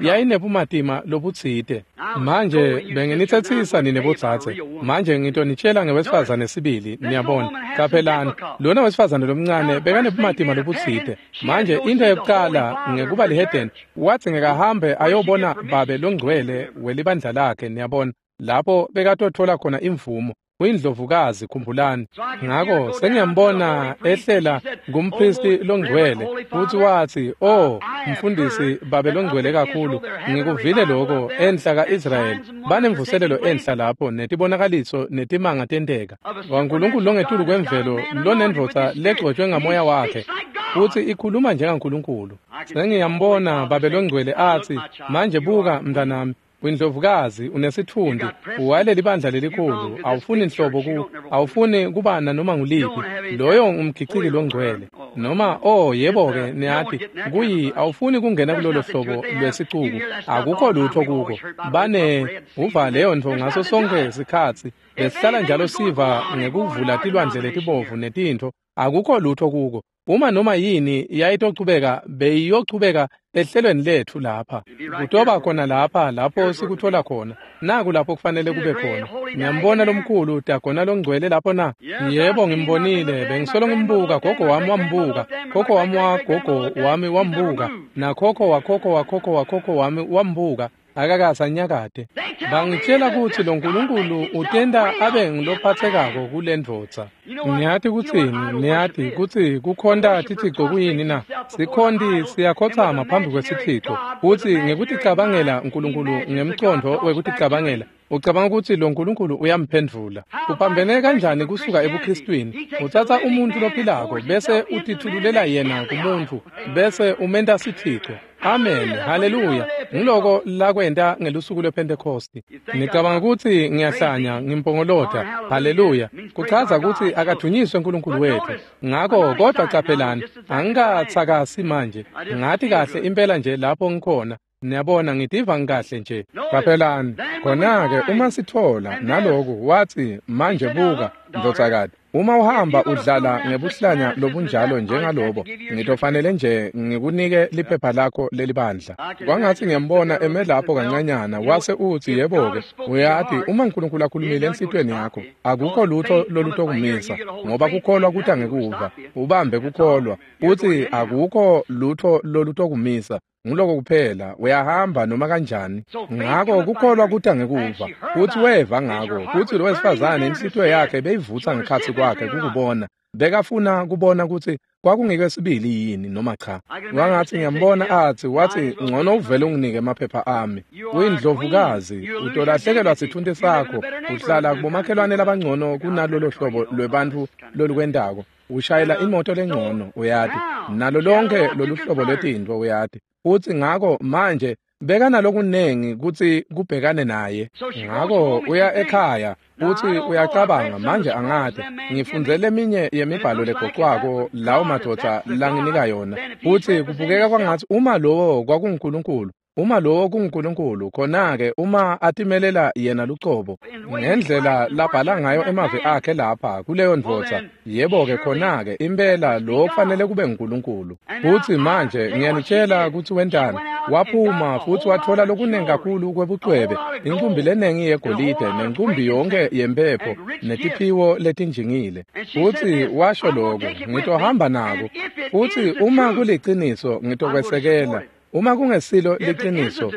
yayinebumatima lobutsite. Manje benginitsetsisa nine bodzadze. Manje ngitonitshela ngewesifazane sibili, niyabona. Qaphelani, lona wesifazane lomncane bekanebumatima lobutsite. Manje into yokuqala ngekuba lihedeni, wathi ngekahambe ayobona babe longcwele welibandla lakhe, niyabona, lapho bekatothola khona imvumo. Uyindlovukazi, khumbulani. Ngako sengiyambona ehlela ngumpristi longcwele futsi wathi, "Oh, mfundisi babe longcwele kakhulu, ngikuvile lokho enhla kaIsrayeli. Banemvuselelo enhla lapho netibonakaliso netimanga tenteka. WaNkulunkulu longetulu kwemvelo lonendvodza legcotshwe ngamoya wakhe futsi ikhuluma njengaNkulunkulu." Sengiyambona babe longcwele athi, "Manje buka mntanami, Windlovukazi unesitfundi, uwaleli bandla lelikhulu, awufuni nhlobo awufuni kuba nanoma nguliphi. Loyo ngumgiciki longcwele." Noma, oh yebo-ke, niyati, kuyi awufuni kungena kulolo hlobo lwesicuku, akukho lutho kuko. Bane uva leyo ntfo ngaso sonke sikhatsi, besihlala njalo siva ngekuvula tilwandle letibovu netintfo, akukho lutho kuko. Uma noma yini yayitochubeka, beyiyochubeka ehlelweni letfu lapha. Kutoba khona lapha lapho sikuthola khona. Naku lapho kufanele kube khona. Ngiyambona lomkhulu Dagona longcwele lapho na? Yebo, ngimbonile, bengisolo ngimbuka, gogo wami wambuka, khokho wami wagogo wami wambuka, nakhokho wakhokho wakhokho wakhokho wami wambuka. Akakasanyakade. Bangitshela kutsi lo Nkulunkulu utenta abe ngilophathekako kule ndvodza. Niyati kutsini? Niyati kutsi kukhonta tithixo kuyini na? Sikhonti siyakhotsama phambi kwesithixo, futsi ngekuticabangela Nkulunkulu ngemcondvo wekuticabangela, ucabanga kutsi lo Nkulunkulu uyamphendvula. Kuphambene kanjani kusuka ebuKristwini? Utsatsa umuntfu lophilako bese utithululela yena kumuntfu bese umenta sithixo. Amen, haleluya. Ngiloko lakwenta ngelusuku lwePhentekhosti. Ngicabanga ukuthi ngiyahlanya ngimpongolota. Haleluya. Kuchaza ukuthi akathunyiswe uNkulunkulu wethu. Ngakho kodwa caphelani, angikathakasi manje. Ngathi kahle impela nje lapho ngikhona. Niyabona ngitiva ngikahle nje. Caphelani, khona-ke uma sithola naloku wathi manje buka ndvodzakati, uma uhamba udlala ngebuhlanya lobunjalo njengalobo, ngitofanele nje ngikunike liphepha lakho lelibandla. Kwangathi ngiyambona eme lapho kancanyana, wase uthi yebo-ke, uyati uma uNkulunkulu akhulumile enhlitiyweni yakho, akukho lutho lolutokumisa, ngoba kukholwa kuta ngekuva, ubambe kukholwa, uthi akukho lutho lolutokumisa. Nguloko kuphela, uyahamba noma kanjani. Ngakho kukholwa kuta ngekuva, futhi weva ngako, futhi lo wesifazane inhlitiyo yakhe beyivutsa ngekhatsi kwakhe kukubona. Bekafuna kubona ukuthi kwakungeke sibili yini noma cha. Wangathi ngiyambona athi, wathi ngcono uvele unginike amaphepha ami. Uyindlovukazi, utolahlekelwa sithunti sakho, uhlala kubomakhelwane labangcono kunalolo hlobo lwebantfu lolukwentako. Ushayela imoto lengcono, uyati, nalo lonke lolu hlobo lwetintfo, uyati. Uthi ngakho manje bekanalokunengi kutsi kubhekane naye. Ngakho uya ekhaya uthi uyacabanga manje angati ngifundzele eminye yemibhalo legoqwako lawo madoda langinika yona. Uthi kubukeka kwangathi uma lowo kwakunguNkulunkulu, uma lowo kunguNkulunkulu, khona-ke uma atimelela yena lucobo ngendlela labhala ngayo emavi akhe lapha kuleyo ndvodza, yebo-ke khona-ke impela lo kufanele kube nguNkulunkulu. Futhi manje ngiyanitshela ukuthi wentani. Waphuma futhi wathola lokunengi kakhulu kwebucwebe, inkumbi lenengi yegolide nencumbi yonke yempepho netiphiwo letinjingile. Futhi washo lokhu, ngitohamba nako. Futhi uma kuliciniso ngitokwesekela. Uma kungesilo liqiniso,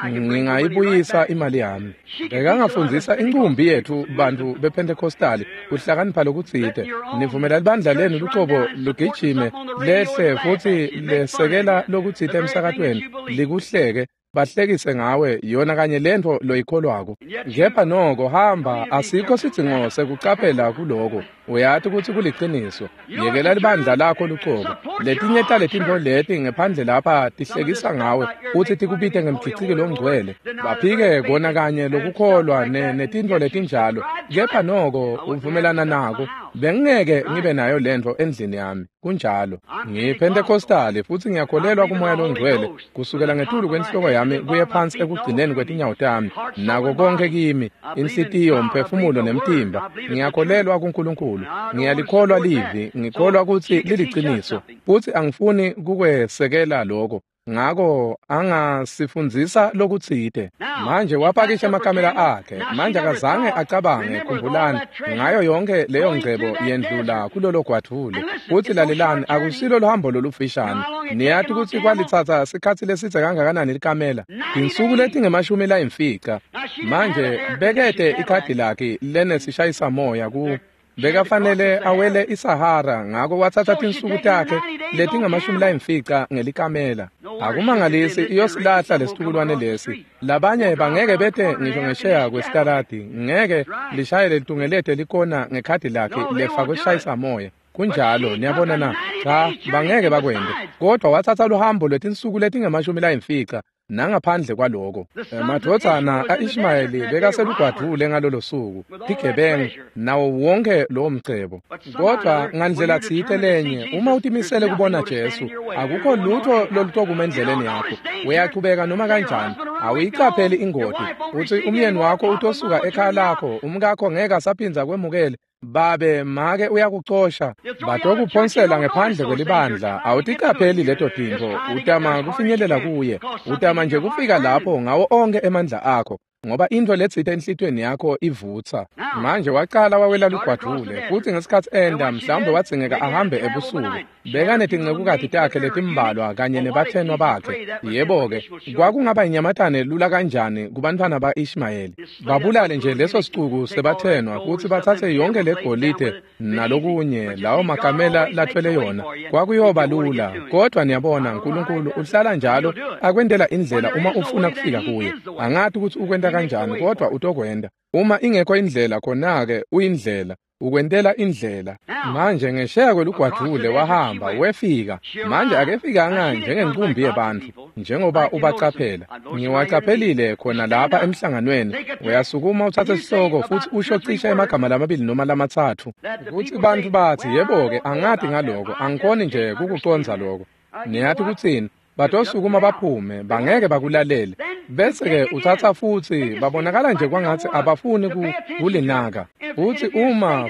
ngingayibuyisa imali yami. Bekangafundisa inkumbi yethu bantu bePentecostali kuhlakanipha lokutsite. Nivumela libandla lenu lucobo lugijime lehle futhi lesekela lokutsite emsakatweni likuhleke, bahlekise ngawe yona kanye lentfo loyikholwako. Kepha noko hamba, asikho sidzingo sekucaphela kuloko. Uyati ukuthi kuliciniso. Yekela libandla lakho lucobo. Letinye taletintfo leti ngephandle lapha tihlekisa ngawe futhi tikubite ngemgiciki longcwele. Baphike kona kanye lokukholwa netintfo letinjalo. Kepha noko uvumelana nako. Bengingeke ngibe nayo lentfo endlini yami. Kunjalo. NgiyiPentecostali futhi ngiyakholelwa kuMoya loNgcwele kusukela ngetulu kwenhloko yami kuye phansi ekugcineni kwetinyawo tami. Nako konke kimi, inhlitiyo, umphefumulo nemtimba. Ngiyakholelwa kuNkulunkulu. Ngiyalikholwa livi, ngikholwa ukuthi liliciniso. Futhi angifuni kukwesekela lokho. Ngakho angasifundzisa lokutsite. Manje wapakisha amakamela akhe. Manje akazange acabange, khumbulani, ngayo yonke leyo ngcebo yendlula kulolo gwadvule. Futhi lalelani, akusilo luhambo lolufishane. Niyati ukuthi kwalitsatsa sikhatsi lesidze kangakanani likamela? Tinsuku letingemashumi layimfica. Manje bekete ikhadi lakhe lenesishayisamoya ku bekafanele awele iSahara, ngakho wathatha tinsuku takhe letingamashumi layimfica ngelikamela. Akumangalisi iyosilahla lesitukulwane lesi. Labanye bangeke bete ngisho ngesheya kwesitaladi, ngeke lishayele litungelete likona ngekhadi lakhe lefakwe sishayisamoya. Kunjalo, niyabona na? Cha, bangeke bakwente. Kodwa wathatha luhambo lwetinsuku letingamashumi layimfica. Nangaphandle kwaloko, emadvodzana a-Ishmayeli bekaselugwadvule ngalolo suku, tigebengu nawo wonke lowo mcebo. Kodwa ngandlela tsite lenye, uma utimisele kubona Jesu, akukho lutho lolutokuma endleleni yakho. Uyachubeka noma kanjani, awuyicapheli ingoti. Uthi umyeni wakho utosuka ekhaya lakho, umkakho ngeke asaphindza kwemukele. Babe make uyakucosha, batokuphonsela ngephandle kwelibandla. Awuticapheli leto tintfo, utama kufinyelela kuye, utama nje kufika lapho ngawo onke emandla akho, ngoba intfo letsite enhlitiyweni yakho ivutsa. Manje wacala wawela lugwadvule, futhi ngesikhatsi enda mhlawumbe wadzingeka ahambe ebusuku. Bekanetincekukati takhe letimbalwa kanye nebathenwa bakhe. Yebo-ke, kwakungaba inyamatane lula kanjani kubantfwana ba-Ishmayeli. Babulale nje leso sicuku sebathenwa futhi batsatse yonke legolide nalokunye lawo makamela lathwele yona. Kwakuyoba lula, kodwa niyabona uNkulunkulu uhlala njalo akwentela indlela uma ufuna kufika kuye. Angati ukuthi ukwenta kanjani, kodwa utokwenta. Uma ingekho indlela, khona-ke uyindlela. Ukwentela indlela. Manje ngesheya kwelugwadvule wahamba wefika. Manje akefikanga njengenqumbi yebantfu njengoba ubacaphela. Ngiwacaphelile khona lapha emhlanganweni. Uyasukuma utsatse sihloko futsi usho cishe emagama lamabili noma lamatsatfu. Kutsi bantfu batsi, yebo-ke, angati ngaloko, angikhoni nje kukucondza loko. Niyati kutsini? Batosukuma baphume, bangeke bakulalele. Bese-ke utsatsa futsi babonakala nje kwangatsi abafuni kulinaka.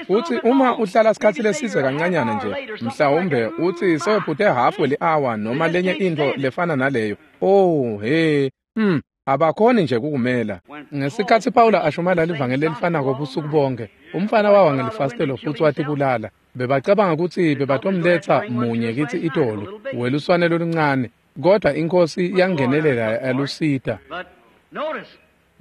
Futsi uma uhlala sikhatsi lesidze kancanyana nje, mhlawumbe utsi sewephute hafu weli-awa noma lenye intfo lefana naleyo. Oh, he, abakhoni nje kukumela. Ngesikhatsi Pawula ashumayela livangeli lelifanako busuku bonke, umfana wawa ngelifasitelo futsi watibulala. Bebacabanga kutsi bebatomletsa munye kitsi itolo, weluswane loluncane, kodwa iNkhosi yangenelela yalusita.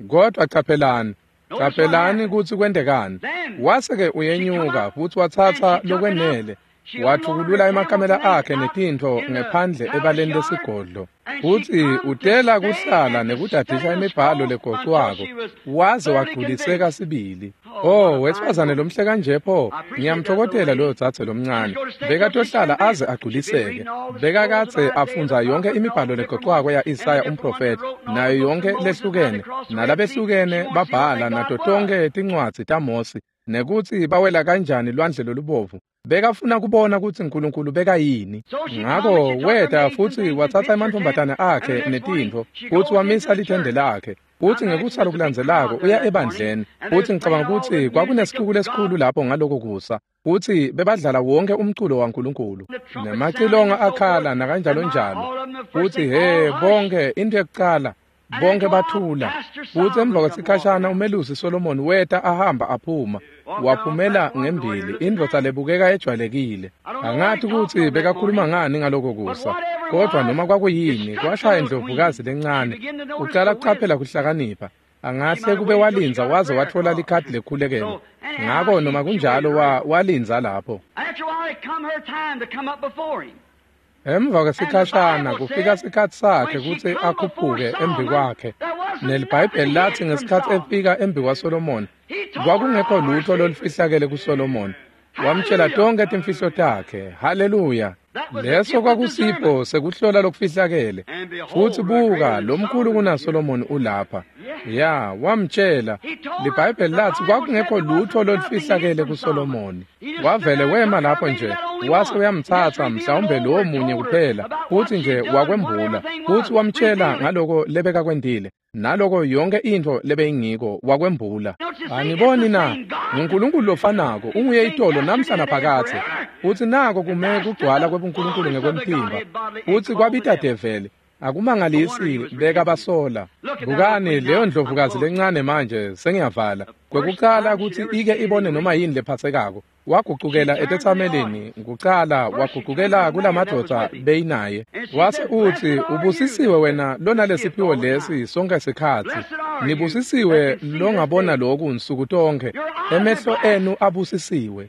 Kodwa caphelani kutsi kwentekani. Wase-ke uyenyuka futsi watsatsa lokwenele, wathukulula emakamela akhe netintfo ngephandle ebaleni lesigodlo. Futsi utela kuhlala nekudadisha imibhalo legocwako, waze wagculiseka sibili. Oh, wesifazane lomhle kanje pho, ngiyamtfokotela loyo dzadze lomncane. Bekatohlala aze agculiseke. Bekakadze afundza yonkhe imibhalo legocwako ya-Isaya umprofethi, nayo yonkhe lehlukene, nalabehlukene babhala nato tonkhe tincwadzi taMosi, nekutsi bawela kanjani lwandle lolubovu. Bekafuna kubona kutsi Nkulunkulu bekayini. Ngako weta futsi watsatsa emantfombatana akhe netintfo, futsi wamisa lithende lakhe. Futsi ngekusa lokulandzelako uya ebandleni. Futsi ngicabanga kutsi kwakunesixuku lesikhulu lapho ngaloko kusa. Futsi bebadlala wonke umculo waNkulunkulu. Nemacilongo akhala nakanjalo njalo. Futsi he, bonke into yekucala, bonke bathula. Futsi emva kwesikhashana umelusi Solomon weta ahamba aphuma. Waphumela ngembili, indvodza lebukeka ejwayelekile. Angati kutsi bekakhuluma ngani ngaloko kusa, kodwa noma kwakuyini, kwashaya indlovukazi lencane. Ucala kucaphela kuhlakanipha. Angahle kube walindza waze watfola likhadi lekhulekelo. Ngako noma kunjalo walindza lapho. Emva kwesikhashana kufika sikhatsi sakhe kutsi akhuphuke embi kwakhe. NeliBhayibheli latsi ngesikhatsi efika embi kwaSolomoni, kwakungekho lutho lolufihlakele kuSolomoni. Wamtshela tonkhe timfihlo takhe. Haleluya! Leso kwakusipho sekuhlola lokufihlakele. Futsi buka, lomkhulu kunaSolomoni ulapha. Ya, wamtshela. LiBhayibheli latsi kwakungekho lutho lolufihlakele kuSolomoni. Wavele wema lapho nje, wase uyamtsatsa mhlawumbe lowo munye kuphela, futsi nje wakwembula. Futsi wamtshela ngaloko lebekakwentile, naloko yonke intfo lebeyingiko wakwembula. Aniboni na? NguNkulunkulu lofanako, unguye itolo namhla naphakadze. Futsi nako kume kugcwala kwebuNkulunkulu ngekwemtimba. Futsi kwabita develi. Akumangalisi bekabasola. Bukani leyo ndlovukazi lencane manje sengiyavala. Kwekucala kutsi ike ibone noma yini lephatsekako. Wagucukela etetsamelini, kucala wagucukela kulamadvodza beyinaye. Wase utsi, ubusisiwe wena lona lesiphiwo lesi sonke sikhatsi. Nibusisiwe longabona loku nsuku tonkhe. Emehlo enu abusisiwe.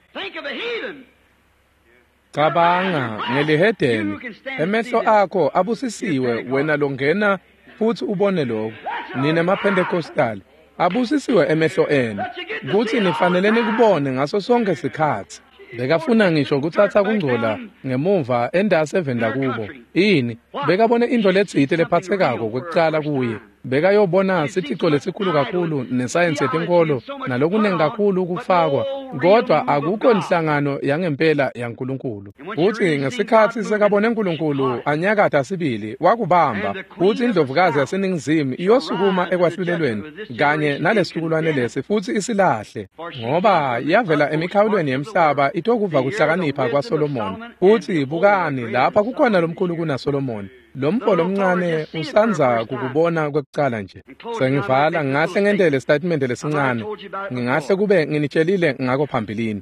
Cabanga ngelihedeni, emehlo akho abusisiwe wena longena futsi ubone lokhu. Nine maPentecostal, abusisiwe emehlo enu, kutsi nifanele nikubone ngaso sonke sikhatsi. Bekafuna ngisho kutsatsa kungcola ngemuva endasi eveni lakubo. Ini, bekabone intfo letsite lephatsekako kwekucala kuye. Bekayobona sithico lesikhulu kakhulu nesayensi yetinkholo nalokunengi kakhulu kufakwa, kodwa akukho nhlangano yangempela yaNkulunkulu. Futsi ngesikhatsi sekabone Nkulunkulu anyakata sibili, wakubamba. Futsi indlovukazi yaseNingizimu iyosukuma ekwahlulelweni kanye nalesitukulwane lesi futsi isilahle, ngoba yavela emikhawulweni yemhlaba itokuva kuhlakanipha kwaSolomoni. Futsi bukani lapha kukhona lomkhulu kunaSolomoni. Lomfo lomncane usandza kukubona kwekucala nje. Sengivala, ngingahle ngentele statement lesincane. Ngingahle kube nginitshelile ngako phambilini.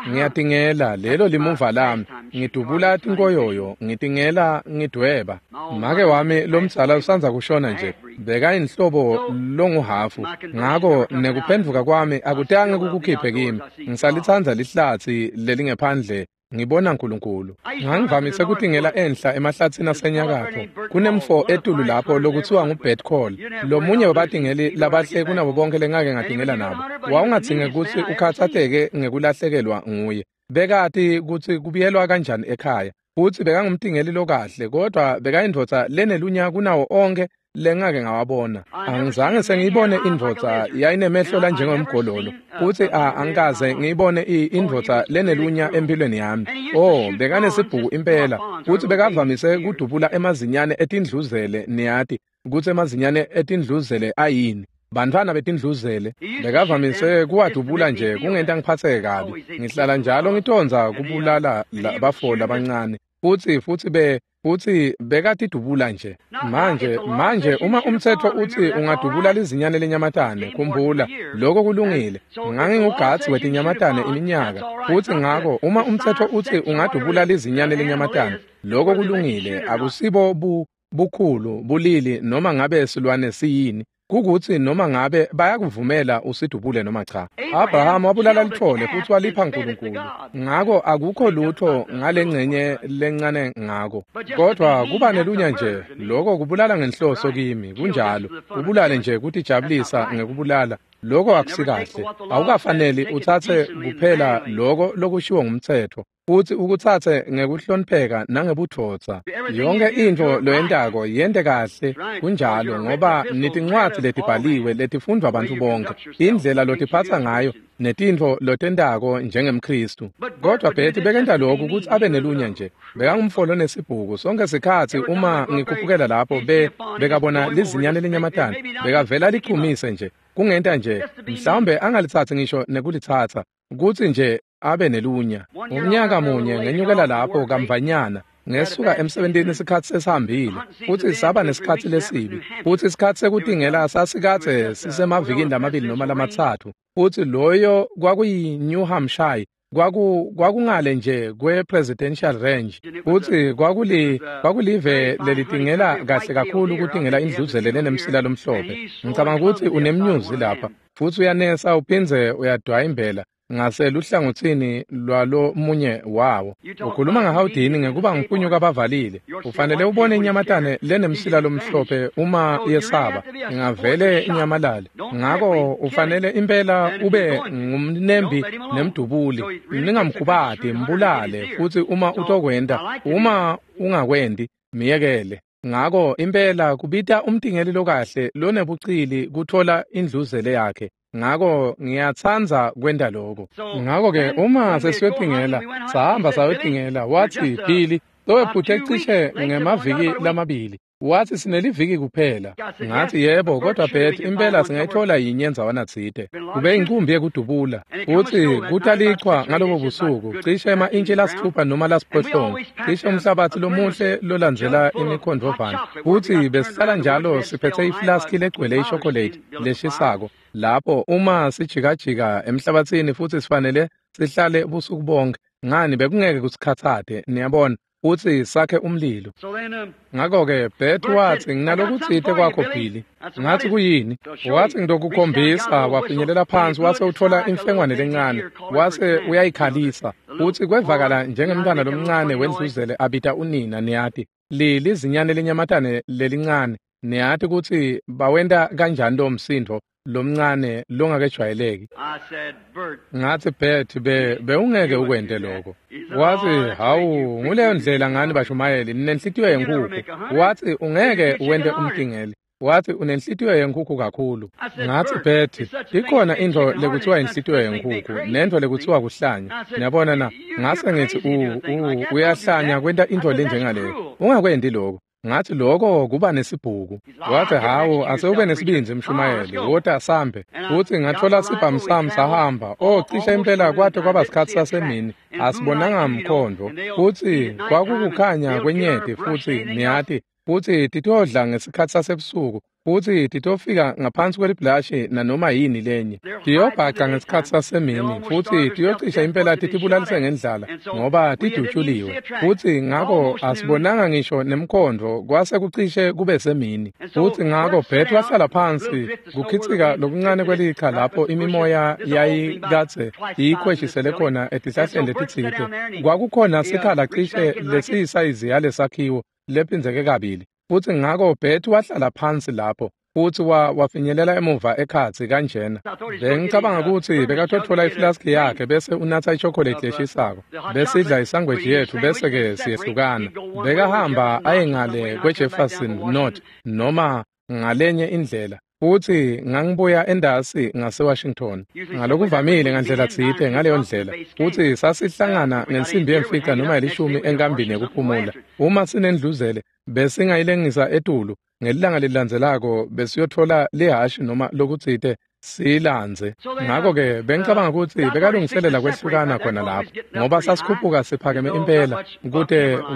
Ngiyatingela, lelo limuva lami. Ngidubula tinkoyoyo, ngitingela, ngidweba. Make wami lomdzala usandza kushona nje. Bekayinhlobo longuhafu. Ngako nekuphendvuka kwami akutange kukukhiphe kimi. Ngisalitsandza lihlatsi lelingephandle. Ngibona Nkulunkulu. Ngangivamise kutingela enhla emahlatsini asenyakatfo. Kunemfo etulu lapho lokutsiwa nguBert Call. Lomunye webatingeli labahle kunabo bonke lengake ngatingela nabo. Wawungadzinge kutsi ukhatsateke ngekulahlekelwa nguye. Bekati kutsi kubuyelwa kanjani ekhaya. Futsi bekangumtingeli lokahle, kodwa bekayindvodza lenelunya kunawo onkhe lengake ngawabona. Angizange sengiyibone indvodza yayinemehlo lanjengomgololo, futsi angikaze ngiyibone indvodza lenelunya empilweni yami. Oh, bekanesibhuku impela, futsi bekavamise kudubula emazinyane etindluzele. Niyati kutsi emazinyane etindluzele ayini. Bantfwana betindluzele bekavamise kuwadubula nje kungenta ngiphatseke kabi. Ngihlala njalo ngitondza kubulala bafo labancane. Futsi bekatidubula nje. Manje uma umtsetfo utsi ungadubula lizinyane lenyamatane, khumbula, lokho kulungile. Ngangingugadzi wetinyamatane iminyaka. Futsi ngako uma umtsetfo utsi ungadubula lizinyane lenyamatane, lokho kulungile. Akusibo bukhulu, bulili noma ngabe silwane siyini. Kukutsi noma ngabe bayakuvumela usidubule noma cha. Abraham wabulala litfole futsi walipha Nkulunkulu. Ngako akukho lutho ngalengcenye lencane ngako. Kodwa kuba nelunya nje, lokho kubulala ngenhloso kimi, kunjalo. Ubulale nje kutijabulisa ngekubulala, lokho akusikahle. Awukafaneli utsatse kuphela lokho lokushiwo ngumtsetfo, futsi ukutsatse ngekuhlonipheka nangebudvodza. Yonke intfo loyentako yente kahle, kunjalo, ngoba nitincwadzi letibhaliwe letifundvwa bantfu bonke, indlela lotiphatsa ngayo netintfo lotentako njengemKhristu. Kodwa Bert bekenta lokhu kutsi abe nelunya nje. Bekangumfo lonesibhuku. Sonke sikhatsi uma ngikhuphukela lapho bekabona lizinyane lenyamatane, bekavela lichumise nje. Kungenta nje, mhlawumbe angalitsatsi ngisho nekulitsatsa, kutsi nje abe nelunya. Umnyaka munye ngenyukela lapho kamvanyana, ngesuka emsebentini isikhatsi sesihambile, futsi saba nesikhatsi lesibi, futsi isikhatsi sekutingela sasikadze sisemavikini lamabili noma lamatsatfu, futsi loyo kwakuyi-New Hampshire, kwakungale nje kwe-Presidential Range, futsi kwakulive lelitingela kahle kakhulu kutingela indluzele lenemsila lomhlophe. Ngicabanga kutsi unemnyuzi lapha, futsi uyanesa uphindze uyadwayimbela ngaseluhlangotsini lwalo munye wawo. Ukhuluma ngahawudini ngekuba ngiphunyuka abavalile. Ufanele ubone inyamatane lenemsila lomhlophe uma yesaba, ingavele inyamalale. Ngako ufanele impela ube ngumnembi nemdubuli. Ningamkhubati, mbulale, futsi uma utokwenta, uma ungakwendi, miyekele. Ngako impela kubita umtingeli lokahle lonebucili kuthola indluzele yakhe. Ngako ngiyatsandza kwenta lokho. Ngako-ke uma sesiyotingela, sahamba sayotingela, watsi Billy, sowephuthe cishe ngemaviki lamabili. Watsi sineliviki kuphela. Ngathi yebo, kodwa Bert impela singayithola yinye endzawana tsite. Kube inkumbi yekudubula. Futsi kutalichwa ngalobo busuku, cishe ema-intshi lasitfupha noma lasiphohlongo, cishe umhlabatsi lomuhle lolandzela imikhondvovana. Futsi besihlala njalo siphetse iflaski legcwele ishokolate leshisako. Lapho uma sijikajika emhlabatsini futsi sifanele sihlale busuku bonke, ngani bekungeke kusikhatsate, niyabona, futsi sakhe umlilo. Ngako-ke Bert watsi, nginalokutsite kwakho Billy. Ngathi kuyini? Watsi ngitokukhombisa. Wafinyelela phansi wase uthola imfengwane lencane, wase uyayikhalisa, futsi kwevakala njengemntwana lomncane wendluzele abita unina. Niyati, lizinyane lenyamatane lelincane, niyati kutsi bawenta kanjani lo msindvo lomncane longakejwayeleki. Ngathi Bert, bewungeke ukwente lokho. Wathi, hawu, nguleyo ndlela ngani bashumayeli, ninenhlitiyo yenkhukhu. Wathi ungeke uwente umtingeli. Wathi unenhlitiyo yenkhukhu kakhulu. Ngathi Bert, ikhona intfo lekuthiwa inhlitiyo yenkhukhu nentfo lekuthiwa kuhlanya. Niyabona na? Ngase ngithi uyahlanya kwenta intfo lenjengaleyo. Ungakwendi lokho. Ngathi lokho kuba nesibhuku. Wathi hawu, asewube nesibindzi mshumayeli, wota sambe. Futsi ngathola sibhamu sami sahamba. Oh, cishe impela kwade kwaba sikhatsi sasemini, asibonanga mkhondvo. Futsi kwakukukhanya kwenyeti futsi niyati. futsi titodla ngesikhatsi sasebusuku, futsi titofika ngaphansi kwelibhulashi nanoma yini lenye. Tiyobhaca ngesikhatsi sasemini, futsi tiyocisha impela titibulalise ngendlala ngoba tidutshuliwe. Futsi ngako asibonanga ngisho nemkhondvo, kwase kucishe kube semini. Futsi ngako Bert wahlala phansi kukhitsika lokuncane kwelicha lapho imimoya yayikadze iyikhweshisele khona etihlahleni letitsite. Kwakukhona sikhala cishe lesiyisayizi yalesakhiwo lephindzeke kabili. Futsi ngako Bert wahlala phansi lapho, futsi wafinyelela emuva ekhatsi kanjena. Bengicabanga kutsi bekatotfola iflaski yakhe bese unatsa ichocolate leshisako, besidla isangweji yetfu bese-ke siyehlukana. Bekahamba aye ngale kweJefferson North noma ngalenye indlela, futsi ngangibuya endasi ngaseWashington. Ngalokuvamile ngandlela tsite ngaleyo ndlela, futsi sasihlangana ngensimbi yemfica noma yelishumi enkambini yekuphumula. Uma sinendluzele besingayilengisa etulu, ngelilanga lelilandzelako besiyotfola lihashi noma lokutsite siyilandze. Ngako-ke bengicabanga kutsi bekalungiselela kwehlukana khona lapho, ngoba sasikhuphuka siphakeme impela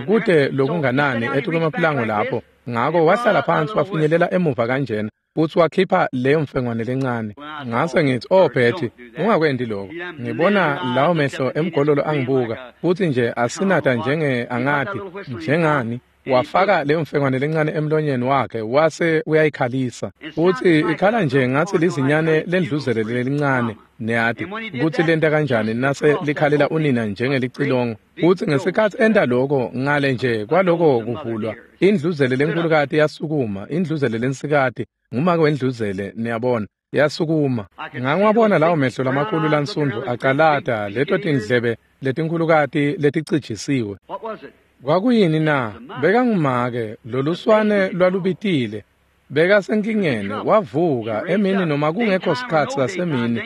kute lokunganani etukwemapulango lapho. Ngako wahlala phansi wafinyelela emuva kanjena, futsi wakhipha leyo mfengwane lencane. Ngase ngithi, "Oh Betty, ungakwenti lokho." Ngibona lawo mehlo emgololo angibuka, futsi nje asinata njenge angati njengani. Wafaka leyo mfengwane lencane emlonyeni wakhe wase uyayikhalisa, futsi ikhala nje ngathi lizinyane lendluzele lelincane, niyati kutsi lenta kanjani nase likhalela unina njengelicilongo. Futsi ngesikhatsi enta lokho, ngale nje kwaloko kuvulwa, indluzele lenkulukati yasukuma, indluzele lensikati, ngumake wendluzele, niyabona, yasukuma. Ngangiwabona lawo mehlo lamakhulu lansundvu acalata leto tindlebe letinkulukati leticijisiwe. Kwakuyini na? Bekangumake, loluswane lwalubitile. Bekasenkingeni, wavuka emini noma kungekho sikhatsi sasemini,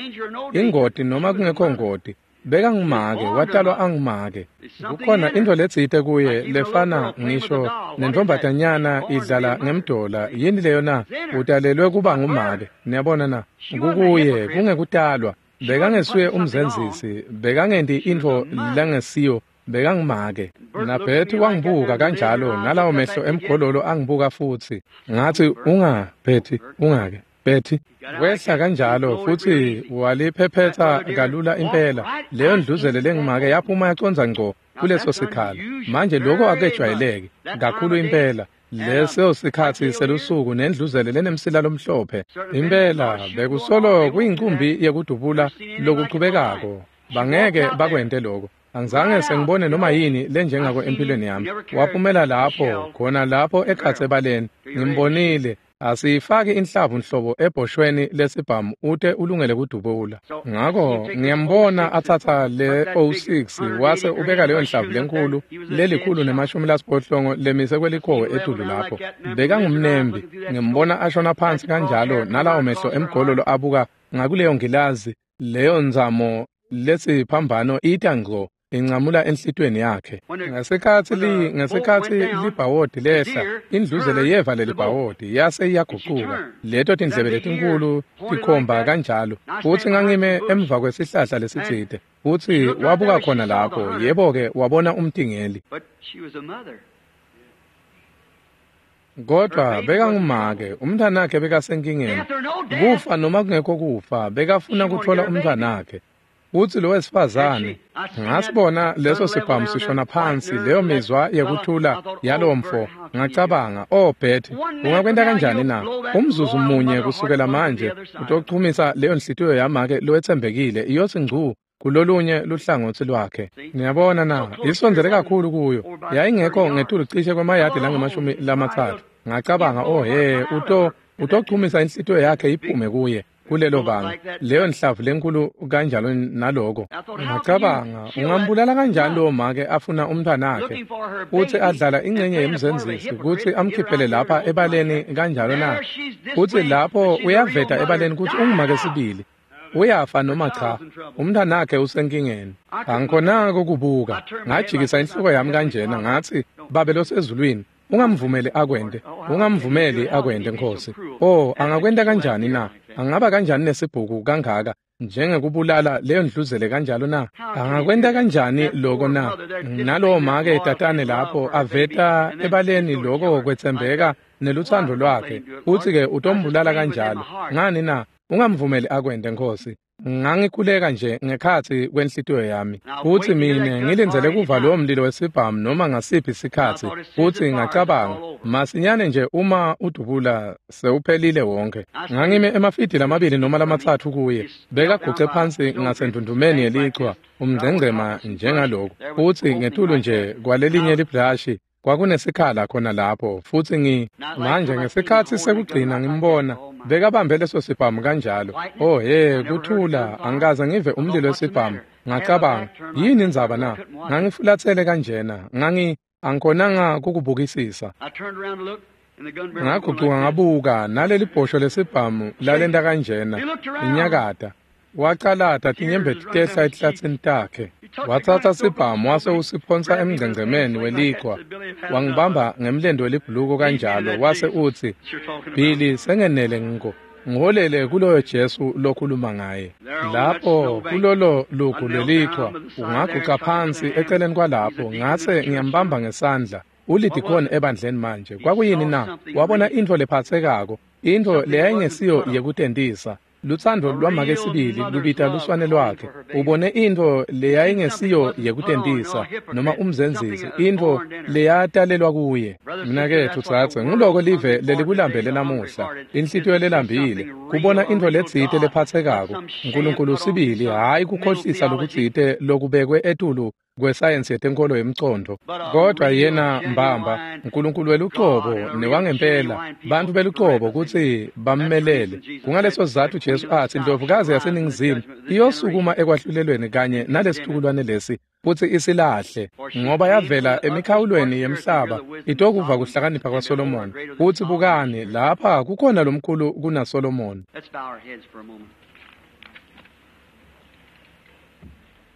ingoti noma kungekho ngoti. Bekangumake, watalwa angumake. Kukhona intfo letsite kuye lefana ngisho nentombatanyana idlala ngemdola. Yini leyo na? Utalelwe kuba ngumake. Niyabona na? Kukuye kungekutalwa. Bekangesuye umzenzisi, bekangenti intfo langesiyo, bekangumake. NaBetty wangibuka kanjalo, nalawo mehlo emgololo angibuka futsi. Ngathi, "Unga Betty, ungake Betty." Wehla kanjalo futsi waliphephetha kalula impela. Leyo ndluzele lengumake yaphuma yacondza ngco kuleso sikhala. Manje lokho akejwayeleki kakhulu impela. Leso sikhatsi selusuku nendluzele lenemsila lomhlophe. Impela bekusolo kuyincumbi yekudubula lokuchubekako. Bangeke bakwente lokho. Angizange sengibone noma yini lenjengako empilweni yami. Waphumela lapho, khona lapho ekhatsi ebaleni. Ngimbonile. Asiyifaki inhlavu nhlobo ebhoshweni lesibhamu ute ulungele kudubula. Ngako ngiyambona atsatsa le 06 wase ubeka leyo nhlavu lenkulu lelikhulu nemashumi lasiphohlongo lemise kwelikhowe etulu lapho. Bekangumnembi. Ngimbona ashona phansi kanjalo nalawo mehlo emgololo abuka ngakuleyo ngilazi, leyo nzamo lesiphambano ita ngco incamula enhlitweni yakhe. Ngesikhatsi libhawodi lehla, indluzele yeva lelibhawodi yase iyagucuka. Leto tindlebe letinkulu tikhomba kanjalo. Futsi ngangime emva kwesihlahla lesitsite, futsi wabuka khona lapho. Yebo-ke, wabona umtingeli. Kodwa bekangumake, umntwanakhe bekasenkingeni. Kufa noma kungekho kufa, bekafuna kutfola umntwanakhe. Futsi lo wesifazane, ngasibona leso sibhamu sishona phansi, leyo mizwa yekuthula yalowo mfo. Ngacabanga, "Oh Betty, ungakwenta kanjani na? Umzuzu munye kusukela manje utochumisa leyo nhliziyo yamake lowetsembekile iyothi ngcu kulolunye luhlangotsi lwakhe." Niyabona na, isondzele kakhulu kuyo. Yayingekho ngetulu cishe kwemayadi langemashumi lamatsatfu. Ngacabanga, "Oh he, utochumisa inhliziyo yakhe iphume kuye kulelo banga, leyo nhlavu lenkulu kanjalo naloko." Ngacabanga, ungambulala kanjani lowo make afuna umntwanakhe, futsi adlala ingcenye yemzenzisi kutsi amkhiphele lapha ebaleni kanjalo na? Futsi lapho uyaveta ebaleni kutsi ungumake sibili. Uyafa noma cha, umntwanakhe usenkingeni. Angikhonanga ukubuka. Ngajikisa inhloko yami kanjena, ngathi, "Babe losezulwini, ungamvumeli akwente, ungamvumeli akwente, Nkosi. Oh, angakwenta kanjani na? Angaba kanjani nesibhuku kangaka njengekubulala leyo ndluzele kanjalo na? Angakwenta kanjani loko na? Nalowo make tatane lapho aveta ebaleni loko kwetsembeka neluthando lwakhe, futsi-ke utombulala kanjalo. Ngani na? Ungamvumeli akwente, Nkosi. Ngangikhuleka nje ngekhatsi kwenhlitiyo yami, futsi mine ngilindzele kuva lowo mlilo wesibhamu noma ngasiphi sikhatsi, futsi ngacabanga, masinyane nje uma udubula sewuphelile wonke. Ngangime emafidi 2 noma 3 kuye, bekaguce phansi ngasendvundvumeni yelichwa, umngcengcema njengalokhu, futsi ngetulu nje kwalelinye libhlashi kwakunesikhala khona lapho, futsi manje ngesikhatsi sekugcina ngimbona bekabambe leso sibhamu kanjalo. Oh he, kuthula, angikaze ngive umlilo wesibhamu. Ngacabanga, yini indzaba na? Ngangifulatsele kanjena, angikhonanga kukubukisisa. Ngagucuka ngabuka, naleli bhosho lesibhamu lalenta kanjena, inyakata. Wacalata tinyembeti tehla etihlatsini takhe. Watsatsa sibhamu wase usiphonsa emngcengcemeni welichwa. Wangibamba ngemlendo welibhuluko kanjalo, wase utsi, Billy, sengenele ngiko. Ngiholele kuloyo Jesu lokhuluma ngaye. Lapho kulolo lugu lwelichwa, ungaguca phansi eceleni kwalapho, ngase ngiyambamba ngesandla. Ulidikoni ebandleni manje. Kwakuyini na? Wabona intfo lephatsekako, intfo leyayingesiyo yekutentisa. Lutsandvo lwamake sibili lubita luswane lwakhe. Ubone intfo leyayingesiyo yekutentisa noma umzenzisi, intfo leyatalelwa kuye. Mnaketfu dzadze, nguloko live lelikulambele namuhla, inhlitiyo lelambile, kubona intfo letsite lephatsekako, Nkulunkulu sibili, hhayi kukhohlisa lokutsite lokubekwe etulu kwesayensi yetenkolo yemcondo, kodwa yena mbamba Nkulunkulu welucobo newangempela, bantfu belucobo kutsi bammelele. Kungaleso sizatfu Jesu atsi indlovukazi yaseningizimu iyosukuma ekwahlulelweni kanye nalesitukulwane lesi futsi isilahle, ngoba yavela emikhawulweni yemhlaba itokuva kuhlakanipha kwaSolomoni. Futsi bukani, lapha kukhona lomkhulu kunaSolomoni.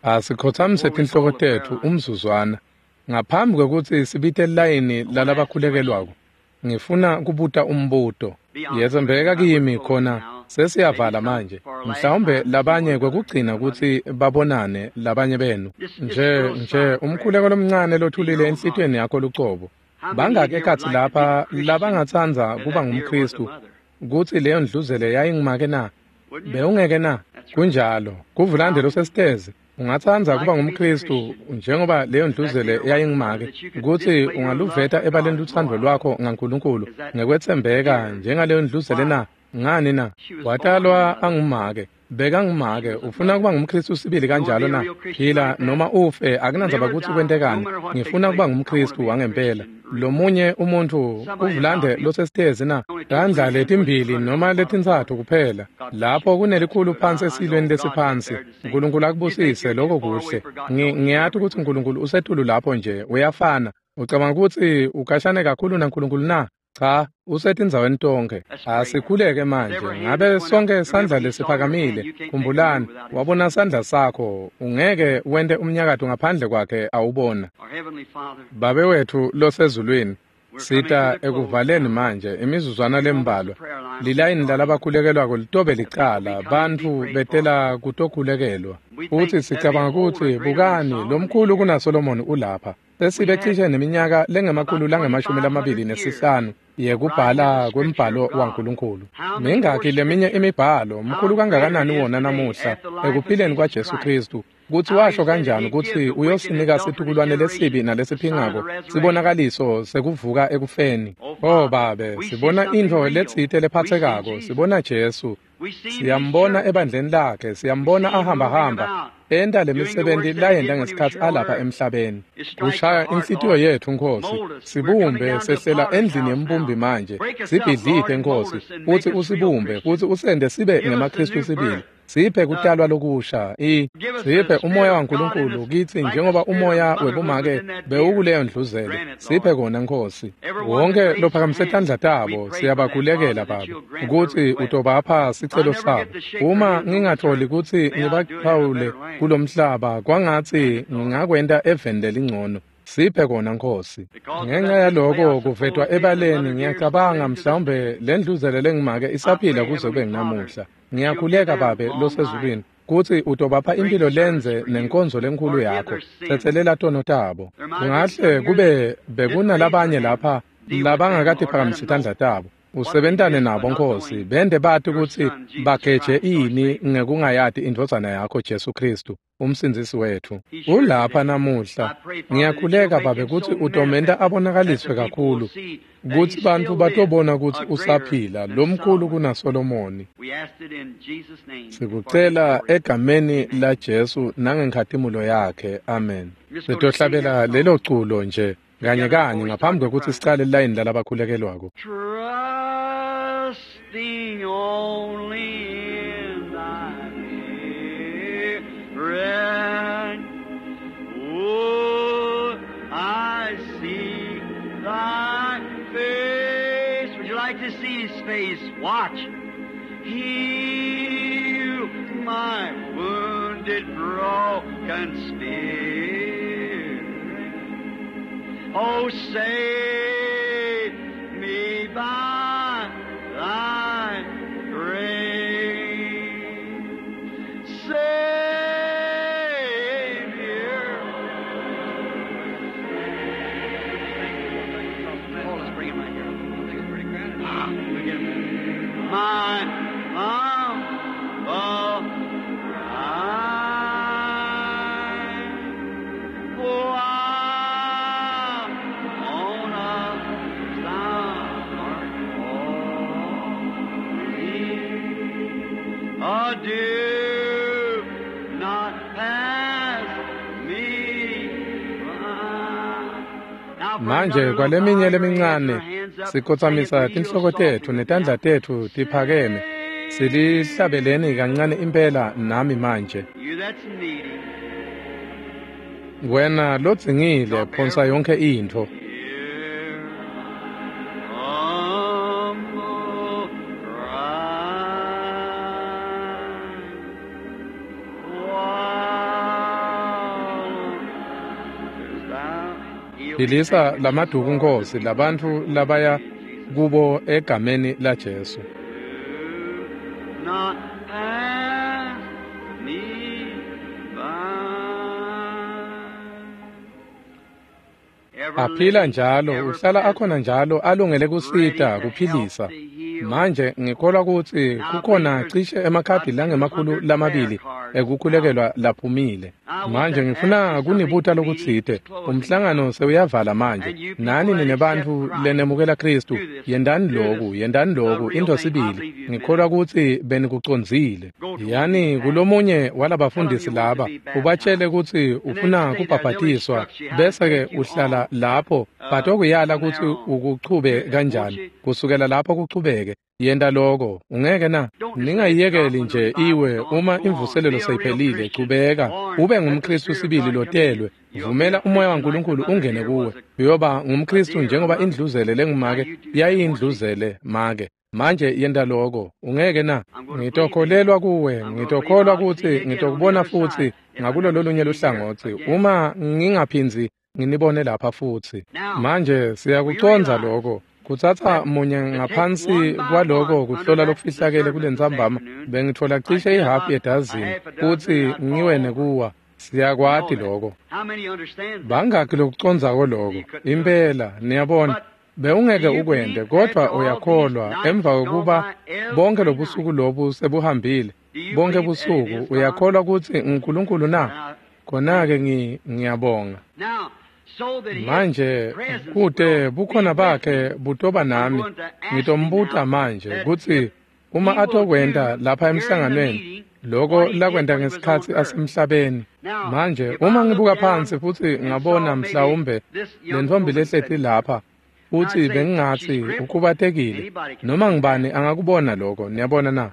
Asikhotsamise tinhloko tetfu umzuzwana ngaphambi kwekutsi sibite layini lalabakhulekelwako. Ngifuna kubuta umbuto. Yetsembeka kimi khona sesiyavala manje, mhlawumbe labanye kwekugcina kutsi babonane labanye benu. Nje umkhuleko lomncane lothulile enhlitiyweni yakho lucobo. Bangaki ekhatsi lapha labangatsandza kuba ngumKhristu kutsi leyo ndluzele yayingimake na? Bewungeke na? Kunjalo. Kuvulande losesitezi. Ungatsandza kuba ngumKhristu njengoba leyo ndluzele yayingimake, kutsi ungaluveta ebaleni lutsandvo lwakho ngaNkulunkulu ngekwetsembeka njengaleyo ndluzele na? Ngani na? Watalwa angumake, bekangumake. Ufuna kuba ngumKhristu sibili kanjalo na? Phila noma ufe, akunandzaba kutsi kwentekani. Ngifuna kuba ngumKhristu wangempela. Lomunye umuntfu kuvulande losesitezi na? Tandla letimbili noma letintsatfu kuphela. Lapho kunelikhulu phansi esilweni lesiphansi. Nkulunkulu akubusise, lokho kuhle. Ngiyati kutsi Nkulunkulu usetulu lapho nje, uyafana. Ucabanga kutsi ukashane kakhulu naNkulunkulu na? Cha, usetindzaweni tonkhe. Asikhuleke manje. Ngabe sonke sandla lesiphakamile, khumbulani, wabona sandla sakho, ungeke wente umnyakato ngaphandle kwakhe awubona. Babe wetfu losezulwini, sita ekuvaleni manje imizuzwana lembalwa. Lilayini lalabakhulekelwako litobe licala, bantfu betela kutokhulekelwa. Futsi sicabanga kutsi bukani, lomkhulu kunaSolomoni ulapha. Sesibe cishe neminyaka lengemakhulu langama-25 yekubhala kwembhalo waNkulunkulu. Mingaki leminye imibhalo, mkhulu kangakanani wona namuhla ekuphileni kwaJesu Khristu, kutsi washo kanjani kutsi uyosinika situkulwane lesibi nalesiphingako sibonakaliso sekuvuka ekufeni. Oh Babe, sibona intfo letsite lephatsekako, sibona Jesu. Siyambona ebandleni lakhe, siyambona ahambahamba enta lemisebenti layenta ngesikhatsi alapha emhlabeni. Kushaya inhlitiyo yetfu, Nkosi. Sibumbe sehlela endlini yembumbi manje. Sibhidlite, Nkosi, futsi usibumbe, futsi usente sibe ngemaKhristu sibili. Siphe kutalwa lokusha, siphe umoya waNkulunkulu kitsi njengoba umoya webumake bewukuleyo ndluzele. Siphe kona, Nkosi. Wonke lophakamise tandla tabo siyabakhulekela, Baba, kutsi utobapha sicelo sabo. Uma ngingatholi kutsi ngibachawule kulomhlaba, kwangatsi ngingakwenta eveni lelingcono. Siphe kona, Nkosi. Ngenxa yaloko kuvetwa ebaleni, ngiyacabanga mhlawumbe le ndluzele lengimake isaphila kuze kube nginamuhla. Ngiyakhuleka, Babe losezulwini, kutsi utobapha impilo lenze nenkonzo lenkulu yakho. Tsetselela tono tabo. Kungahle kube bekunalabanye lapha labangakatiphakamisi tandla tabo. Usebentane nabo Nkosi, bende bati kutsi bageje ini ngekungayati indvodzana yakho Jesu Kristu, umsindzisi wetfu. Ulapha namuhla. Ngiyakhuleka Babe kutsi utomenta abonakaliswe kakhulu, kutsi bantfu batobona kutsi usaphila, lomkhulu kunaSolomoni. Sikucela egameni la Jesu nangenkhatimulo yakhe. Amen. Sitohlabela lelo culo nje kanye kanye ngaphambi kwekutsi sicale lilayini lalabakhulekelwako. Trusting only in thy spirit, oh, I see thy face. Would you like to see his face? Watch. Heal my wounded, broken spirit. Oh, save me by thy grace. Savior. Oh, let's bring him right here. I think it's pretty crowded. We'll get him. My humble cry. Oh, I on a thou art calling. Oh, do not pass me by. Now, for Manje another little kwaleminye while, your lemincane hands up, sikhotsamisa sing it real tinhloko tetfu softly netandla now. tetfu tiphakeme. Silihlabeleni kancane impela nami manje. You that's needy, Wena lodzingile phonsa yonke intfo. hear humble cry. While thou heal Philisa lamaduku Nkosi labantfu labaya kubo egameni la Jesu. Do not pass me by. Ever Aphila living, njalo, ever uhlala present, akhona njalo alungele ready kusita, to help, kuphilisa. to heal. Manje ngikholwa kutsi Now I kukhona believe there's cishe emakhadi about langemakhulu 200 prayer lamabili cards out. ekukhulekelwa laphumile. I want Manje to ask ngifuna you something. kunibuta The meeting is lokutsite. closing Umhlangano now. sewuyavala manje. And you people Nani that accept ninebantfu Christ, lenemukela Kristu, do this. yendani Do loku, this. yendani The loku, real intfo thing. I sibili. believe you've been Ngikholwa it. kutsi benikucondzile. Go to one of these Yani pastors. kulomunye Tell them walabafundisi you want to laba, be ubatshele baptized. kutsi And then ufuna stay there. They'll kubhabhatiswa, instruct you how to bese ke take you uhlala on lapho batokuyala from kutsi there on. ukuchube Do that, won't kanjani. you? Kusukela lapho kuchubeke. Yenta loko, ungeke na? Don't just let it drop Ningayiyekeli when the nje revival's iwe gone. uma Go on. imvuselelo Be a real seyiphelile, Christian. chubeka Born. ube Let the ngumKristu Spirit of sibili God come in you. lotelwe. You'll be a Vumela umoya Christian like the waNkulunkulu mother ungene dear kuwe. was a Uyoba a ngumKristu dear, a njengoba mother. indluzele Now lengumake you do that, won't you? yayindluzele make. Manje yenta loko, ungeke na? I'm going to believe in you. Ngitokholelwa kuwe, I'm going to believe ngitokholwa I'll see kutsi you again on the ngitokubona other futsi side if I ngakulo never lolunye see you here luhlangotsi again. uma ngingaphindzi nginibone lapha futsi. Now, Manje we siyakucondza realize loko. Kutsatsa that munye to take ngaphansi one by kwaloko one under kuhlola that lokufihlakele discernment this kulentsambama afternoon, bengitfola I'd cishe get ihafu about a yedazini half a dozen kutsi and I'd fall ngiwe over. nekuwa. You know Siyakwati that. loko. How many understands that? Bangaki lokucondzako See, loko? you couldn't do it. Impela, niyabona. But Bewungeke do you ukwente believe kodvwa after all these uyakholwa nights emva gone kwekuba by bonke every lobusuku night? lobu sebuhambile. Do you Bonke believe that it busuku is God? uyakholwa kutsi nguNkulunkulu na? Now, Khona thank ke you. ngiyabonga. Now, so that his Manje presence kute will be bukhona with bakhe me, butoba I'm nami going to ask him ngitombuta now manje that if kutsi uma he will atokwenta do lapha here in the emhlanganweni meeting loko what he did lakwenta when he was on ngesikhatsi earth. asemhlabeni. Now, Manje if I uma look ngibuka down phansi futsi and saw ngabona maybe mhlawumbe this young lentfombi woman lehleti sitting here, lapha I'd futsi say she's bengingatsi crippled. ukhubatekile Anybody can noma see that. ngubani angakubona loko niyabona na?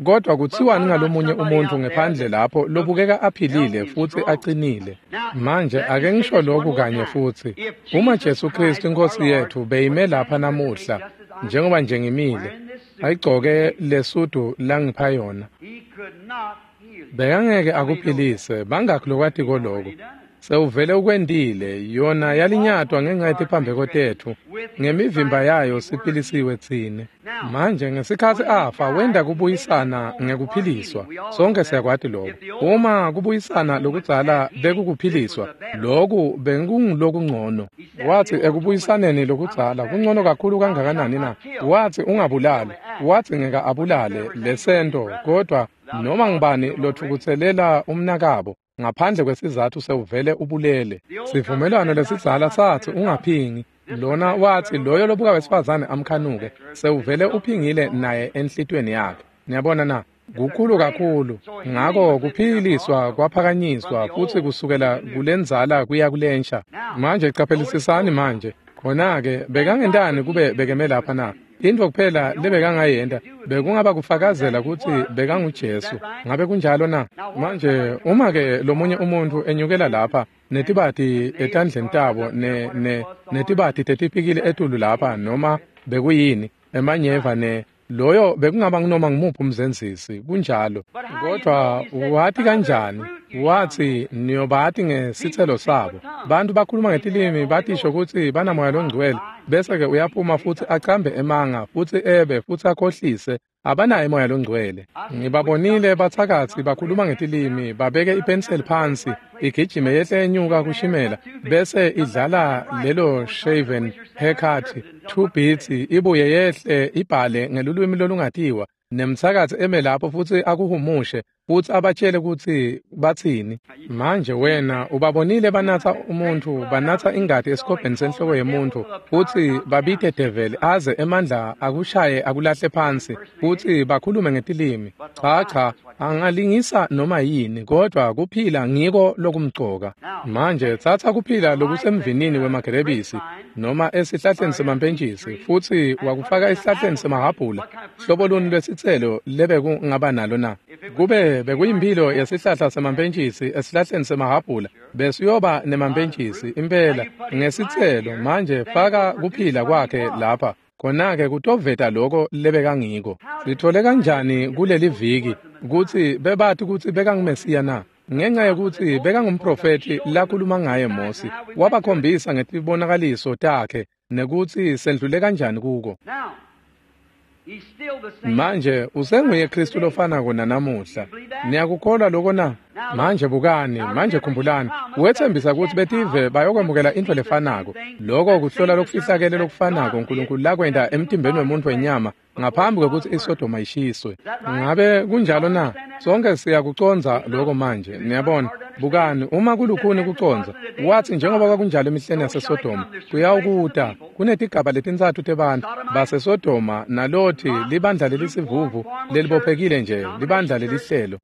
Kodwa But kutsiwani what about ngalomunye somebody umuntfu out there ngephandle that lapho looks lobukeka aphilile healthy and futsi strong? acinile? Now, Manje let me ake say ngisho this one lokhu more kanye time. futsi. If Uma Jesus Jesu Kristu Christ our iNkosi Lord yethu beyime was lapha standing here today namuhla just as I'm njengoba nje standing, ngimile, wearing this suit, ayigcoke lesudu langipha yona. he could not heal you. Bekangeke How many know that? akuphilise, bangakhi lokwatiko He's loko. already done it. Sewuvele ukwentile, yona yalinyatwa ngenxa yetiphambeko tetfu. Ngemivimba yayo siphilisiwe tsine. Manje ngesikhatsi afa wenta kubuyisana ngekuphiliswa. Sonke siyakwati lokho. Uma kubuyisana lokudzala bekukuphiliswa, loku bekungulokungcono. Wathi ekubuyisaneni lokudzala kungcono kakhulu kangakanani na? Wathi ungabulali. Wathi ngeke abulale lesento, kodwa noma ngubani lothukutselela umnakabo ngaphandle kwesizathu sewuvele ubulele. Sivumelwano lesidzala sathi ungaphingi. Lona wathi loyo lobuka wesifazane amkhanuke sewuvele uphingile naye enhlitweni yakhe. Niyabona na? Kukhulu kakhulu. Ngako kuphiliswa kwaphakanyiswa futsi kusukela kulenzala kuya kulensha. Manje qaphelisisani manje. Khona-ke bekangentani kube bekeme lapha na? Intfo kuphela lebekangayenta bekungaba kufakazela kutsi bekanguJesu. Ngabe kunjalo na? Manje uma-ke lomunye umuntfu enyukela lapha netibati etandleni tabo netibati tetipikili etulu lapha noma bekuyini emanyeva ne loyo bekungaba ngunoma ngumuphi umzenzisi kunjalo. Kodwa wati kanjani? Wathi niyobati ngesitselo sabo. Bantu bakhuluma ngetilimi batisho kutsi banamoya longcwele, bese-ke uyaphuma futsi acambe emanga futsi ebe futsi akhohlise. Abanaye moya longcwele. Ngibabonile bathakathi bakhuluma ngetilimi, babeke ipenseli phansi, igijime yehle enyuka kushimela, bese idlala lelo shaven haircut 2 beats, ibuye yehle ibhale ngelulwimi lolungatiwa, nemthakathi eme lapho futsi akuhumushe futsi abatshele kutsi batsini. Manje wena ubabonile banatsa umuntfu, banatsa ingati esikobheni senhloko yemuntfu, futsi babite develi aze emandla akushaye akulahle phansi, futsi bakhulume ngetilimi. Cha cha, angalingisa noma yini, kodwa kuphila ngiko lokumcoka. Manje tsatsa kuphila lokusemvinini wemagerebisi noma esihlahleni semampentjisi futsi wakufaka esihlahleni semahhabhula, hlobo luni lwesitselo lebekungaba nalo na? Kube bekuyimphilo yesihlahla semampentjisi esihlahleni semahhabhula, besiyoba nemampentjisi impela ngesitselo. Manje faka kuphila kwakhe lapha, khona-ke kutoveta loko lebekangiko. Sithole kanjani kuleli viki kutsi bebati kutsi bekangumesiya na? Ngenxa yokuthi bekangumprofethi lakhuluma ngaye Mosi, wabakhombisa ngetibonakaliso takhe nekutsi sendlule kanjani kuko. Manje usenguye Kristu lofanako nanamuhla. Niyakukholwa loko na? Manje bukani, manje khumbulani, wethembisa kutsi betive bayokwemukela intfo lefanako. Loko kuhlola lokufihlakele lokufanako uNkulunkulu lakwenta emtimbeni wemuntfu wenyama ngaphambi kwekutsi iSodoma ishiswe. Ngabe kunjalo na? Sonke siyakucondza loko manje. Niyabona, bukani, uma kulukhuni kucondza, wathi njengoba kwakunjalo emihleni yaseSodoma, kuyawukuta kunetigaba letintsatfu tebantfu baseSodoma naLothi, libandla lelisivuvu lelibophekile nje, libandla lelihlelo,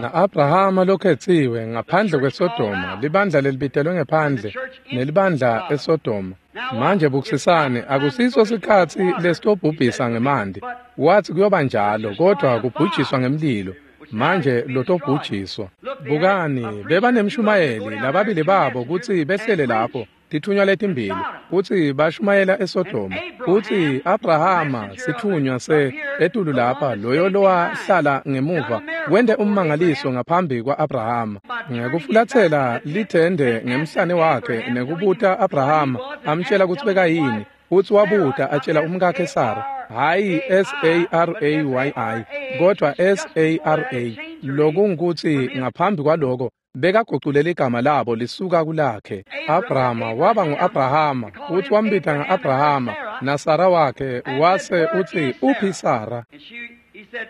na-Abrahama lokhetsiwe ngaphandle kweSodoma, libandla lelibitelwe ngephandle nelibandla eSodoma. Manje bukisisani, akusiso sikhatsi lesitobhubhisa ngemanti. Wathi kuyoba njalo, kodwa kubhujiswa ngemlilo. Manje lotobhujiswa. Bukani, bebanemshumayeli lababili babo kutsi behlele lapho, tithunywa letimbili, kutsi bashumayela eSodoma. Kutsi Abrahama sithunywa se etulu lapha, loyo lowahlala ngemuva wente ummangaliso ngaphambi kwa-Abrahama ngekufulathela lithende ngemhlane wakhe nekubuta Abrahama amtshela kutsi bekayini. Futsi wabuta atshela umkakhe Sara, hhayi S-A-R-A-Y-I kodwa S-A-R-A, lokungukutsi ngaphambi kwaloko bekaguculele igama labo lisuka kulakhe. Abrahama waba ngu-Abrahama, futsi wambita nga-Abrahama, naSara wakhe wase utsi uphi Sara?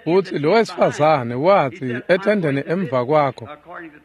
Futsi lo wesifazane wathi ethendeni emva kwakho,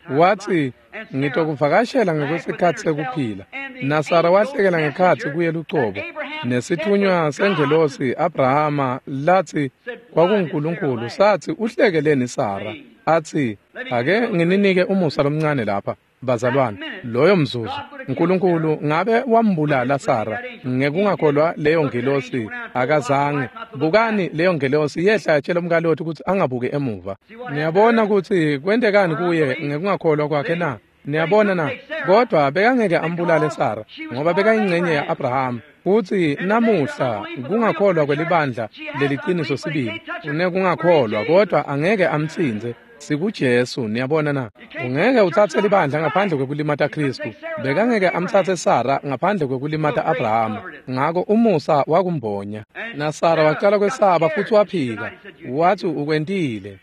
wathi ngitokuvakashela ngekwesikhatsi sekuphila. NaSara wahlekela ngekhatsi kuye lucobo. Nesithunywa sengelosi Abrahama lathi kwakunguNkulunkulu sathi uhlekeleni Sara? Athi ake ngininike umusa lomncane lapha bazalwane. Loyo mzuzu uNkulunkulu ngabe wambulala Sara ngekungakholwa leyo ngelosi? Akazange. Bukani, leyo ngelosi yehla yatshela umkaLothi ukuthi angabuki emuva. Niyabona ukuthi kwentekani kuye ngekungakholwa kwakhe na? Niyabona na? Kodwa bekangeke ambulale Sara ngoba bekayingcenye ya-Abrahama. Futsi namuhla kungakholwa kwelibandla leliciniso sibili unekungakholwa, kodwa angeke amtsintse. SikuJesu, niyabona na? Ungeke utsatse libandla ngaphandle kwekulimata Khristu. Bekangeke amtsatse Sara ngaphandle kwekulimata Abrahama. Ngako umusa wakumbonya. Na Sara wacala kwesaba futsi waphika. Wathi ukwentile.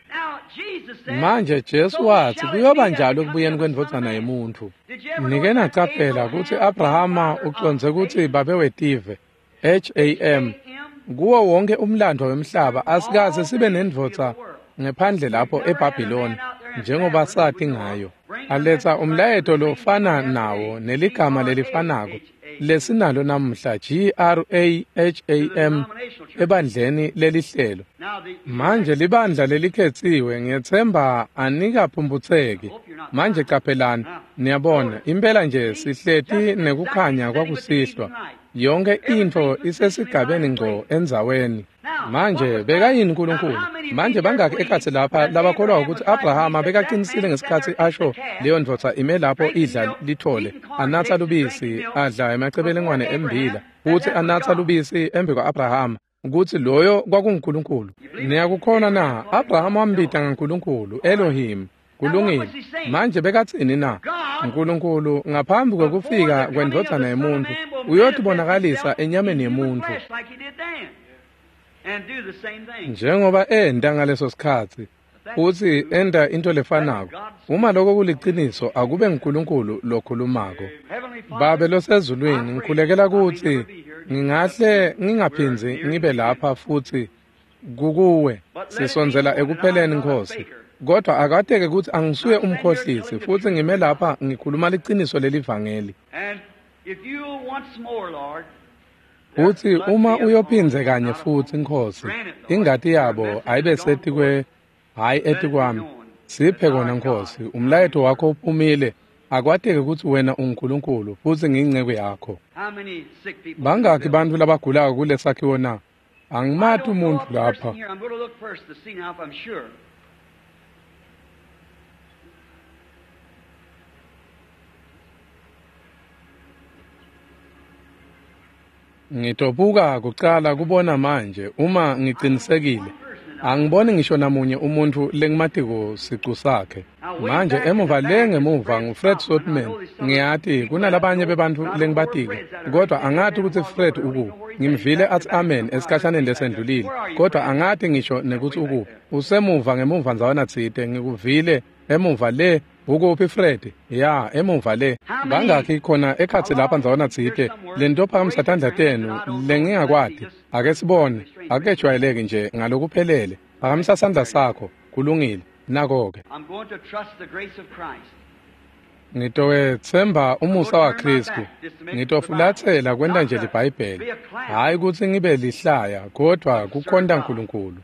Manje Jesu wathi kuyoba njalo ekubuyeni kwendvodzana yemuntfu. Nike nacaphela kutsi Abrahama ucondze kutsi babe wetive, Ham. Kuwo wonke umlandvo wemhlaba asikaze sibe nendvodza ngephandle lapho eBhabhiloni njengoba sati ngayo. Aletsa umlayeto lofana nawo neligama lelifanako lesinalo namuhla, Graham, ebandleni lelihlelo. Manje libandla lelikhetsiwe, ngiyetsemba anikaphumphutseki. Manje caphelani, niyabona, impela nje sihleti nekukhanya kwakusihlwa. Yonke intfo isesigabeni ngco endzaweni. Manje bekayini uNkulunkulu? Manje bangaki ekhatsi lapha labakholwa ukuthi Abrahama bekaqinisile ngesikhatsi asho leyo ndvodza ime lapho idla lithole, anatsa lubisi, adla emacebelengwane embila, futsi anatsa lubisi embi kwa-Abrahama, kutsi loyo kwakunguNkulunkulu. Niyakukhona na? Abrahama wambita ngaNkulunkulu, Elohim. Kulungile. Manje bekatsini na? Nkulunkulu ngaphambi kwekufika kwendvodzana yemuntfu uyotibonakalisa enyameni yemuntfu njengoba enta ngaleso sikhatsi, futsi enta into lefanako. Uma lokho kuliciniso, akube nguNkulunkulu lokhulumako. Babe losezulwini, ngikhulekela kutsi ngingahle ngingaphindzi ngibe lapha futsi kukuwe. Sisondzela ekupheleni, Nkhosi. Kodwa akateke kutsi angisuye umkhohlisi, futsi ngime lapha ngikhuluma liciniso lelivangeli. Futsi uma uyophindze kanye futsi, Nkhosi, ingati yabo ayibe setikwe, hhayi etikwami. Siphe kona, Nkhosi, umlayeto wakho uphumile. Akwateke kutsi wena unguNkulunkulu futsi ngiyinceku yakho. Bangaki bantfu labagulako kulesakhiwo na? Angimati umuntfu lapha. Ngitobuka kucala kubona manje uma ngicinisekile. Angiboni ngisho namunye umuntfu lengimatiko sicu sakhe. Manje emuva le ngemuva nguFred Sothmann. Ngiyati kunalabanye bebantfu lengibatiko, kodwa angati kutsi Fred ukuphi. Ngimvile atsi amen esikhashaneni lesendlulile, kodwa angati ngisho nekutsi ukuphi. Usemuva ngemuva ndzawana tsite, ngikuvile emuva le. Ukuphi Fred? Ya, emuva le. Bangakhi khona ekhatsi lapha ndzawana tsite lentophakamisa tandla tenu lengingakwati? Ake sibone. Akejwayeleki nje ngalokuphelele. Phakamisa sandla sakho. Kulungile. Nako-ke. Ngitowetsemba umusa waKhristu. Ngitofulatsela kwenta nje liBhayibheli. Hhayi kutsi ngibe lihlaya, kodvwa kukhonta Nkulunkulu.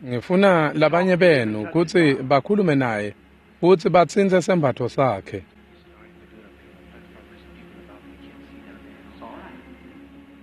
Ngifuna labanye benu kutsi bakhulume naye futsi batsintse sembatfo sakhe.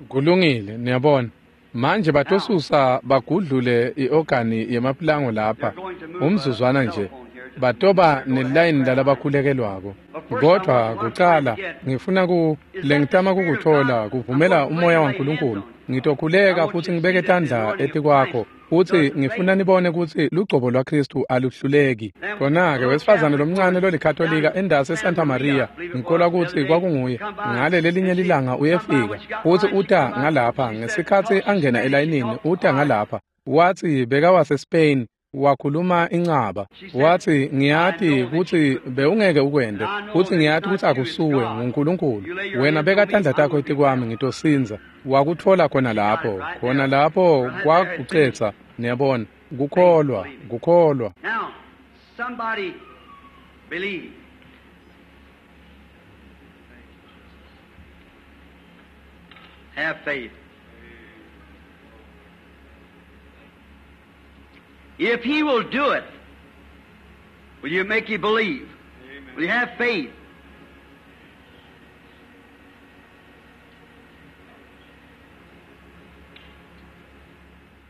Kulungile, niyabona. Manje batosusa bagudlule i-organi yemapulango lapha umzuzwana nje. Batoba nelayini lalabakhulekelwako. Kodwa kucala ngifuna lengitama kukuthola kuvumela umoya waNkulunkulu. Ngitokhuleka futsi ngibeke tandla etikwakho, futsi ngifuna nibone kutsi lugcobo lwaKhristu aluhluleki. Khona-ke wesifazane lomncane lolikhatolika endasi eSanta Maria, ngikholwa kutsi kwakunguye, ngale lelinye lilanga uyefika, futsi uta ngalapha ngesikhatsi angena elayinini, uta ngalapha. Watsi bekawase-Spain, wakhuluma incaba. Watsi ngiyati kutsi bewungeke ukwente, futsi ngiyati kutsi akusuwe, nguNkulunkulu. Wena beka tandla takho etikwami, ngitosindza. Wakutfola khona lapho, khona lapho kwakucetsa, niyabona, kukholwa, kukholwa. Have faith. If he will do it, will you make you believe? Amen. Will you have faith?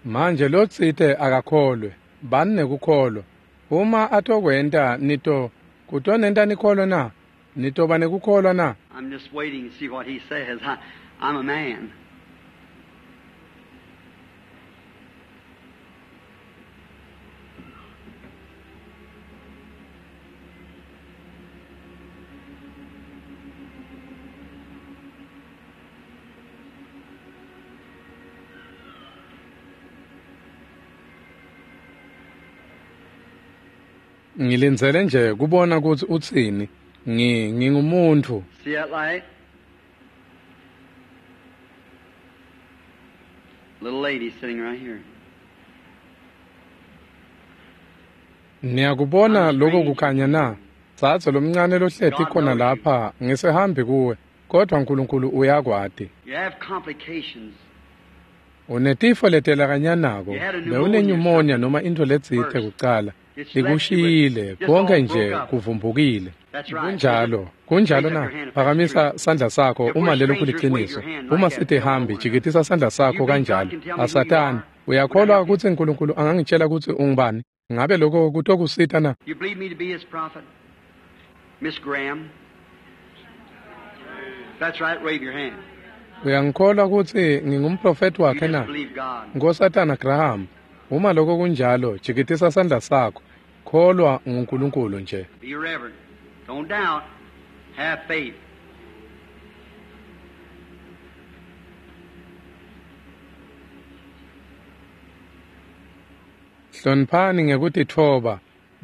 Manje lotsite akakholwe, bani nekukholwa. Uma atokwenta nito kutonenta nikholwe na? Nitoba nekukholwa na? I'm just waiting to see what he says. I'm a man. Ngilindzele nje kubona kutsi utsini. Ngingumuntfu. See that light? Little lady sitting right here. Niyakubona lokho kukhanya na? Dzadze lomncane lohleti khona lapha, ngisehambi kuwe, kodwa uNkulunkulu uyakwati. You have complications. Unetifo letelakanyanako, bewunenyumonia noma intfo letsite kucala. Likushiyile, konke nje kuvumbukile. Kunjalo, kunjalo na? Phakamisa sandla sakho uma lelo kuliciniso. Uma sitihambi, jikitisa sandla sakho kanjalo. Asatani, uyakholwa kutsi uNkulunkulu angangitshela kutsi ungubani? Ngabe lokho kutokusita na? You believe me to be his prophet? Miss Graham? That's right, wave your hand. Uyangikholwa kutsi ngingumprofeti You wakhe just na? believe God. Nkosatana Graham, uma lokho kunjalo, jikitisa sandla sakho. Kholwa nguNkulunkulu nje. Be reverent. Don't doubt. Have faith. Hloniphani ngekutitfoba,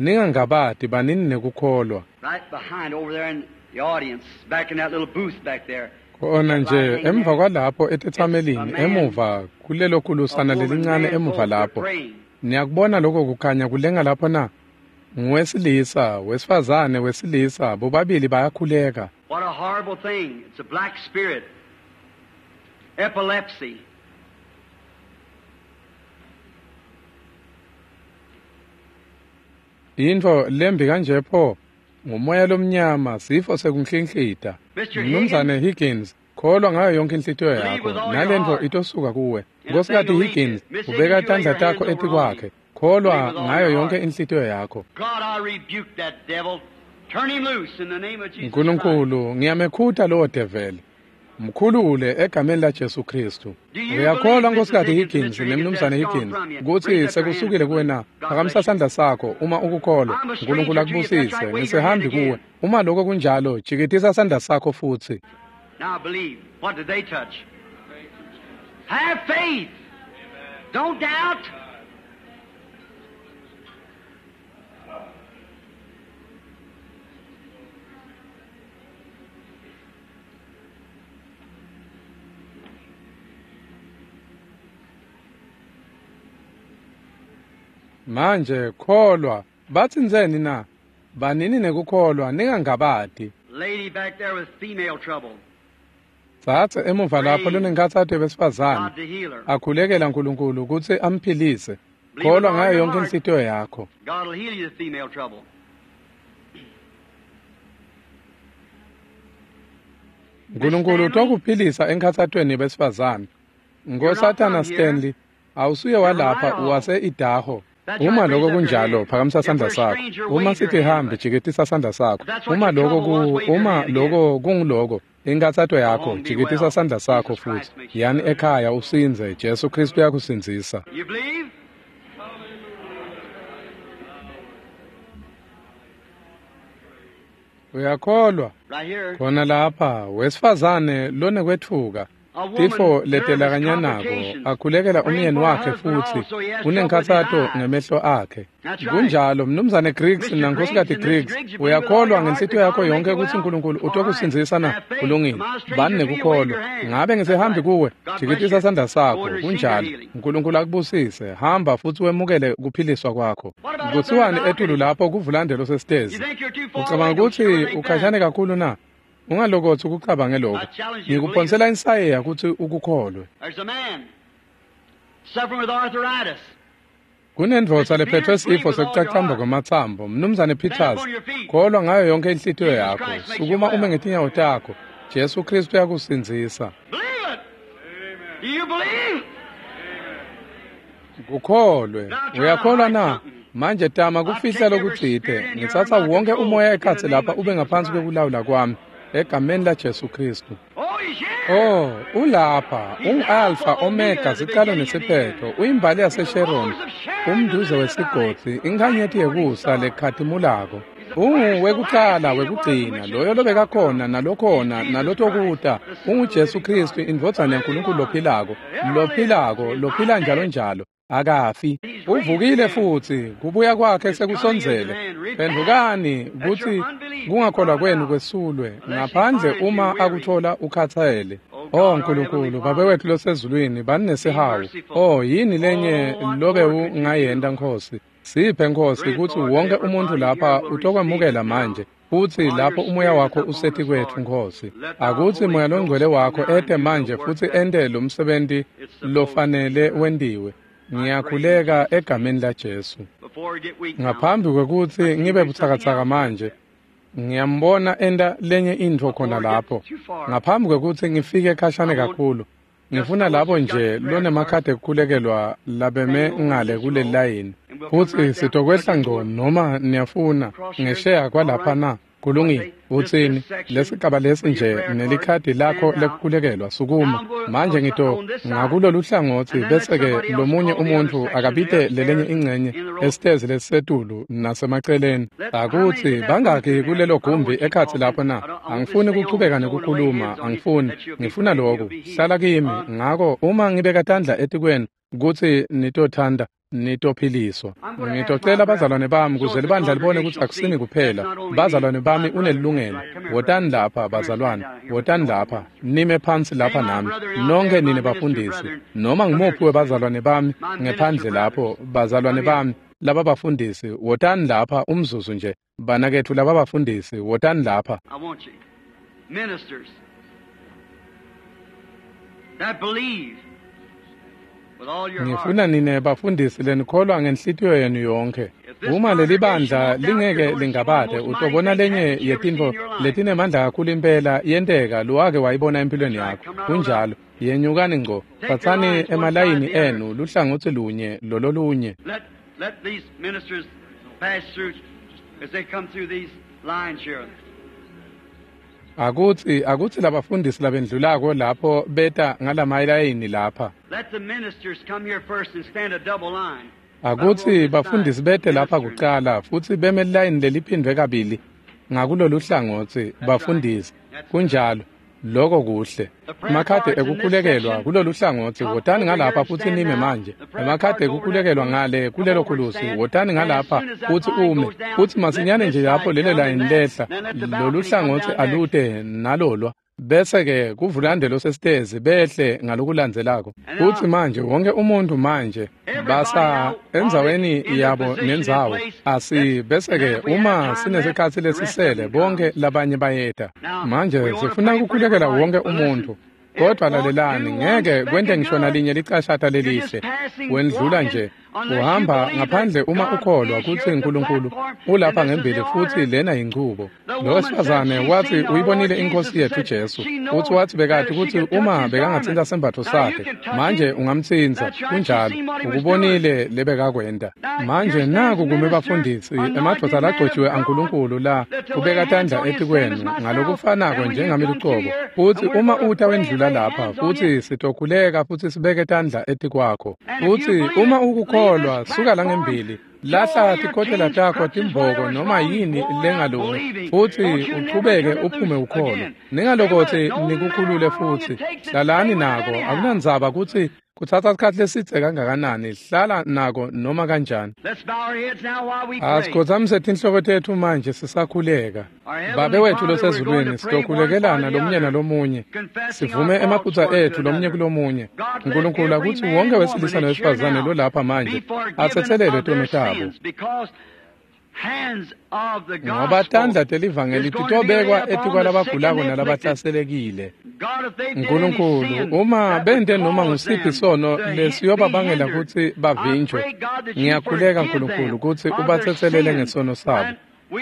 ningangabati banini nekukholwa. Right behind over there in the audience, back in that little booth back there. Khona nje emva kwalapho etetsamelini, emuva kulelo kulusana A woman, lelincane man, emuva both were lapho. praying. Niyakubona lokho kukhanya kulenga lapho na? Nguwesilisa, wesifazane, wesilisa, bobabili bayakhuleka. What a horrible thing. It's a black spirit. Epilepsy. Intfo lembi kanje pho, ngumoya lomnyama, sifo sekunhlinhlita. Mr. Mnumzane Higgins, kholwa ngayo yonke inhlitiyo Believe yakho, with all your nalentfo heart. itosuka kuwe. And Nkosikazi the thing will leave Higgins, you. Miss ubeka Higgins, you lay tandla your takho hands over on etikwakhe. him. Kholwa Believe with all ngayo your yonke heart. inhlitiyo yakho. God, I rebuke that devil. Turn him loose in the name of Jesus Christ. Nkulunkulu, ngiyamekhuta lowo develi. Mkhulule egameni laJesu Kristu. Do you Uyakholwa believe, Mrs. Nkosikazi Higgins, Higgins Mr. Higgins, nemnumzane that's gone Higgins from you? kutsi Raise up your sekusukile hand. kuwe na? God Phakamisa bless you. sandla sakho uma ukukholwa. I'm a uNkulunkulu stranger to you. If that's akubusise. right, wave your hand Ngisehambi again. kuwe. Uma lokho kunjalo, jikitisa sandla sakho futsi. Now believe. What did they touch? Have faith. Don't doubt. Manje kholwa, batsintseni na? Banini nekukholwa, ningangabati. Lady back there with female trouble. Tsatse emuva lapho lonenkhatsato yebesifazane. God to heal her. Akhulekela uNkulunkulu kutsi amphilise. Believe with Kholwa all ngayo your yonke heart. inhlitiyo yakho. God will heal you the female trouble. uNkulunkulu utokuphilisa enkhatsatweni yebesifazane. Nkosatana Stanley, awusuye walapha wase-Idaho. Uma lokho kunjalo, phakamisa sandla sakho. Uma sithi hambi, jikitisa sandla sakho. Uma lokho ku uma lokho kunguloko, inkathato yakho, jikitisa sandla sakho futhi. Yani ekhaya usinze, Jesu Kristu uyakusindzisa. You believe? Uyakholwa? Right here. Khona lapha, wesifazane lonekwetfuka. A woman, Tifo nervous letelakanyanako complications. akhulekela Praying umyeni for her wakhe husband futhi also. He has trouble with his unenkhatsato eyes. ngemehlo akhe. That's right. Kunjalo mnumzane Griggs Mr. nankosikazi Griggs and Mrs. Griggs, Griggs, you believe with all uyakholwa your heart ngenhlitiyo that yakho God will make yonke you kutsi well? uNkulunkulu All right. utokusindzisa na? Have faith. Kulungile. Am I a stranger Bani to you? Wave nekukholwa. your hand. Ngabe That's ngisehambi right. kuwe? God bless Jikitisa you. sandla Go sakho. and receive your Kunjalo. healing. uNkulunkulu akubusise. Hamba futhi wemukele kuphiliswa kwakho. What about up there in the Kutsiwani etulu balcony? lapho kuvulande You sesitezi? think you're too far Ucabanga away? Don't you kutsi ever think ukhashane that. kakhulu na? Ungalokotsi ukucabange lokho. I challenge you to believe it. Ngikuphonsela insayeya kutsi ukukholwe. There's a man suffering with arthritis. Kunendvodza Mr. lephethwe Peters, believe sifo with all your sekucacamba heart. kwematsambo. Mnumzane Stand up Peters, on your feet. kholwa ngayo yonke inhlitiyo Jesus yakho. Christ makes you Sukuma ume well. ngetinyawo takho. Jesu Kristu uyakusindzisa. Believe it. Do you believe? Kukholwe. Now try to Uyakholwa hide na? something. Manje tama I kufihla take every lokutsite. spirit in here Ngitsatsa under my wonke control umoya in the ekhatsi name lapha of ube Jesus ngaphansi Christ. kwekulawula kwami. Egameni laJesu Kristu. Oh, he's here. Oh, ulapha, He's Alpha, ungu-Alpha, Omega, Omega, the siqalo beginning and the nesiphetho, end. uyimbali He's the yaseSharon, rose of Sharon, the umduze lily of the valley, wesigodzi, bright inkhanyeti morning yekusa star. lekhatimulako. He's the first, the last, Unguwekuqala he that was, wekugcina, which is, loyo and shall lobekakhona come. He's nalokhona Jesus Christ, nalotokuta, the Son of the unguJesu living God, Kristu, the indvodzana living yaNkulunkulu one, lophilako, the ever living. lophilako, He's lophila not njalo dead. njalo. Akafi, uvukile futhi, kubuya kwakhe sekusondzele. Phendvukani kutsi kungakholwa kwenu kwesulwe, ngaphandle uma akuthola ukhathele. Oh Nkulunkulu, Babe wethu losezulwini, bani nesihawu. Oh, yini lenye lobe ungayenta Nkhosi? Siphe Nkhosi kutsi wonke umuntu lapha utokwemukela manje. Futsi lapho umoya wakho useti kwetfu Nkhosi, akutsi Moya Longcwele wakho ete manje futsi ente lo msebenti lofanele wentiwe. Ngiyakhuleka egameni laJesu. Ngaphambi kwekutsi ngibe butsakatsaka manje, ngiyambona enta lenye intfo khona lapho. Ngaphambi kwekutsi ngifike khashane kakhulu, ngifuna labo nje lonemakhadi ekukhulekelwa labeme ngale kuleli layini. Futsi sitokwehla ngco noma niyafuna ngesheya kwalapha na? Kulungile. Utsini? Lesigaba lesi nje nelikhadi lakho lekukhulekelwa, sukuma. Manje ngito ngakulolu hlangotsi bese-ke lomunye umuntfu akabite lelenye ingcenye esitezi lesisetulu nasemaceleni. Akutsi bangaki kulelo gumbi ekhatsi lapho na? Angifuni kuchubeka nekukhuluma, angifuni. Ngifuna loku. Hlala kimi. Ngako uma ngibeka tandla etikwenu kutsi nitothanda, nitophiliswa. Ngitocela bazalwane bami kuze libandla libone kutsi akusini kuphela. Bazalwane bami unelilungelo. Wotani lapha bazalwane, wotani lapha, nime phansi lapha nami. Nonke nine bafundisi, noma ngimuphi webazalwane bami ngephandle lapho, bazalwane bami laba bafundisi, wotani lapha umzuzu nje. Banaketfu laba bafundisi, wotani lapha. I want you, ministers that believe with all your heart. Ngifuna nine bafundisi lenikholwa ngenhlitiyo yenu yonke. Uma leli bandla lingeke lingabade, utobona lenye yetintfo letinemandla kakhulu impela yenteka lowake wayibona empilweni yakho. Kunjalo, yenyukani ngco, tsatsani emalayini enu luhlangotsi lunye lololunye. Let these ministers pass through as they come through these lines here. Akutsi labafundisi labendlulako lapho beta ngalamalayini lapha. Let the ministers come here first and stand a double line. Akutsi bafundisi bete lapha kucala futsi beme layini leliphindwe kabili ngakulolu hlangotsi bafundisi. Kunjalo, loko kuhle. Emakhadi ekukhulekelwa kulolu hlangotsi, wotani ngalapha futsi nime manje. Emakhadi ekukhulekelwa ngale kulelo khulusi, wotani ngalapha futsi ume. Futsi masinyane nje lapho lelo layini lehla, lolu hlangotsi alute nalolwa. Bese-ke kuvulande losesitezi behle ngalokulandzelako. Futsi manje wonke umuntu manje basa endzaweni yabo nendzawo. Asi bese-ke uma sinesikhatsi lesisele bonke labanye bayeta. Manje sifuna ukukhulekela wonke umuntu. Kodwa lalelani, ngeke kwente ngisho nalinye licashata lelihle. Wendlula nje, uhamba ngaphandle uma ukholwa kutsi Nkulunkulu ulapha ngembili futsi lena yinchubo. Lo wesifazane wathi uyibonile inkosi yethu Jesu. Futsi wathi bekati kutsi uma bekangatsinta sembatfo sakhe, manje ungamtsintsa. Kunjalo, ukubonile lebekakwenta. Manje naku kume bafundisi, emadvodza lagcotjiwe aNkulunkulu la kubeka tandla etikwenu ngalokufanako njengami lucobo. Futsi uma uta wendlula lapha futsi sitokhuleka futsi sibeke tandla etikwakho. Futsi uma ukukholwa, suka la ngembili, lahla tikotela takho, timboko noma yini lengalungi, futsi uchubeke uphume ukholwa. Ningalokothi nikukhulule futhi, hlalani nako. Akunandzaba kutsi kutsatsa sikhatsi lesidze kangakanani, hlala nako noma kanjani. Let's bow our heads now while we pray. Asikhotsamise tinhloko tetfu manje sisakhuleka. Babe wethu losezulwini, sitokhulekelana lomunye nalomunye, sivume emaphutsa etfu lomunye kulomunye. Nkulunkulu, akutsi wonke wesilisa nowesifazane lolapha manje atsetselelwe tono tabo. Ngoba tandla telivangeli titobekwa etikwalabagulako nalabahlaselekile. Nkulunkulu, uma bente noma ngusiphi sono lesiyobabangela kutsi bavinjwe, ngiyakhuleka Nkulunkulu kutsi ubatsetselele ngesono sabo.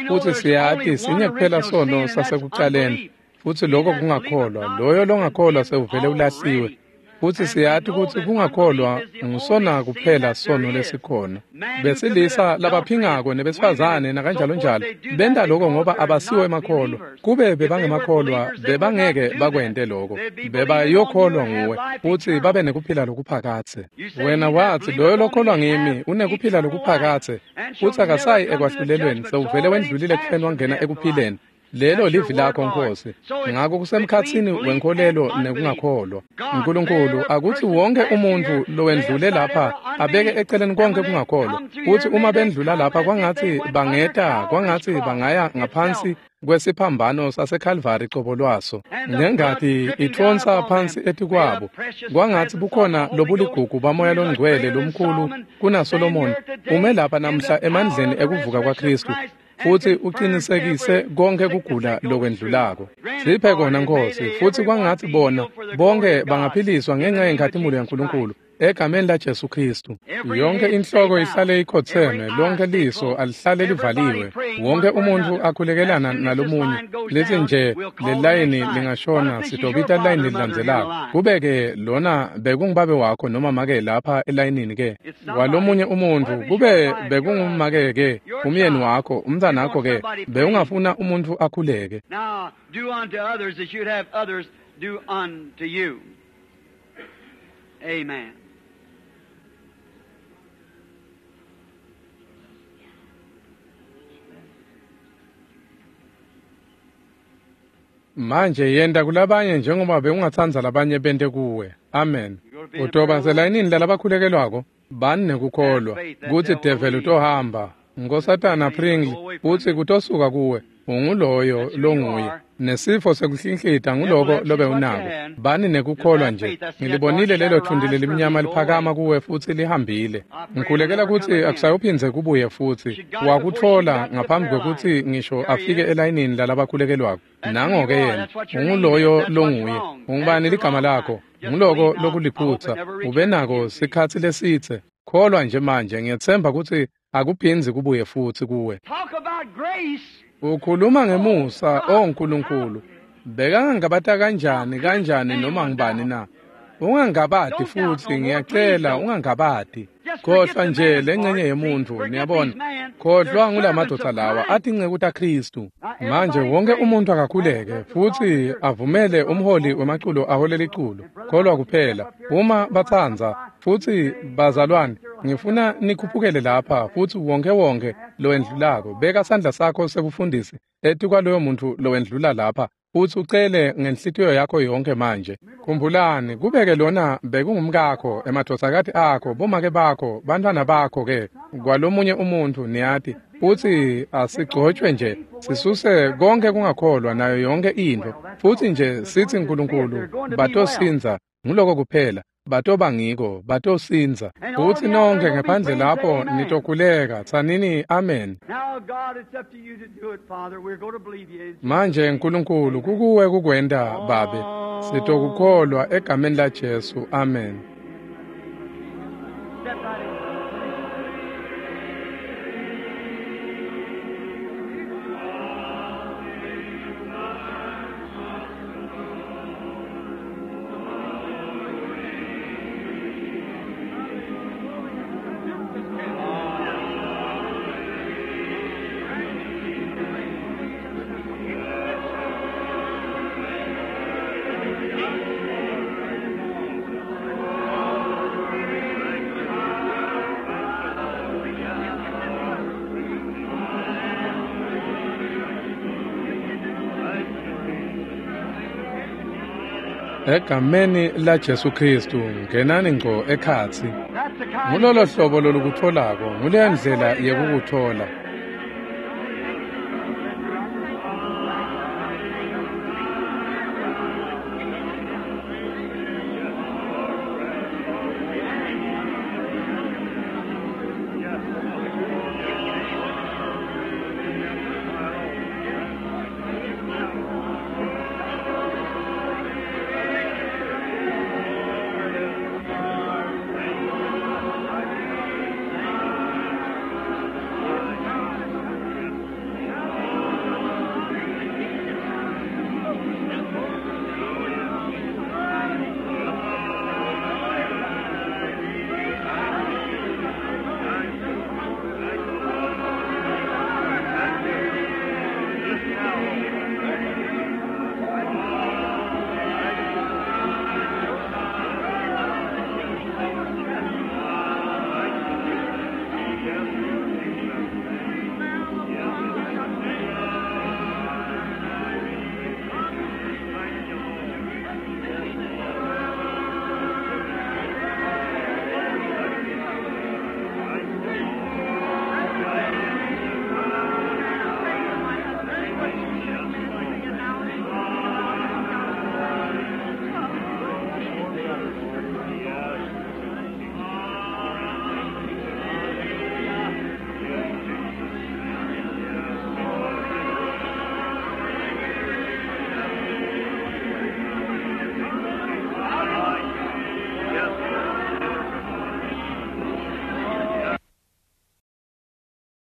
Futsi siyati sinye kuphela sono sasekucaleni, futsi lokho kungakholwa. Loyo longakholwa sewuvele ulahliwe. Futsi siyati kutsi kungakholwa ngusona kuphela sono lesikhona. Besilisa labaphingako nebesifazane nakanjalonjalo benta lokho ngoba abasiwo emakholwa. Kube bebangemakholwa bebangeke bakwente lokho. Bebayokholwa nguwe futsi babe nekuphila lokuphakadze. Wena watsi loyo lokholwa ngimi unekuphila lokuphakadze, futsi akasayi ekwahlulelweni, sewuvele wendlulile ekufeni wangena ekuphileni. Lelo livi lakho Nkosi. Ngako kusemkhatsini wenkholelo nekungakholwa. Nkulunkulu, akutsi wonke umuntfu lowendlule lapha abeke eceleni konke kungakholwa. Kutsi uma bendlula lapha kwangatsi bangeta, kwangatsi bangaya ngaphansi kwesiphambano saseKalvari cobo lwaso. Nengati itfonsa phansi etikwabo. Kwangatsi bukhona lobuligugu baMoya loNgcwele lomkhulu kunaSolomoni ume lapha namhla emandleni ekuvuka kwaKhristu, futsi uqinisekise konke kugula lokwendlulako. Siphe kona Nkosi, futsi kwangatsi bona bonke bangaphiliswa ngenxa yenkhatimulo yaNkulunkulu egameni laJesu Khristu. Yonke inhloko ihlale ikhotheme, lonke liso alihlale livaliwe, wonke umuntfu akhulekelana nalomunye. Lithi nje lelayini lingashona, sitobita layini lelilandzelako. Kube-ke lona bekungubabe wakho noma make lapha elayinini ke walomunye umuntfu, kube bekungumake ke, umyeni wakho, umntsanakho ke, bewungafuna umuntfu akhuleke. Now do unto others as you'd have others do unto you. Amen. Manje yenta kulabanye njengoba bewungatsandza labanye bente kuwe. Amen. Utoba selayinini lalabakhulekelwako, bani nekukholwa kutsi develi utohamba. Nkosatana Pringle utsi kutosuka kuwe, unguloyo longuye. Nesifo sekuhlinhlita nguloko lobe unako. Bani nekukholwa nje. Ngilibonile lelo thundi lelimnyama liphakama kuwe futsi lihambile. Ngikhulekela kutsi akusayuphindze kubuye futsi. Wakutfola ngaphambi kwekutsi ngisho afike elayinini lalabakhulekelwako. Nango-ke yena, unguloyo longuye. Ungubani ligama lakho? Nguloko lokuliphutsa. Ube nako sikhatsi lesitse. Kholwa nje manje, ngiyetsemba kutsi akuphindzi kubuye futsi kuwe. Talk about grace. Ukhuluma ngemusa, o Nkulunkulu. Bekangangabata kanjani kanjani noma ngibani na? Ungangabati futsi, ngiyacela ungangabati. Khohlwa nje lencenye yemuntfu, niyabona. Khohlwa ngulamadvodza lawa atinceku taKhristu. Manje wonke umuntu akakhuleke futsi avumele umholi wemaculo ahole liculo. Kholwa kuphela uma batsandza. Futsi bazalwane, ngifuna nikhuphukele lapha futsi wonke wonke lowendlulako beka sandla sakho sebufundisi etikwaloyo muntfu lowendlula lapha futsi ucele ngenhlitiyo yakho yonke manje. Khumbulani, kubeke lona bekungumkakho, emadvodzakati akho, bomake bakho, bantfwana bakho ke kwalomunye umuntfu, niyati. Futsi asigcotshwe nje, sisuse konke kungakholwa nayo yonke intfo. Futsi nje sitsi Nkulunkulu batosindza, nguloko kuphela. Batoba ngiko, batosindza. Futsi nonke ngephandle lapho nitokhuleka, tsanini amen. Now, God, it's up to you to do it, Father. We're going to believe you. Manje Nkulunkulu, kukuwe kukwenta Babe. Sitokukholwa egameni laJesu. Amen. Step right in. Egameni laJesu Khristu, ngenani ngco ekhatsi. That's the kind Ngulolo hlobo lolukutfolako, nguleyo ndlela yekukutfola.